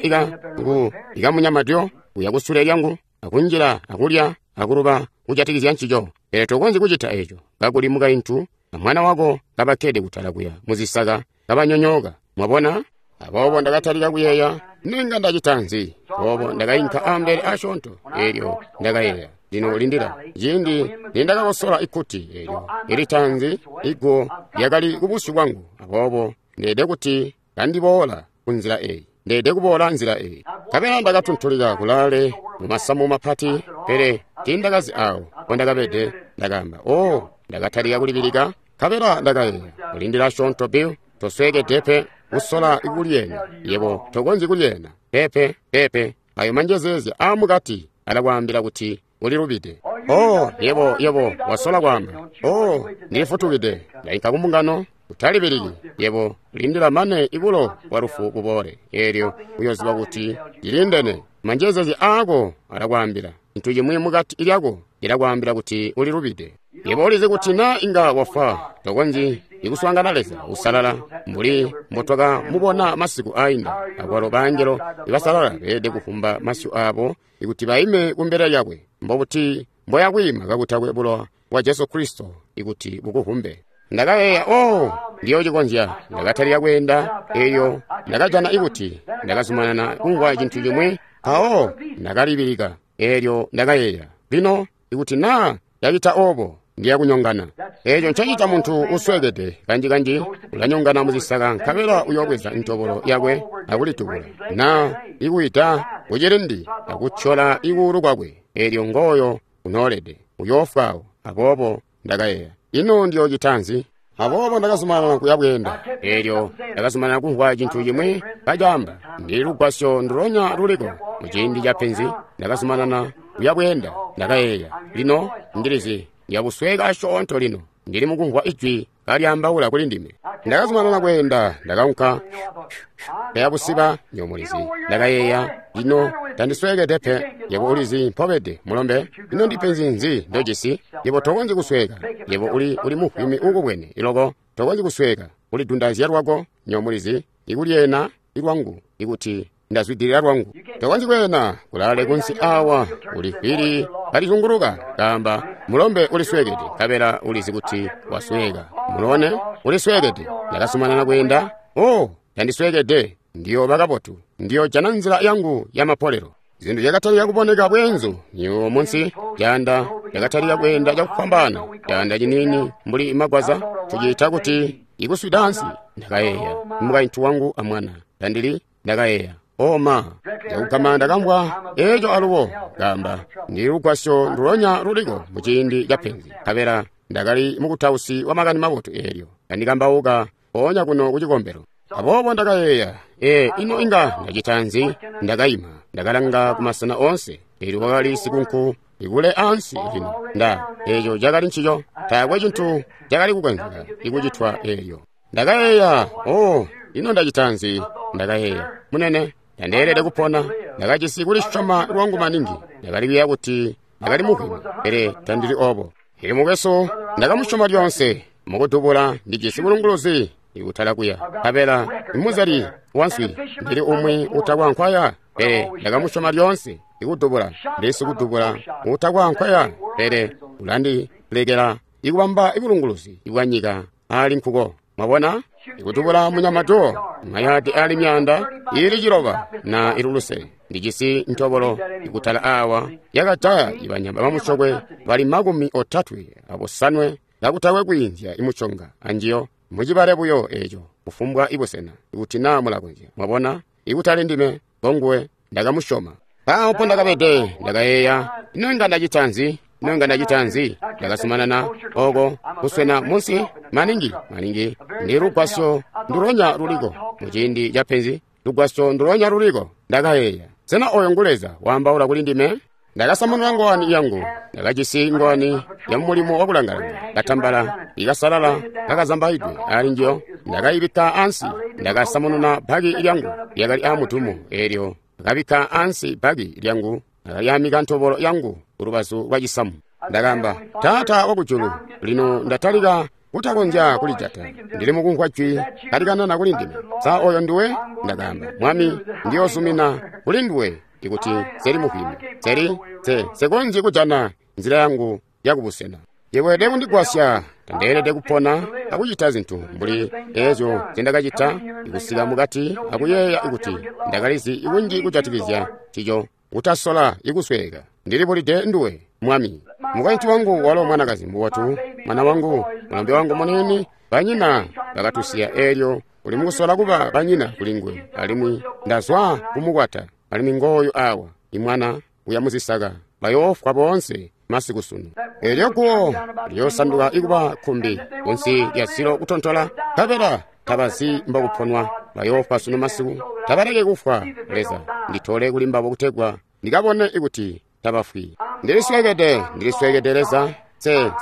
ikamunyamadyo kuya kusule lyangu, akunjila akulya akuluba kujatikizya ncico. Pele tokonzyi kucita eco kakuli mukaintu amwana wako kabakkede kutala kuya muzisaka kabanyonyooka. Mwabona? Aboobo ndakatalika kuyeeya, ninga ndacita nzi? Aboobo ndakainka ambele asyoonto. Elyo ndakayeeya, lino lindila. Ciindi nindakakosola ikkuti elyo ilitanzi, iguwo lyakali kubusyu bwangu. Aboobo ndeede kuti kandiboola kunzila eyi, ndeede kuboola nzila eyi. Nkabela ndakatuntulika kulaale mumasamu mapati, pele tiindakazi awo mpondakabede. Ndakaamba, o, ndakatalika kulibilika. Nkabela ndakayeeya, kulindila asyoonto Bill, tosweekede pe kusola kulyena. Yebo tokonzyi kulyena. Pepe, pepe. Ayo manjezeezya aamukati alakwaambila kuti ulilubide. Oh, yebo, yebo wasola kwaamba, oh, ndilifutukide, ndainka kumbungano. Utalibiliki, yebo lindila mane ibulo bwa lufu buboole. Elyo uyoziba kuti lilindene. Manjezeezya aako alakwaambila. Cintu cimwi mukati lyako cilakwaambila kuti ulilubide. Yebo ulizi kuti na inga wafwa, tokonzyi ikuswaangana Leza usalala mbuli mbotwakamubona masiku ainda. Akwalo baangelo ibasalala beelede kufumba masyu abo ikuti baime kumbele lyakwe. Mbobuti mboyakwiima kakutakwe bulowa bwa Jesu Kristo ikuti bukuvumbe? Ndakayeeya, oh, ndiyocikonzya. Ndakatalika kweenda. Eyo ndakajana ikuti ndakazumanana kumvwa cintu cimwi, mpawo ndakalibilika. Elyo ndakayeeya, lino ikuti na ndacita obo, ndiya kunyongana. Eco ncacita muntu usweekede kanjikanji, ulanyongana muzisaka, nkabela uyobweza ntobolo yakwe akulitubula, na ikuwida kucilindi akutyola ikuulu kwakwe. Elyo ngooyo unoolede, uyoofwawo. Aboobo ndakayeeya, ino ndiyocita nzi? Aboobo ndakazumanana kuya bweenda. Elyo ndakazumanana kumvwa cintu cimwi kacaamba, ndili lugwasyo ndulonya luliko muciindi ca penzi. Ndakazumanana kuya bweenda. Ndakayeeya, lino ndilizi ndiyabusweka asyoonto lino, ndili mukumvwa ijwi kalyaambaula kuli ndime. Ndakazumanana kweenda, ndakaunka kayabusiba nyomulizi. Ndakayeeya, lino tandisweekede pe. Yebo ulizi mpobede, mulombe. Ino ndipenzi nzi ndojisi? Yebo tokonzyi kusweka. Yebo uli mufwimi uukubwene iloko, tokonzyi kusweka. Ulidundazya lwako, nyomulizi, ikulyena ilwangu, ikuti ndazwidilila lwangu. Tokonzyi kweena kulaale kunsi awa, uli vili kalizunguluka. Kaamba, mulombe ulisweekede, nkabela ulizi kuti wasweka. Mulone, ulisweekede. Ndakazumanana kweenda. Oh, tandisweekede, ndiyooba kabotu, ndiyojana nzila yangu ya mapolelo. Zintu zyakatalika kuboneka bweenzu nyiwo munsi caanda. Ndakatalika kweenda cakufwambaana, caanda ciniini mbuli magwaza, tuciita kuti ikuswida ansi. Ndakayeeya, mukaintu wangu amwana tandili. Ndakayeeya, oma, ndakugama ndakamvwa eco alubo. Kaamba, ndili lugwasyo ndulonya luliko muciindi ca penzi. Nkabela ndakali mukutausi wa makani mabotu eelyo kandikambauka mpoonya kuno kucikombelo. Aboobo ndakayeeya, ee, ino inga ndacita nzi? Ndakaima, ndakalanga kumasena oonse. Eelyo kwakali sikunku Ikule ansi lino. Nda, eco cakali ncico. Taakwe cintu cakali kukonzeka ikucitwa eelyo. Ndakayeeya, oh, ino ndacita nzi? Ndakayeeya, munene, ndandeelede kupona. Ndakajisi kulisyoma lwangu maningi. Ndakali kuyeeya kuti ndakali muhwimi, pele tandili obo. Ili mukwesu, ndakamusyoma lyonse. Mukudubula ndijisi bulunguluzi ikutala kuya. Nkabela imuzali wanswi ndili umwi utakwa nkwaya, pele ndakamusyoma lyonse. Ikudubula ndili sikudubula utakwa nkwaya, pele ulandilekela ikubamba ibulunguluzi bwa nyika ali nkuko. Mwabona? Ikudubula munyama do mayadi ali myanda ili 9 na iluluse. Ndijisi ntobolo ikutala awa yakajaya ibanyama bamusyokwe bali 39 kakutakwe kwiinzya imuconga anjiyo. Mucibale buyo eco kufumbwa ibusena ikuti naa mulakonzya. Mwabona? Ikutali ndime, ngonguwe ndakamusyoma. Mpawo mpo ndakabede, ndakayeeya, ino inga ndacita nzi? Ino inga ndacita nzi? Ndakasumanana oko kuswena munsi maningi maningi. Ndi lugwasyo ndulonya luliko muciindi ca penzi, lugwasyo ndulonya luliko. Ndakayeeya, sena oyo ngu Leza waambaula kuli ndime? Ndakasamununa ngowani yangu. Ndakajisi ngowani ya mulimo wakulangalanga, katambala ikasalala kakazambaidwe ali njiyo. Ndakayibikka ansi. Ndakasamununa baki lyangu lyakali amutumo eelyo. Ndakabikka ansi baki lyangu. Ndakayamika ntobolo yangu kulubazu lwa cisamu. Ndakamba, Taata wakujulu, lino ndatalika kutakonzya kulijata. Ndili mukumvwa jwi kalikanana kuli ndime. Sa oyo nduwe? Ndakamba, Mwami, ndiyozumina kuli nduwe ikuti seli muhwimi. Seli, sekonzyi kujana nzila yangu yakubusena. Yewelede kundigwasya. Tandeelede kupona akucita zintu mbuli eezyo nzindakacita ikusika mukati akuyeeya kuti ndakalizi ikunji kujatikizya cico kutasola ikusweeka. Ndilibulide nduwe, Mwami. Mukaintu wangu walo mwanakazi mubotu, mwana wangu, mulombe wangu muniini, banyina bakatusiya eelyo uli mukusola kuba banyina kuli nguwe, alimwi ndazwa kumukwata, alimwi ngooyu awa, imwana uya muzisaka, bayoofwa boonse masiku sunu. Eelyo guwo liyoosanduka ikuba kkumbi kunsi lya zilo kutontola, nkabela tabazi mbokuponwa, bayoofwa sunu masiku. Tabaleke kufwa, Leza, nditole kuli mbabo kutegwa ndikabone ikuti tabafwi. Ndilisweekede, ndilisweekede Leza.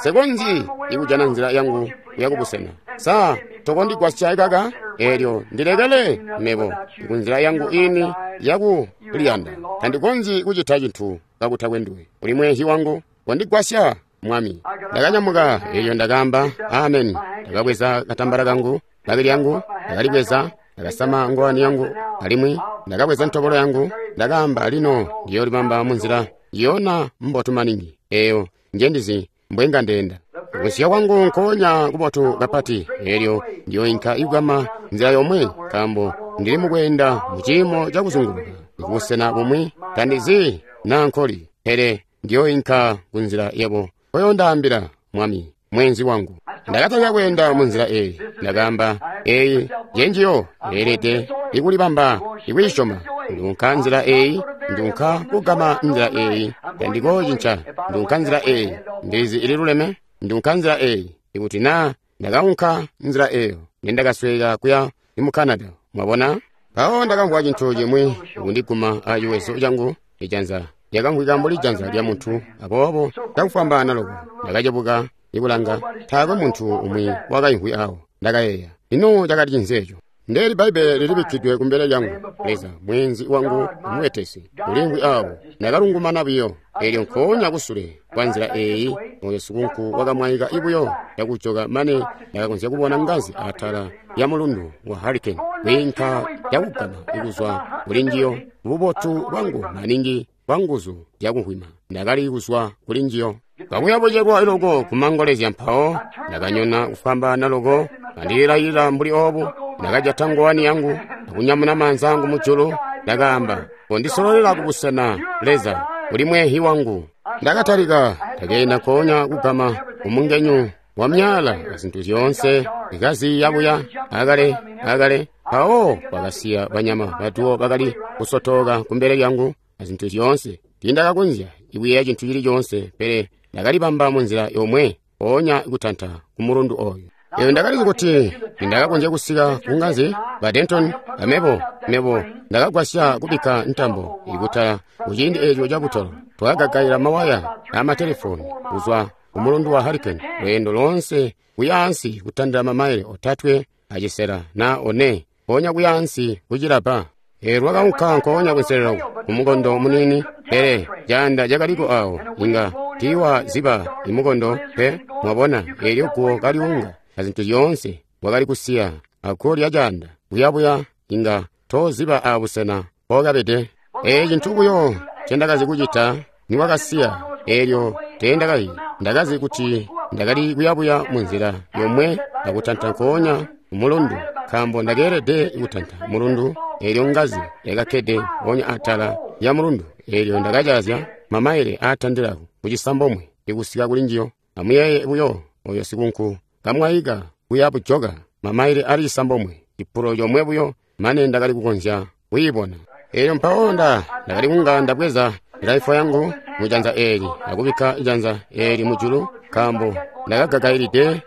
Sekonzyi ikujana nzila yangu yakubusena. Sa tokondigwasya kaka? Eelyo ndilekele mebo kunzila yangu ini yakuliyanda. Tandikonzyi kucita cintu kakutakwe nduwe. Uli mwehi wangu, kondigwasya, Mwami. Ndakanyamuka, eelyo ndakaamba, amen. Ndakabweza katambala kangu, baki lyangu, ndakalibweza, ndakasama ngowani yangu, alimwi ndakabweza ntobolo yangu. Ndakaamba, lino ndiyolibamba munzila yona mbotu maningi. Eyo njendizi mbwenga ndenda. Kusiya kwangu nkoonya kubotu kapati, eelyo ndiyoinka ikugama nzila yomwe, nkaambo ndili mukweenda mu ciimo cakuzunguluka kubusena bumwi, tandizi naa nkoli, pele ndiyoinka kunzila yebo koyondaambila, Mwami, mwenzi wangu. Ndakatalika kweenda munzila eyi. Ndakaamba, eyi njenjiyo yeelede ikulibamba ikwiisyoma. Ndunka nzila eyi, ndunka kugama nzila eyi, tandikoocinca. Ndunka nzila eyi, ndizi ililuleme. Ndunka nzila eyi, ikuti naa ndakaunka nzila eyo, nendakasweka kuya mu Canada. Mwabona? Mpawo ndakamvwa cintu cimwi kundiguma aciwezo cangu, ijanza lyakamvwika mbuli janza lya muntu. Aboobo ndakufwambaana loko ndakacebuka ikulanga, taakwe muntu umwi wakaimvwi awo. Ndakayeeya, ino cakali cinzi eco? Ndeeli Bbaibbele lilibikkidwe kumbele lyangu. Leza, mwenzi wangu mubetesi, uliimvwi awo. Ndakalungumana buyo. Eelyo nkoonya kusule kwa nzila eyi, oyo sikunku wakamwaika ibuyo yakujoka mane ndakakonzya kubona ngazi atala ya mulundu wa Hurricane kwiinka yakugama ikuzwa kuli njiyo. Bubotu bwangu maningi bwa nguzu zyakuhwima ndakali kuzwa kuli njiyo. Kakuya bucekwa loko kumangolezya, mpawo ndakanyona kufwambaana loko kandilayila mbuli obu. Ndakajata ngowani yangu akunyamuna maanza angu mujulu. Ndakaamba, kondisololela kubusena, Leza, uli mwehi wangu. Ndakatalika, ndakeenda nkoonya kugama kumungenyu wa myala azintu zyoonse ikaziya buya akale akale. Mpawo kwakasiya banyama batuwo bakali kusotoka kumbele lyangu azintu zyoonse. Tiindakakonzya ikuyeeya cintu cili coonse, pele ndakalibamba munzila yomwe mpoonya kutanta kumulundu oyo. Eyo ndakalizi kuti ndakakonzya kusika kungazi ba Denton amebo mebo ndakagwasya kubikka ntambo ikutala kuciindi eco cabutolo. Twakagagaila mawaya amatelefoni kuzwa kumulundu wa Hurricane lweendo loonse kuyaansi kutandila mamaile 3 acisela na 4 ponya kuyaansi kucilapa. Eelyo lwakaunka nkoonya kunselelo kumukondo munini, pele caanda cakaliko awo inga tiiwa ziba imukondo pe, mwabona, eelyo guwo kaliunga azintu zyoonse wakali kusiya akulya caanda buyabuya inga toziba abusena mpookabede. Eeci cintu buyo ncendakazi kucita niwakasiya, eelyo teendakayi ndakazi kuti ndakali kuyabuya munzila yomwe akutanta nkoonya mulundu, nkaambo ndakeelede kutanta mulundu. Eelyo ngazi yakakkede mpoonya atala ya mulundu, eelyo ndakacazya mamaile aatandila kucisambomwe ikusika kuli njiyo. Amuyeeye buyo oyo sikunku kamwaika kuya bujoka mamaile ali 9, cipulo comwe buyo mane ndakali kukonzya kuyibona. Eelyo mpawo ndakali kunga ndabweza laifo yangu mujanza eeli akubikka janza eeli mujulu, nkaambo ndakagagailide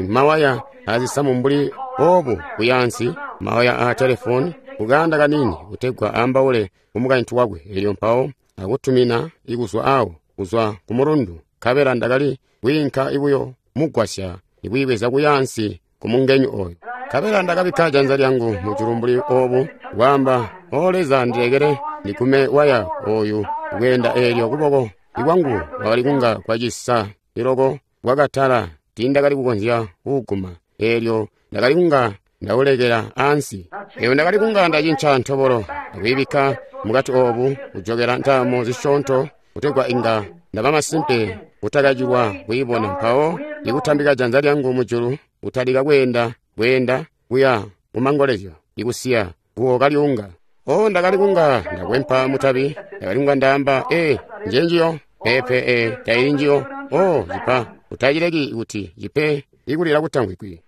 mawaya azisamu mbuli obu kuyaansi, mawaya a telefoni kukanda kanini kutegwa aambaule kumukaintu wakwe. Eelyo mpawo akutumina ikuzwa awo kuzwa kumulundu, nkabela ndakali kwiinka ibuyo mugwasya ikuyibweza kuyaansi kumungenyu oyo. Nkabela ndakabikka janza lyangu mujulu mbuli obu kwaamba, O Leza, ndilekele ndigume waya oyu kweenda. Eelyo kuboko ikwangu kwakali kunga kwacisa iloko kwakatala, tiindakali kukonzya kuuguma. Eelyo ndakali kunga ndaulekela ansi. Eelyo ndakali kunga ndacinca ntobolo akuyibikka mukati obu kujokela ntaamo zisyoonto kutegwa inga ndaba masimpe kutakacilwa kuyibona. Mpawo ikutambika janza lyangu mujulu kutalika kweenda kweenda kuya kumangolezyo ikusiya guwo kaliunga. O ndakali kunga ndakwempa mutabi, ndakali kunga ndaamba, ee, njenjiyo pepe, ee, taili njiyo. O cipa utacileki kuti cipe ikulila kutamvwikwi.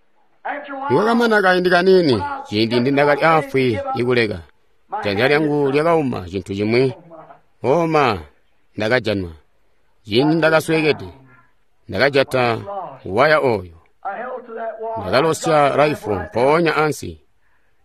Nikwakamana kaindi kanini, ciindi ndindakali afwi ikuleka, janza lyangu lyakauma cintu cimwi. Oma ndakajanwa. Ciindi ndakasweekede, ndakajata waya oyo, ndakalosya raifu mpoonya ansi,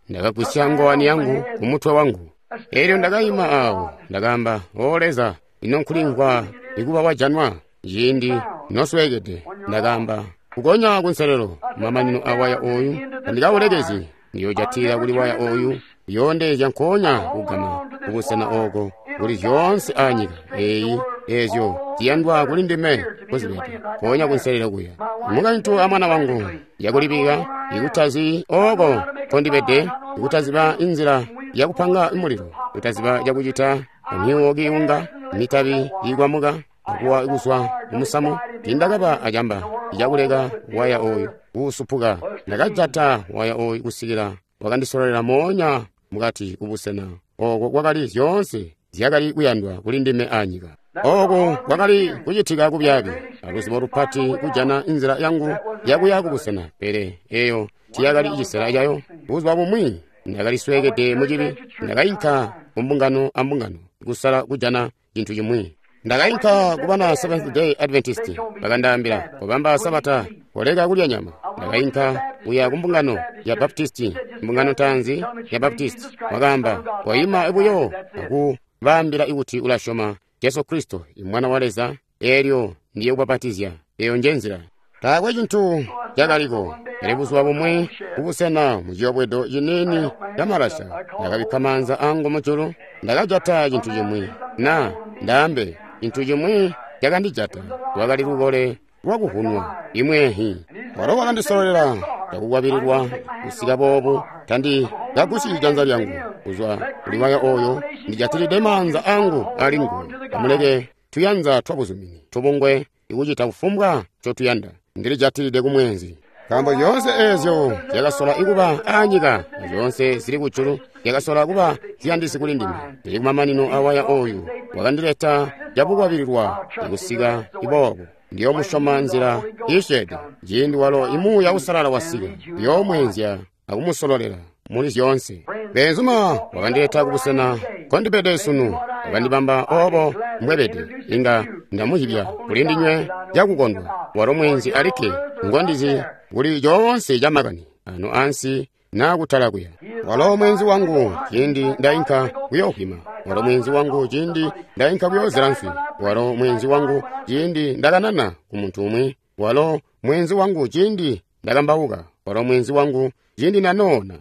ndakagwisya ngowani yangu kumutwe wangu. Eelyo ndakayima awo, ndakaamba, O Leza, ino nkulimvwa ikuba wajanwa ciindi nosweekede. Ndakaamba, kukonya kunselelo mamanino a waya oyu tandikawulekezi, ndiyojatila kuli waya oyu yoondezya nkoonya kugama kubusena oko kuli zyoonse anyika eyi eezyo ziyandwa kuli ndime kuzibede nkoonya kunselelo kuya. Mukaintu amwana wangu yakulibika ikutazi oko nkondibede, ikutaziba inzila yakupanga mulilo, kutaziba cakucita, amyuwo kiunga, mitabi ikwamuka akuwa kuzwa kumusamu. Tiindakaba acamba icakuleka waya oyu kuusupuka. Ndakajata waya oyu kusikila wakandisololela moonya mukati kubusena oko kwakali zyoonse zyakali kuyandwa kuli ndime anyika. Oko kwakali kucitika kubyaabi aluzibo lupati kujana inzila yangu yakuya kubusena, pele eyo tiyakali cisela cayo. Buzuba bumwi ndakalisweekede mucibi, ndakainka kumbungano ambungano kusala kujana cintu cimwi. Ndakainka kubana Seventh Day Adventist, bakandaambila kubamba Sabata, koleka kulya nyama. Ndakainka kuya kumbungano ya Baptist, mbungano ntaanzi ya Baptist, wakaamba koima buyo akubaambila ikuti ulasyoma Jesu Kristo imwana wa Leza, eelyo ndiye kubapatizya. Eyo nje nzila. Taakwe cintu cakaliko. Pele buzuba bumwi kubusena muciyobwedo ciniini camalasha, ndakabikka maanza angu mujulu, ndakajata cintu cimwi, na ndaambe cintu cimwi cakandijata. Lwakali lukole lwakuhunwa imwehi. Walo wakandisololela cakukwabililwa kusika boobu, tandikagusyi janza lyangu kuzwa kuli waya oyo, ndijatilide maanza angu ali nguwe. Amuleke tuyanza twabuzumini tubungwe ikucita kufumbwa ncotuyanda, ndilijatilide kumwenzi. Nkaambo zyoonse eezyo zyakasola ikuba anyika, zyoonse zili kujulu zyakasola kuba ziyandisi kuli ndime. Ndili kumamanino awaya oyu wakandileta cakukwabililwa ikusika iboobo. Ndiyomusyoma nzila iisyeede ciindi walo imuuya usalala wasika, ndiyoomweenzya akumusololela muli zyoonse. Beenzuma wakandileta kubusena nkondibede sunu, wakandibamba oobo mbwebede. Inga ndamuzyibya kuli ndinywe cakukondwa. Walo mweenzi alikke ngondizi kuli coonse camakani ano ansi naa kutala kuya. Walo mweenzi wangu ciindi ndainka kuyoovwima. Walo mweenzi wangu ciindi ndainka kuyoozela nswi. Walo mweenzi wangu ciindi ndakanana ku muntu umwi. Walo mweenzi wangu ciindi ndakambauka. Walo mweenzi wangu ciindi ndanoona.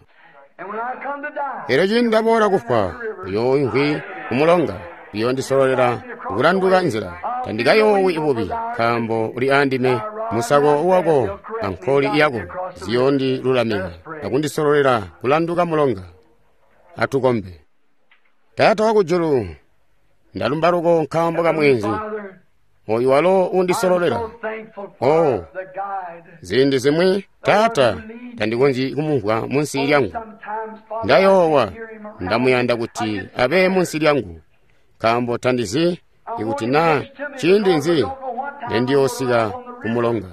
Elyo ciindi ndaboola kufwa, uyooimvwi kumulonga, uyoondisololela kulanduka nzila. Tandikayoowi bubi, nkaambo uli andime. Musako wako ankoli yako ziyoondilulamika akundisololela kulanduka mulonga. Atukombe. Taata wakujulu, ndalumba loko nkaambo ka mweenzi oyu walo undisololela. Oh, ziindi zimwi Taata tandikonzyi kumumvwa munsi lyangu. Ndayoowa, ndamuyanda kuti abe munsi lyangu, nkaambo tandizi ikuti naa ciindi nzi nendiyoosika kumulonga.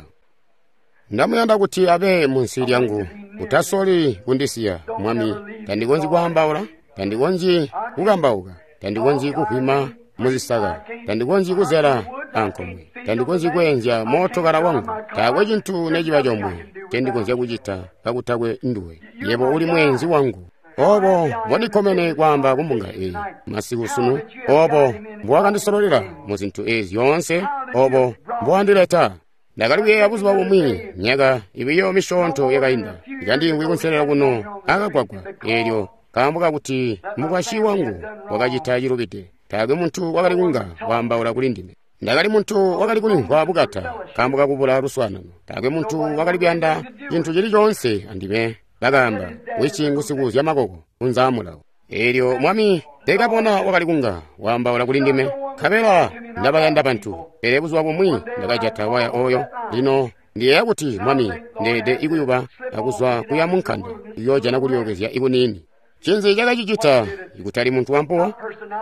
Ndamuyanda kuti abe munsi lyangu. Utasoli kundisiya, Mwami. Tandikonzyi kwaambaula, tandikonzyi kukambauka, tandikonzyi kuhwima muzisaka, tandikonzyi kuzela ankomwe, tandikonzyi kweenzya mootokala wangu. Taakwe cintu neciba comwe ncendikonzya kucita kakutakwe nduwe. Yebo uli mweenzi wangu. Obo mbondikkomene kwaamba kumbunga eyi masiku sunu, obo mbowakandisololela mu zintu ezi zyoonse, obo mbowandileta. Ndakali kuyeeya buzuba bumwi, myaka ibiyo misyoonto yakainda, ikandiimvwi kunselelo kuno akagwagwa eelyo nkaambo kakuti mukwasyi wangu wakacita cilubide. Taakwe muntu wakali kunga waambaula kuli ndime. Ndakali muntu wakali kulimvwa bukata nkaambo kakubula luswaanano. Taakwe muntu wakali kuyanda cintu cili coonse andime. Bakaamba, "Wici ngusikuuzya makoko unzaa mulawo." Eelyo Mwami teekabona wakali kunga waambaula kuli ndime, nkabela ndabayanda bantu. Pele buzuba bumwi ndakajata waya oyo. Lino ndiyeeya kuti Mwami ndeede ikuyuba akuzwa kuya mu nkanda kuyoojana kulyookezya ikuniini. Ncinzi cakacicita? Ikutali muntu wampuwo,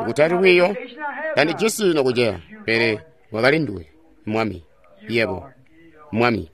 ikutali lwiiyo, tandijisi nokuceya, pele wakali nduwe, Mwami, yebo, Mwami.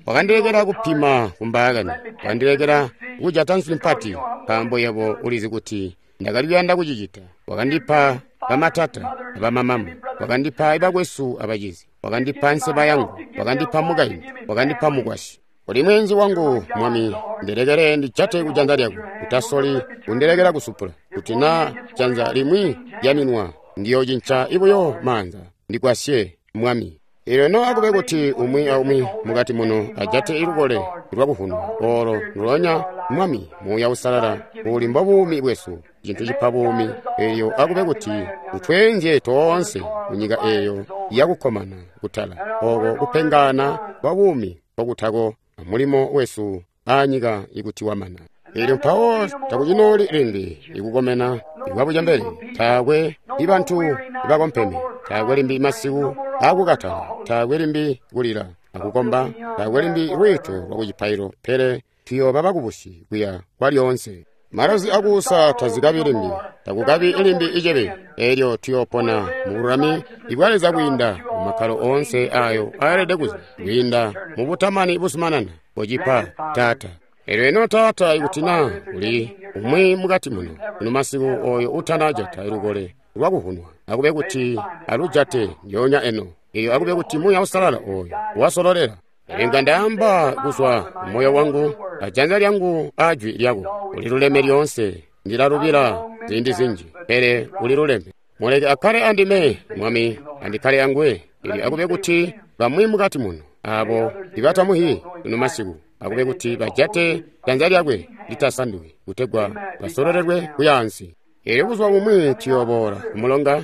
Wakandilekela kupima kumbaakani, wakandilekela kujata nswi mpati, nkaambo yebo ulizi kuti ndakali kuyanda kucicita. Wakandipa bamatata abamamama, wakandipa ibakwesu abacizi, wakandipa nseba yangu, wakandipa mukaintu, wakandipa mukwasyi. Uli mweenzi wangu, Mwami, ndilekele ndijate kujanza lyako. Utasoli kundilekela kusupula, kuti naa janza limwi lyaminwa, ndiyoocinca ibuyo maanza. Ndigwasye, Mwami. Eelyo no akube kuti umwi aumwi mukati muno ajate ilukole lwakuvunwa olo ndulonya, Mwami, Muuya Uusalala uli mbobuumi bwesu, cintu cipa buumi. Eelyo akube kuti utweenzye toonse munyika eeyo yakukkomana kutala, oko kupengana kwa buumi nkokutako mulimo wesu aanyika ikuti wamana. Eelyo mpawo takucinooli limbi ikukomena ikwabucembele, taakwe ibantu ibakompeme, taakwe limbi masiku akukatala, taakwe limbi kulila akukomba, taakwe limbi lwiito lwakucipailo, pele tuyooba bakubusi kuya kwalyoonse. Malozi akuusa tazikabi limbi, takukabi limbi icebe. Eelyo tuyoopona mubululami ibwa Leza kwiinda mumakkalo oonse ayo ayelede kuza, kwiinda mubutamani buzumanana bocipa Taata. Eelyo eno Taata, ikuti naa uli umwi mukati muno kuno masiku oyo utanajata lukole lwakuvunwa, akube kuti alujate ndyoonya eno. Eelyo akube kuti Muuya Uusalala oyo wasololela. Inga ndaamba kuzwa mumoyo wangu ajanza lyangu ajwi lyako, uliluleme lyoonse. Ndilalubila ziindi zinji, pele uliluleme. Muleke akkale andime, Mwami, andikkale anguwe. Eelyo akube kuti bamwi mukati muno abo ibatamuhi kuno masiku, akube kuti bajate janza lyakwe litasanduki, kutegwa basololelwe kuya ansi. Eelyo buzuba bumwi tuyooboola kumulonga,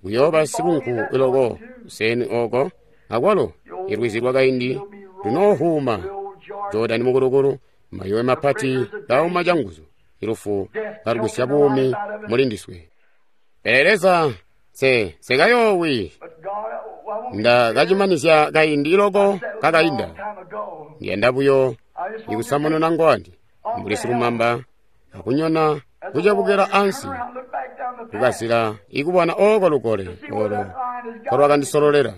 kuyooba sikunku iloko kuseni oko, akwalo ilwizi lwakaindi lunoohuuma. Jodani mukulukulu, mayowe mapati kauma canguzu, ilufu kalugwisya buumi muli ndiswe. Pele Leza, nsekayoowi, ndakacimanizya kaindi iloko kakainda. Ndiyanda buyo ikusamununa ngwani mbuli silumamba akunyona kucebukila ansi kukazila ikubona oko lukole olo nkolwakandisololela,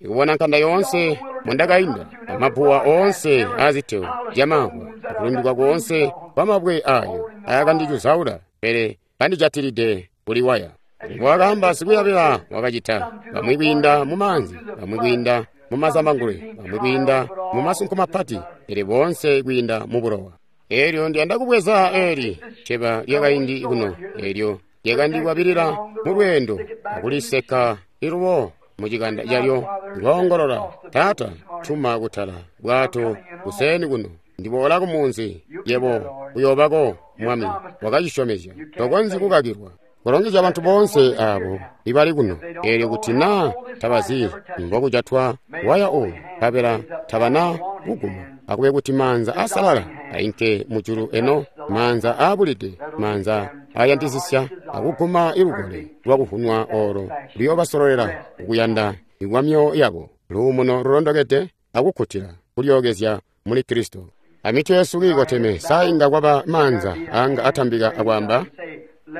ikubona nkanda yoonse mondakainda, amabuwa oonse aaziteo zyamamvwa, akulundikwa koonse kwamabwe ayo ayakandicuzaula, pele kandijatilide kuli waya. Mbwakaamba sikuyabila wakacita, bamwi kwiinda mumaanzi, bamwi kwiinda mumazambangulwe, bamwi kwiinda mumasunko mapati, pele boonse kwiinda mubulowa. Eelyo ndiyanda kubweza eli ceba lyakaindi kuno, eelyo lyakandikwabilila mu lweendo akuliseka ilubo mucikanda calyo ngoongolola, Taata, tuma kutala bwato kuseeni kuno, ndiboola kumunzi, yebo uyoobako, Mwami wakacisyomezya, tokonzyi kukakilwa. Kulongezya bantu boonse abo ibali kuno, eelyo kuti naa tabazi mbokujatwa waya oyu, nkabela tabana kuguma, akube kuti maanza asalala ainke mujulu eno, maanza aabulide, maanza ayandisisya akuguma ilukole lwakuvunwa olo luyoobasololela kukuyanda ikwamyoyo yabo, luumuno lulondokede akukkutila kulyookezya muli Kristo. Amitwe yesu kiikoteme, sainga kwaba maanza anga atambika akwaamba,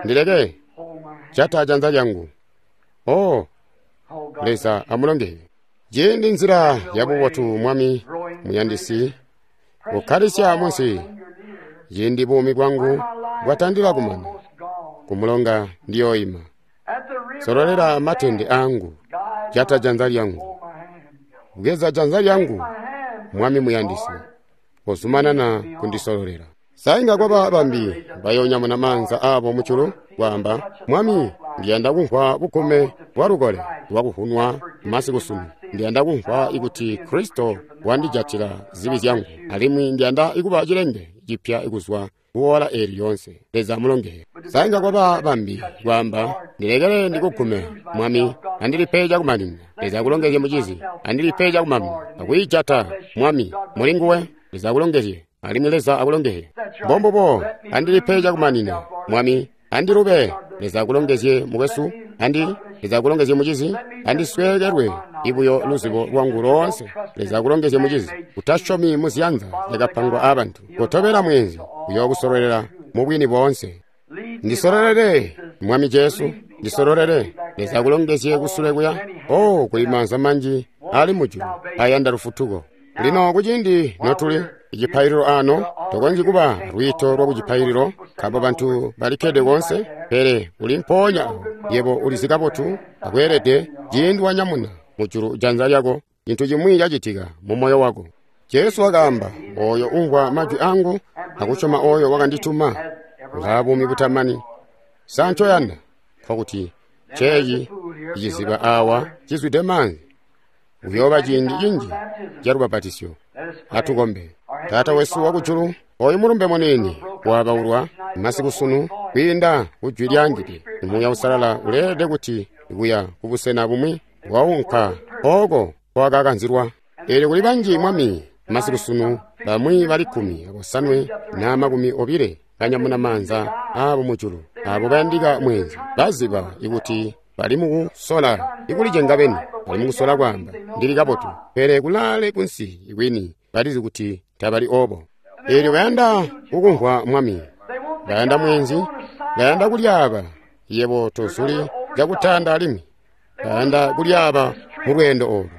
ndileke jata janza lyangu. Oh, Leza amulongeze. Ciindi nzila yabubotu Mwami muyandisi ukkalisya munsi, ciindi buumi bwangu bwatandila kumana, kumulonga ndiyoima. Sololela matende angu, jata janza lyangu, bweza janza lyangu, Mwami muyandisi, kozumanana kundisololela. Sainga kwaba bambi bayonyamuna maanza abo mujulu kwaamba, Mwami, ndiyanda kumvwa bugume bwa lukole lwakuvunwa masiku sunu. Ndiyanda kumvwa ikuti Kristo wandijatila zibi zyangu, alimwi ndiyanda ikuba cilenge cipya ikuzwa kuwola eli lyonse. Leza amulongeze. Sainga kwaba bambi kwaamba, ndilekele ndikugume, Mwami, andilipe cakumaninina. Leza akulongezye mucizi, andilipe cakumaninina. Akuyijata, Mwami, muli nguwe. Leza akulongezye, alimwi Leza akulongezye. Mbombubo, andilipe cakumaninina, Mwami, andilube. Leza akulongezye mukwesu, andi Leza akulongezye mucizi, andisweekelwe ibuyo luzibo lwangu loonse. Leza akulongezye mucizi, utasyomi muziyanza zyakapangwa abantu. Kotobela mweenzi uyookusololela mu bwini boonse. Ndisololele, Mwami Jesu, ndisololele. Leza akulongezye kusule kuya. Oh, kuli maanza manji ali mujulu ayanda lufutuko. Lino kuciindi notuli icipaililo ano, tokonzyi kuba lwiito lwa kucipaililo nkaambo bantu balikkede konse, pele uli mpoonya awo. Yebo ulizi kabotu akweelede ciindi wanyamuna mujulu janza lyako, cintu cimwi cacitika mu moyo wako. Jesu wakaamba, oyo umvwa majwi angu akusyoma oyo wakandituma ulaa buumi butamani. Sa ncoyanda? Nkokuti ceeci iciziba awa cizwide maanzi. Uyooba ciindi cinji ca lubapatisyo. Atukombe. Taata wesu wakujulu, oyu mulumbe muniini wabaulwa masiku sunu kwiinda kujwi lyaangide. Muuya Uusalala uleelede kuti kuya kubusena bumwi waunka ooko kwakakanzilwa. Eelyo kuli banji Mwami masiku sunu, bamwi bali 15 na 20 banyamuna maanza aabo mujulu, abo bayandika mweenzi baziba ikuti bali mukusola ikulicenga beni, bali mukusola kwaamba ndili kabotu, pele kulaale kunsi ikwini balizi kuti tabali obo. Eelyo bayanda kukumvwa Mwami, bayanda mweenzi, bayanda kulyaaba. Yebo tozuli cakutanda alimwi bayanda kulyaaba mu lweendo olu.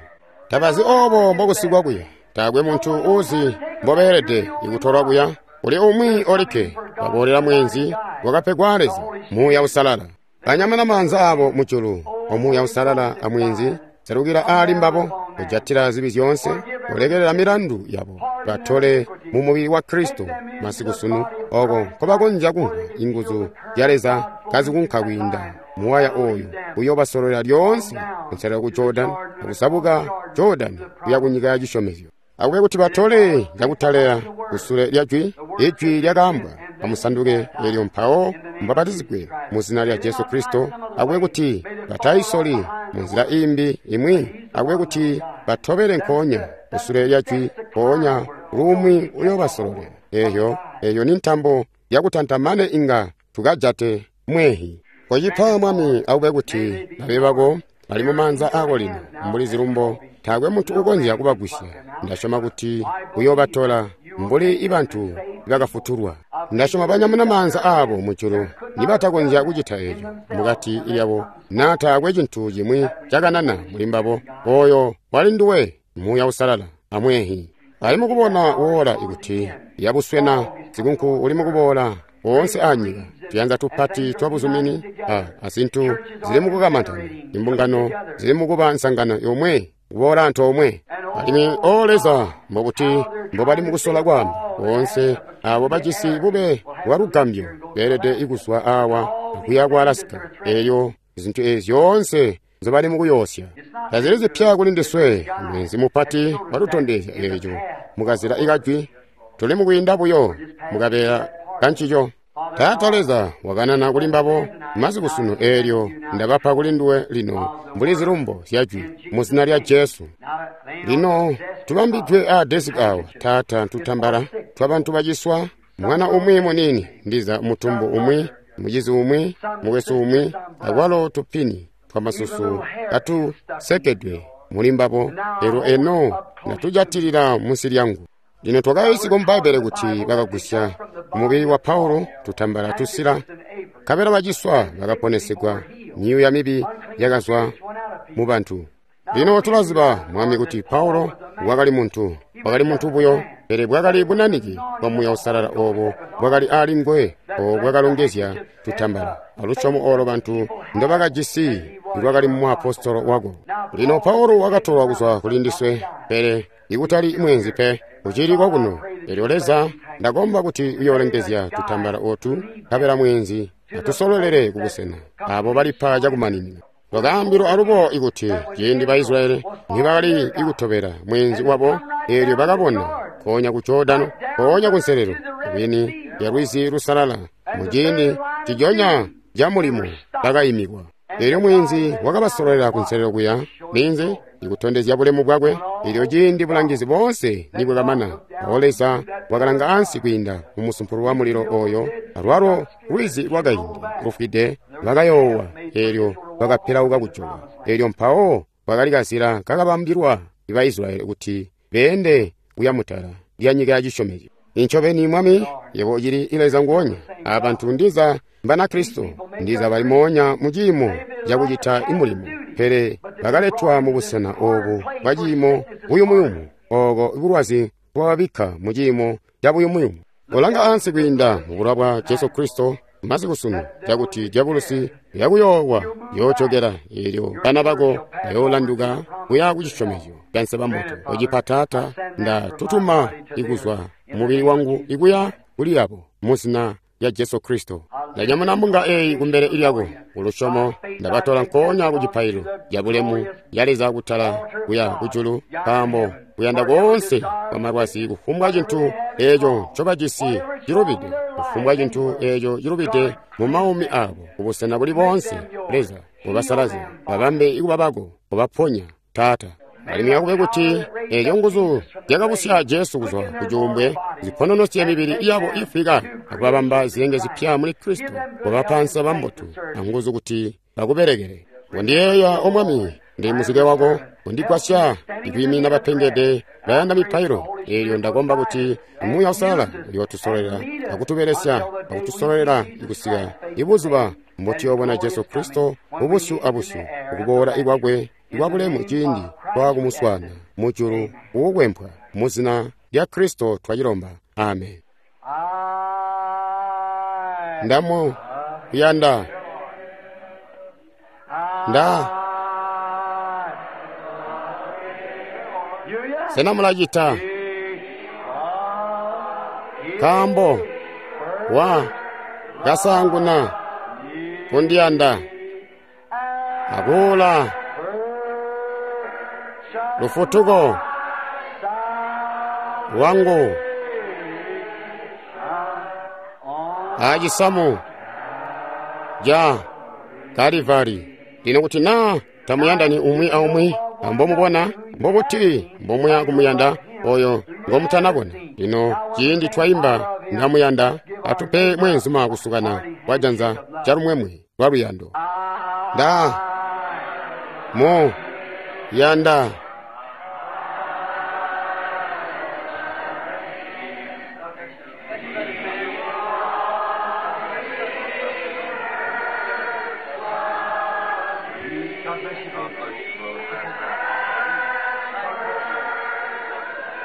Tabazi obo mbokusikwa kuya, taakwe muntu uuzi mbobeelede ikutolwa kuya. Kuli umwi olikke baboolela mweenzi wakapegwa Leza, Muuya Uusalala. Banyamuna maanza abo mujulu, omuuya Uusalala amweenzi selukila ali mbabo, kujatila zibi zyoonse, kulekelela milandu yabo, batole mu mubili wa Kristo masiku sunu, oko nkobakonzya kumvwa inguzu zya Leza kazikunka kwiinda muwaya oyu uyoobasololela lyoonse kunselelo ku Jordan, akusabuka Jordan kuya ku nyika ya cisyomezyo. Akube kuti batole cakutalela kusule lya jwi, ijwi lyakaambwa, amusanduke eelyo mpawo mubapatizigwe mu zina lya Jesu Kristo. Akube kuti batayisoli munzila imbi imwi, akube kuti batobele nkoonya kusule lya jwi, mpoonya lumwi uyoobasololela. Eyo ni ntambo yakutantamane inga tukajate mwehi. Kocipa Mwami, akube kuti babe bako bali mu maanza ako lino mbuli zilumbo, taakwe muntu ukonzya kubagwisya. Ndasyoma kuti uyoobatola mbuli ibantu bakafutulwa. Ndasyoma banyamuna maanza aabo mujulu nibatakonzya kucita eco mukati lyabo, naa taakwe cintu cimwi cakanana muli mbabo. Oyo wali nduwe, Muuya Uusalala amwehi. Ali mukubona woola ikuti yabuswena sikunku uli mukuboola woonse anyika. Tuyanza tupati twa buzumini azintu zili mukukamantana, imbungano zili mukuba nsangano yomwe kuboola antoomwe. Alimwi o Leza, mbokuti mbobali mukusola kwaamba boonse abo bajisi bube bwa lugambyo beelede ikuzwa awa akuya ku Alaska. Elyo zintu ezi zyoonse nzobali mukuyoosya tazili zipya kuli ndiswe. Mwezi mupati watutondezya eco mukazila ikajwi. Tuli mukwiinda buyo mukabeela kancico. Taata Leza wakanana kuli mbabo masiku sunu, eelyo ndabapa kuli nduwe lino mbuli zilumbo zyajwi mu zina lya Jesu. Lino tubambidwe a desiki awa, Taata, tutambala twabantu baciswa, mwana umwi muniini, ndiza mutumbu umwi, mucizi umwi, mukwesu umwi, akwalo tupini twamasusu katusekedwe muli mbabo. Elyo eno natujatilila munsi lyangu. Lino twakayiisigwa mu Bbaibbele kuti bakagusya mubili wa Paulo tutambala tusila, nkabela baciswa bakaponesegwa, myuuya mibi yakazwa mu bantu. Lino tulaziba, Mwami, kuti Paulo wakali muntu, wakali muntu buyo, pele bwakali bunaniki bwa Muuya Uusalala oobo bwakali ali nguwe, oobo bwakalongezya tutambala alusyomo oolo bantu ndobakajisi lwakali muapostolo wako. Lino Paulo wakatolwa kuzwa kuli ndiswe, pele ikutali mweenzi pe, ucili kokuno. Elyo Leza, ndakomba kuti uyoolengezya tutambala ootu, nkabela mweenzi atusololele kubusena abo balipa cakumaninina. Twakaambilwa alubo ikuti ciindi ba Israyeli nibakali ikutobela mweenzi wabo, eelyo bakabona nkoonya ku Jordano, nkoonya kunselelo kwini ya Lwizi Lusalala, muciindi cijonya ca mulimo bakayimikwa. Eelyo mweenzi wakabasololela kunselelo kuya ninzi ikutondezya bulemu bwakwe. Eelyo ciindi bulangizi boonse nibwakamana, mpawo Leza wakalanga ansi kwiinda mu musumpulu wa mulilo oyo, alwalo lwizi lwakaindi lufwide bakayoowa, eelyo bakapilauka kujoka. Eelyo mpawo kwakali kazila kakabambilwa ba Israyeli kuti beende kuya mutala lya nyika ya cisyomezyo. Incobeni, Mwami, yebo ucili Leza nguonya. Abantu ndiza Mbanakristo, ndiza bali moonya mu ciimo cakucita imulimo, pele bakaletwa mu busena obu bwa ciimo buyumuyumu, ooko bulwazi bwababikka mu ciimo ca buyumuyumu. Kolanga ansi kwiinda mu bulowa bwa Jesu Kristo masiku sunu, cakuti dyabulusi yakuyoowa yoocokela, eelyo bana bako bayoolanduka kuya ku cisyomezyo ca nseba mbotu. Ocipa, Taata, ndatutuma ikuzwa mubili wangu ikuya kuli abo mu zina lya Jesu Kristo. Ndanyamuna mbunga eyi kumbele lyako kulusyomo, ndabatola nkoonya ku cipaililo ca bulemu ya Leza kutala kuya kujulu, nkaambo kuyanda koonse kwa malwazi, kufumbwa cintu eeco ncobajisi cilubide, kufumbwa cintu eeco cilubide mu maumi abo, kubusena buli boonse, Leza ubasalazye, babambe ikuba bako, ubaponya, Taata. Alimwi akube kuti eeco nguzu zyakabusya Jesu kuzwa ku cuumbwe zipononosye mibili yabo ifwika, akubabamba zilenge zipya muli Kristo, kubapa nseba mbotu anguzu kuti bakubelekele. Kondiyeeya, O Mwami, ndi muzike wako, kondigwasya ikwiimina bapengede bayanda mipailo. Eelyo ndakomba kuti Muuya Uusalala uyootusololera akutubelesya akutusololela ikusika ibuzuba mbotuyoobona Jesu Kristo ubusyu abusyu, ukuboola ikwakwe ikwabulemu ciindi twakumuswaana mujulu ukukwempwa. Mu zina lya Kristo twacilomba, amen. Ndamu kuyanda nda sena mulacita? Nkaambo wa kasaanguna kundiyanda akuula lufutuko lwangu acisamu ca Kalivari. Lino kuti naa tamuyandani umwi aumwi ambomubona, mbobuti mbomuya kumuyanda oyo ngomutanabona? Lino ciindi twaimba ndamuyanda, atupe mweenzuma kusukana kwa janza calumwemwe lwa luyando. Nda mu yanda.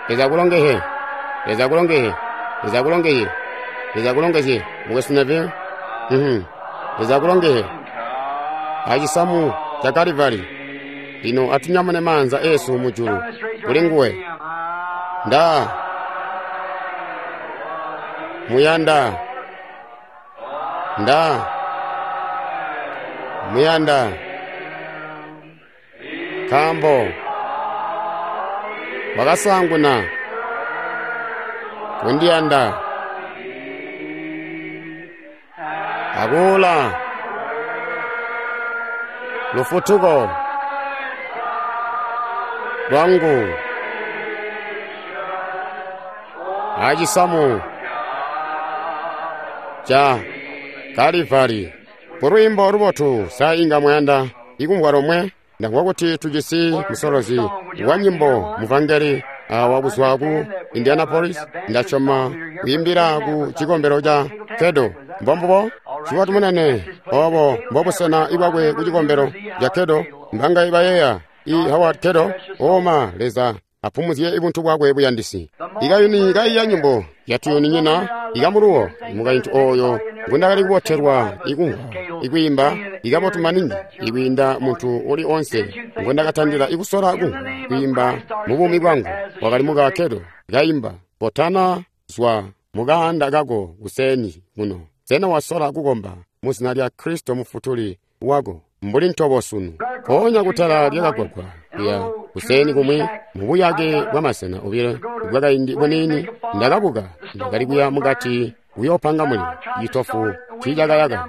Leza akulongezye, Leza akulongezye, Leza akulongezye, Leza akulongezye, mukwesu Neville. Leza akulongezye. Acisamu ca Kalivari. Lino atunyamune maanza esu mujulu kuli nguwe. Nda muyanda. Nda muyanda nkaambo wakasaanguna kundiyanda akuula lufutuko lwangu acisamu ca Kalivari. Kulwiimbo lubotu sa inga mwayanda ikumvwa lomwe. Ndamvwa kuti tujisi musolozi wa nyimbo muvangeli wakuzwa ku Indianapolis. Ndasyoma kuimbila ku cikombelo ca Kedo. Mbombubo ciwa tumunene obo mbobusena ibwakwe ku cikombelo ca Kedo. Mbanga ibayeeya i Howard Kedo oma Leza apumuzye ibuntu bwakwe buyandisi. Ikayuni kaiya nyimbo yatuyuni nyina ikamuluwo mukaintu oyo ngundakali kubotelwa ikumvwa ikwiimba ikabotu maningi ikwiinda muntu uli onse ngundakatandila ikusola kumvwa kwiimba mu buumi bwangu. Wakali muka Kedo kaimba potana zwa mukaanda kako kuseni kuno. Sena wasola kukomba muzina lya Kristo mufutuli wako mbuli ntobo sunu. Ponya kutala lyakagwagwa kuya kuseni kumwi mubuyake bwa masena obilo bwakaindi buniini. Ndakabuka ndakali kuya mukati kuyopanga mulilo. Citofu tiicakayaka.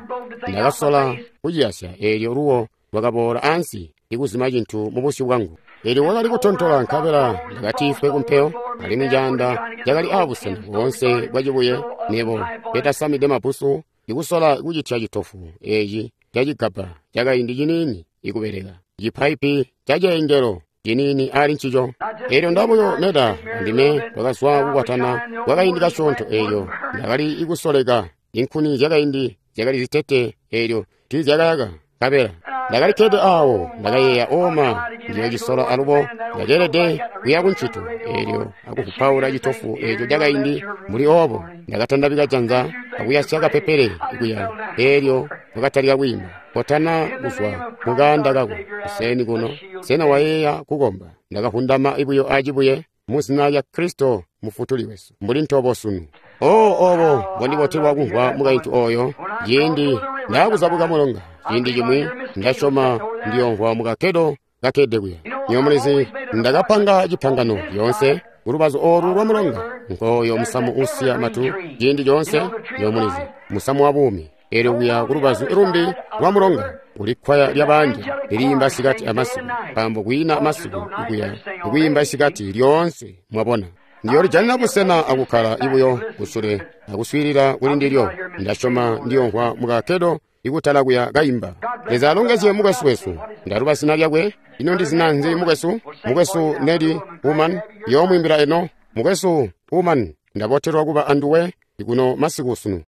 Ndakasola kuciyasya eelyo luwo lwakaboola ansi ikuzima cintu mubusyu bwangu. Eelyo wakali kutontola nkabela ndakatifwe kumpeyo, alimwi caanda cakali aabusena boonse bwa cibuye. Nebo petasamide mabusu ikusola kucitya citofu eeci cacigabba cakaindi ciniini ikubeleka cipaipi caceengelo ciniini ali ncico. Eelyo ndabuyo meda andime twakazwa kukwatana kwakaindi kasyoonto. Eelyo ndakali ikusoleka inkuni zyakaindi zyakali zitete eelyo tiizyakayaka nkabela ndakalikkede aawo. Ndakayeeya oma ndiyoocisola alubo ndakeelede kuya kuncito eelyo akukupaula citofu eeco cakaindi mbuli oobo. Ndakatandabika janza akuyasya kapepele kuya eelyo wakatalika kwiimba potana kuzwa mukaanda kako kuseni kuno. Sena wayeeya kukomba? Ndakavundama ibuyo acibuye muzina lya Kristo mufutuli wesu mbuli ntobo sunu. Obo mbondibotelwa kumvwa mukaintu oyo ciindi ndaakuzabuka mulonga. Ciindi cimwi ndasyoma ndiyomvwa mukakedo kakede kuya. Nyomulizi ndakapanga cipangano lyoonse kulubazu olu lwa mulonga nkooyo musamu usiya matu ciindi coonse. Nyomulizi musamu wa buumi. Eelyo kuya kulubazu lumbi lwa mulonga kuli kkwaya lyabanja liliimba sikati amasiku, nkaambo kwiina masiku ikuya ikwiimba sikati lyoonse. Mwabona, ndiyolijanina busena akukkala ibuyo kusule akuswiilila kuli ndilyo. Ndasyoma ndiyomvwa mukakedo ikutala kuya kaimba. Leza alongezye mukwesu wesu. Ndaluba zina lyakwe. Ino ndi zina nzi mukwesu? Mukwesu Nedi Uman yoomwiimbila eno. Mukwesu Uman, ndabotelwa kuba anduwe ikuno masiku sunu.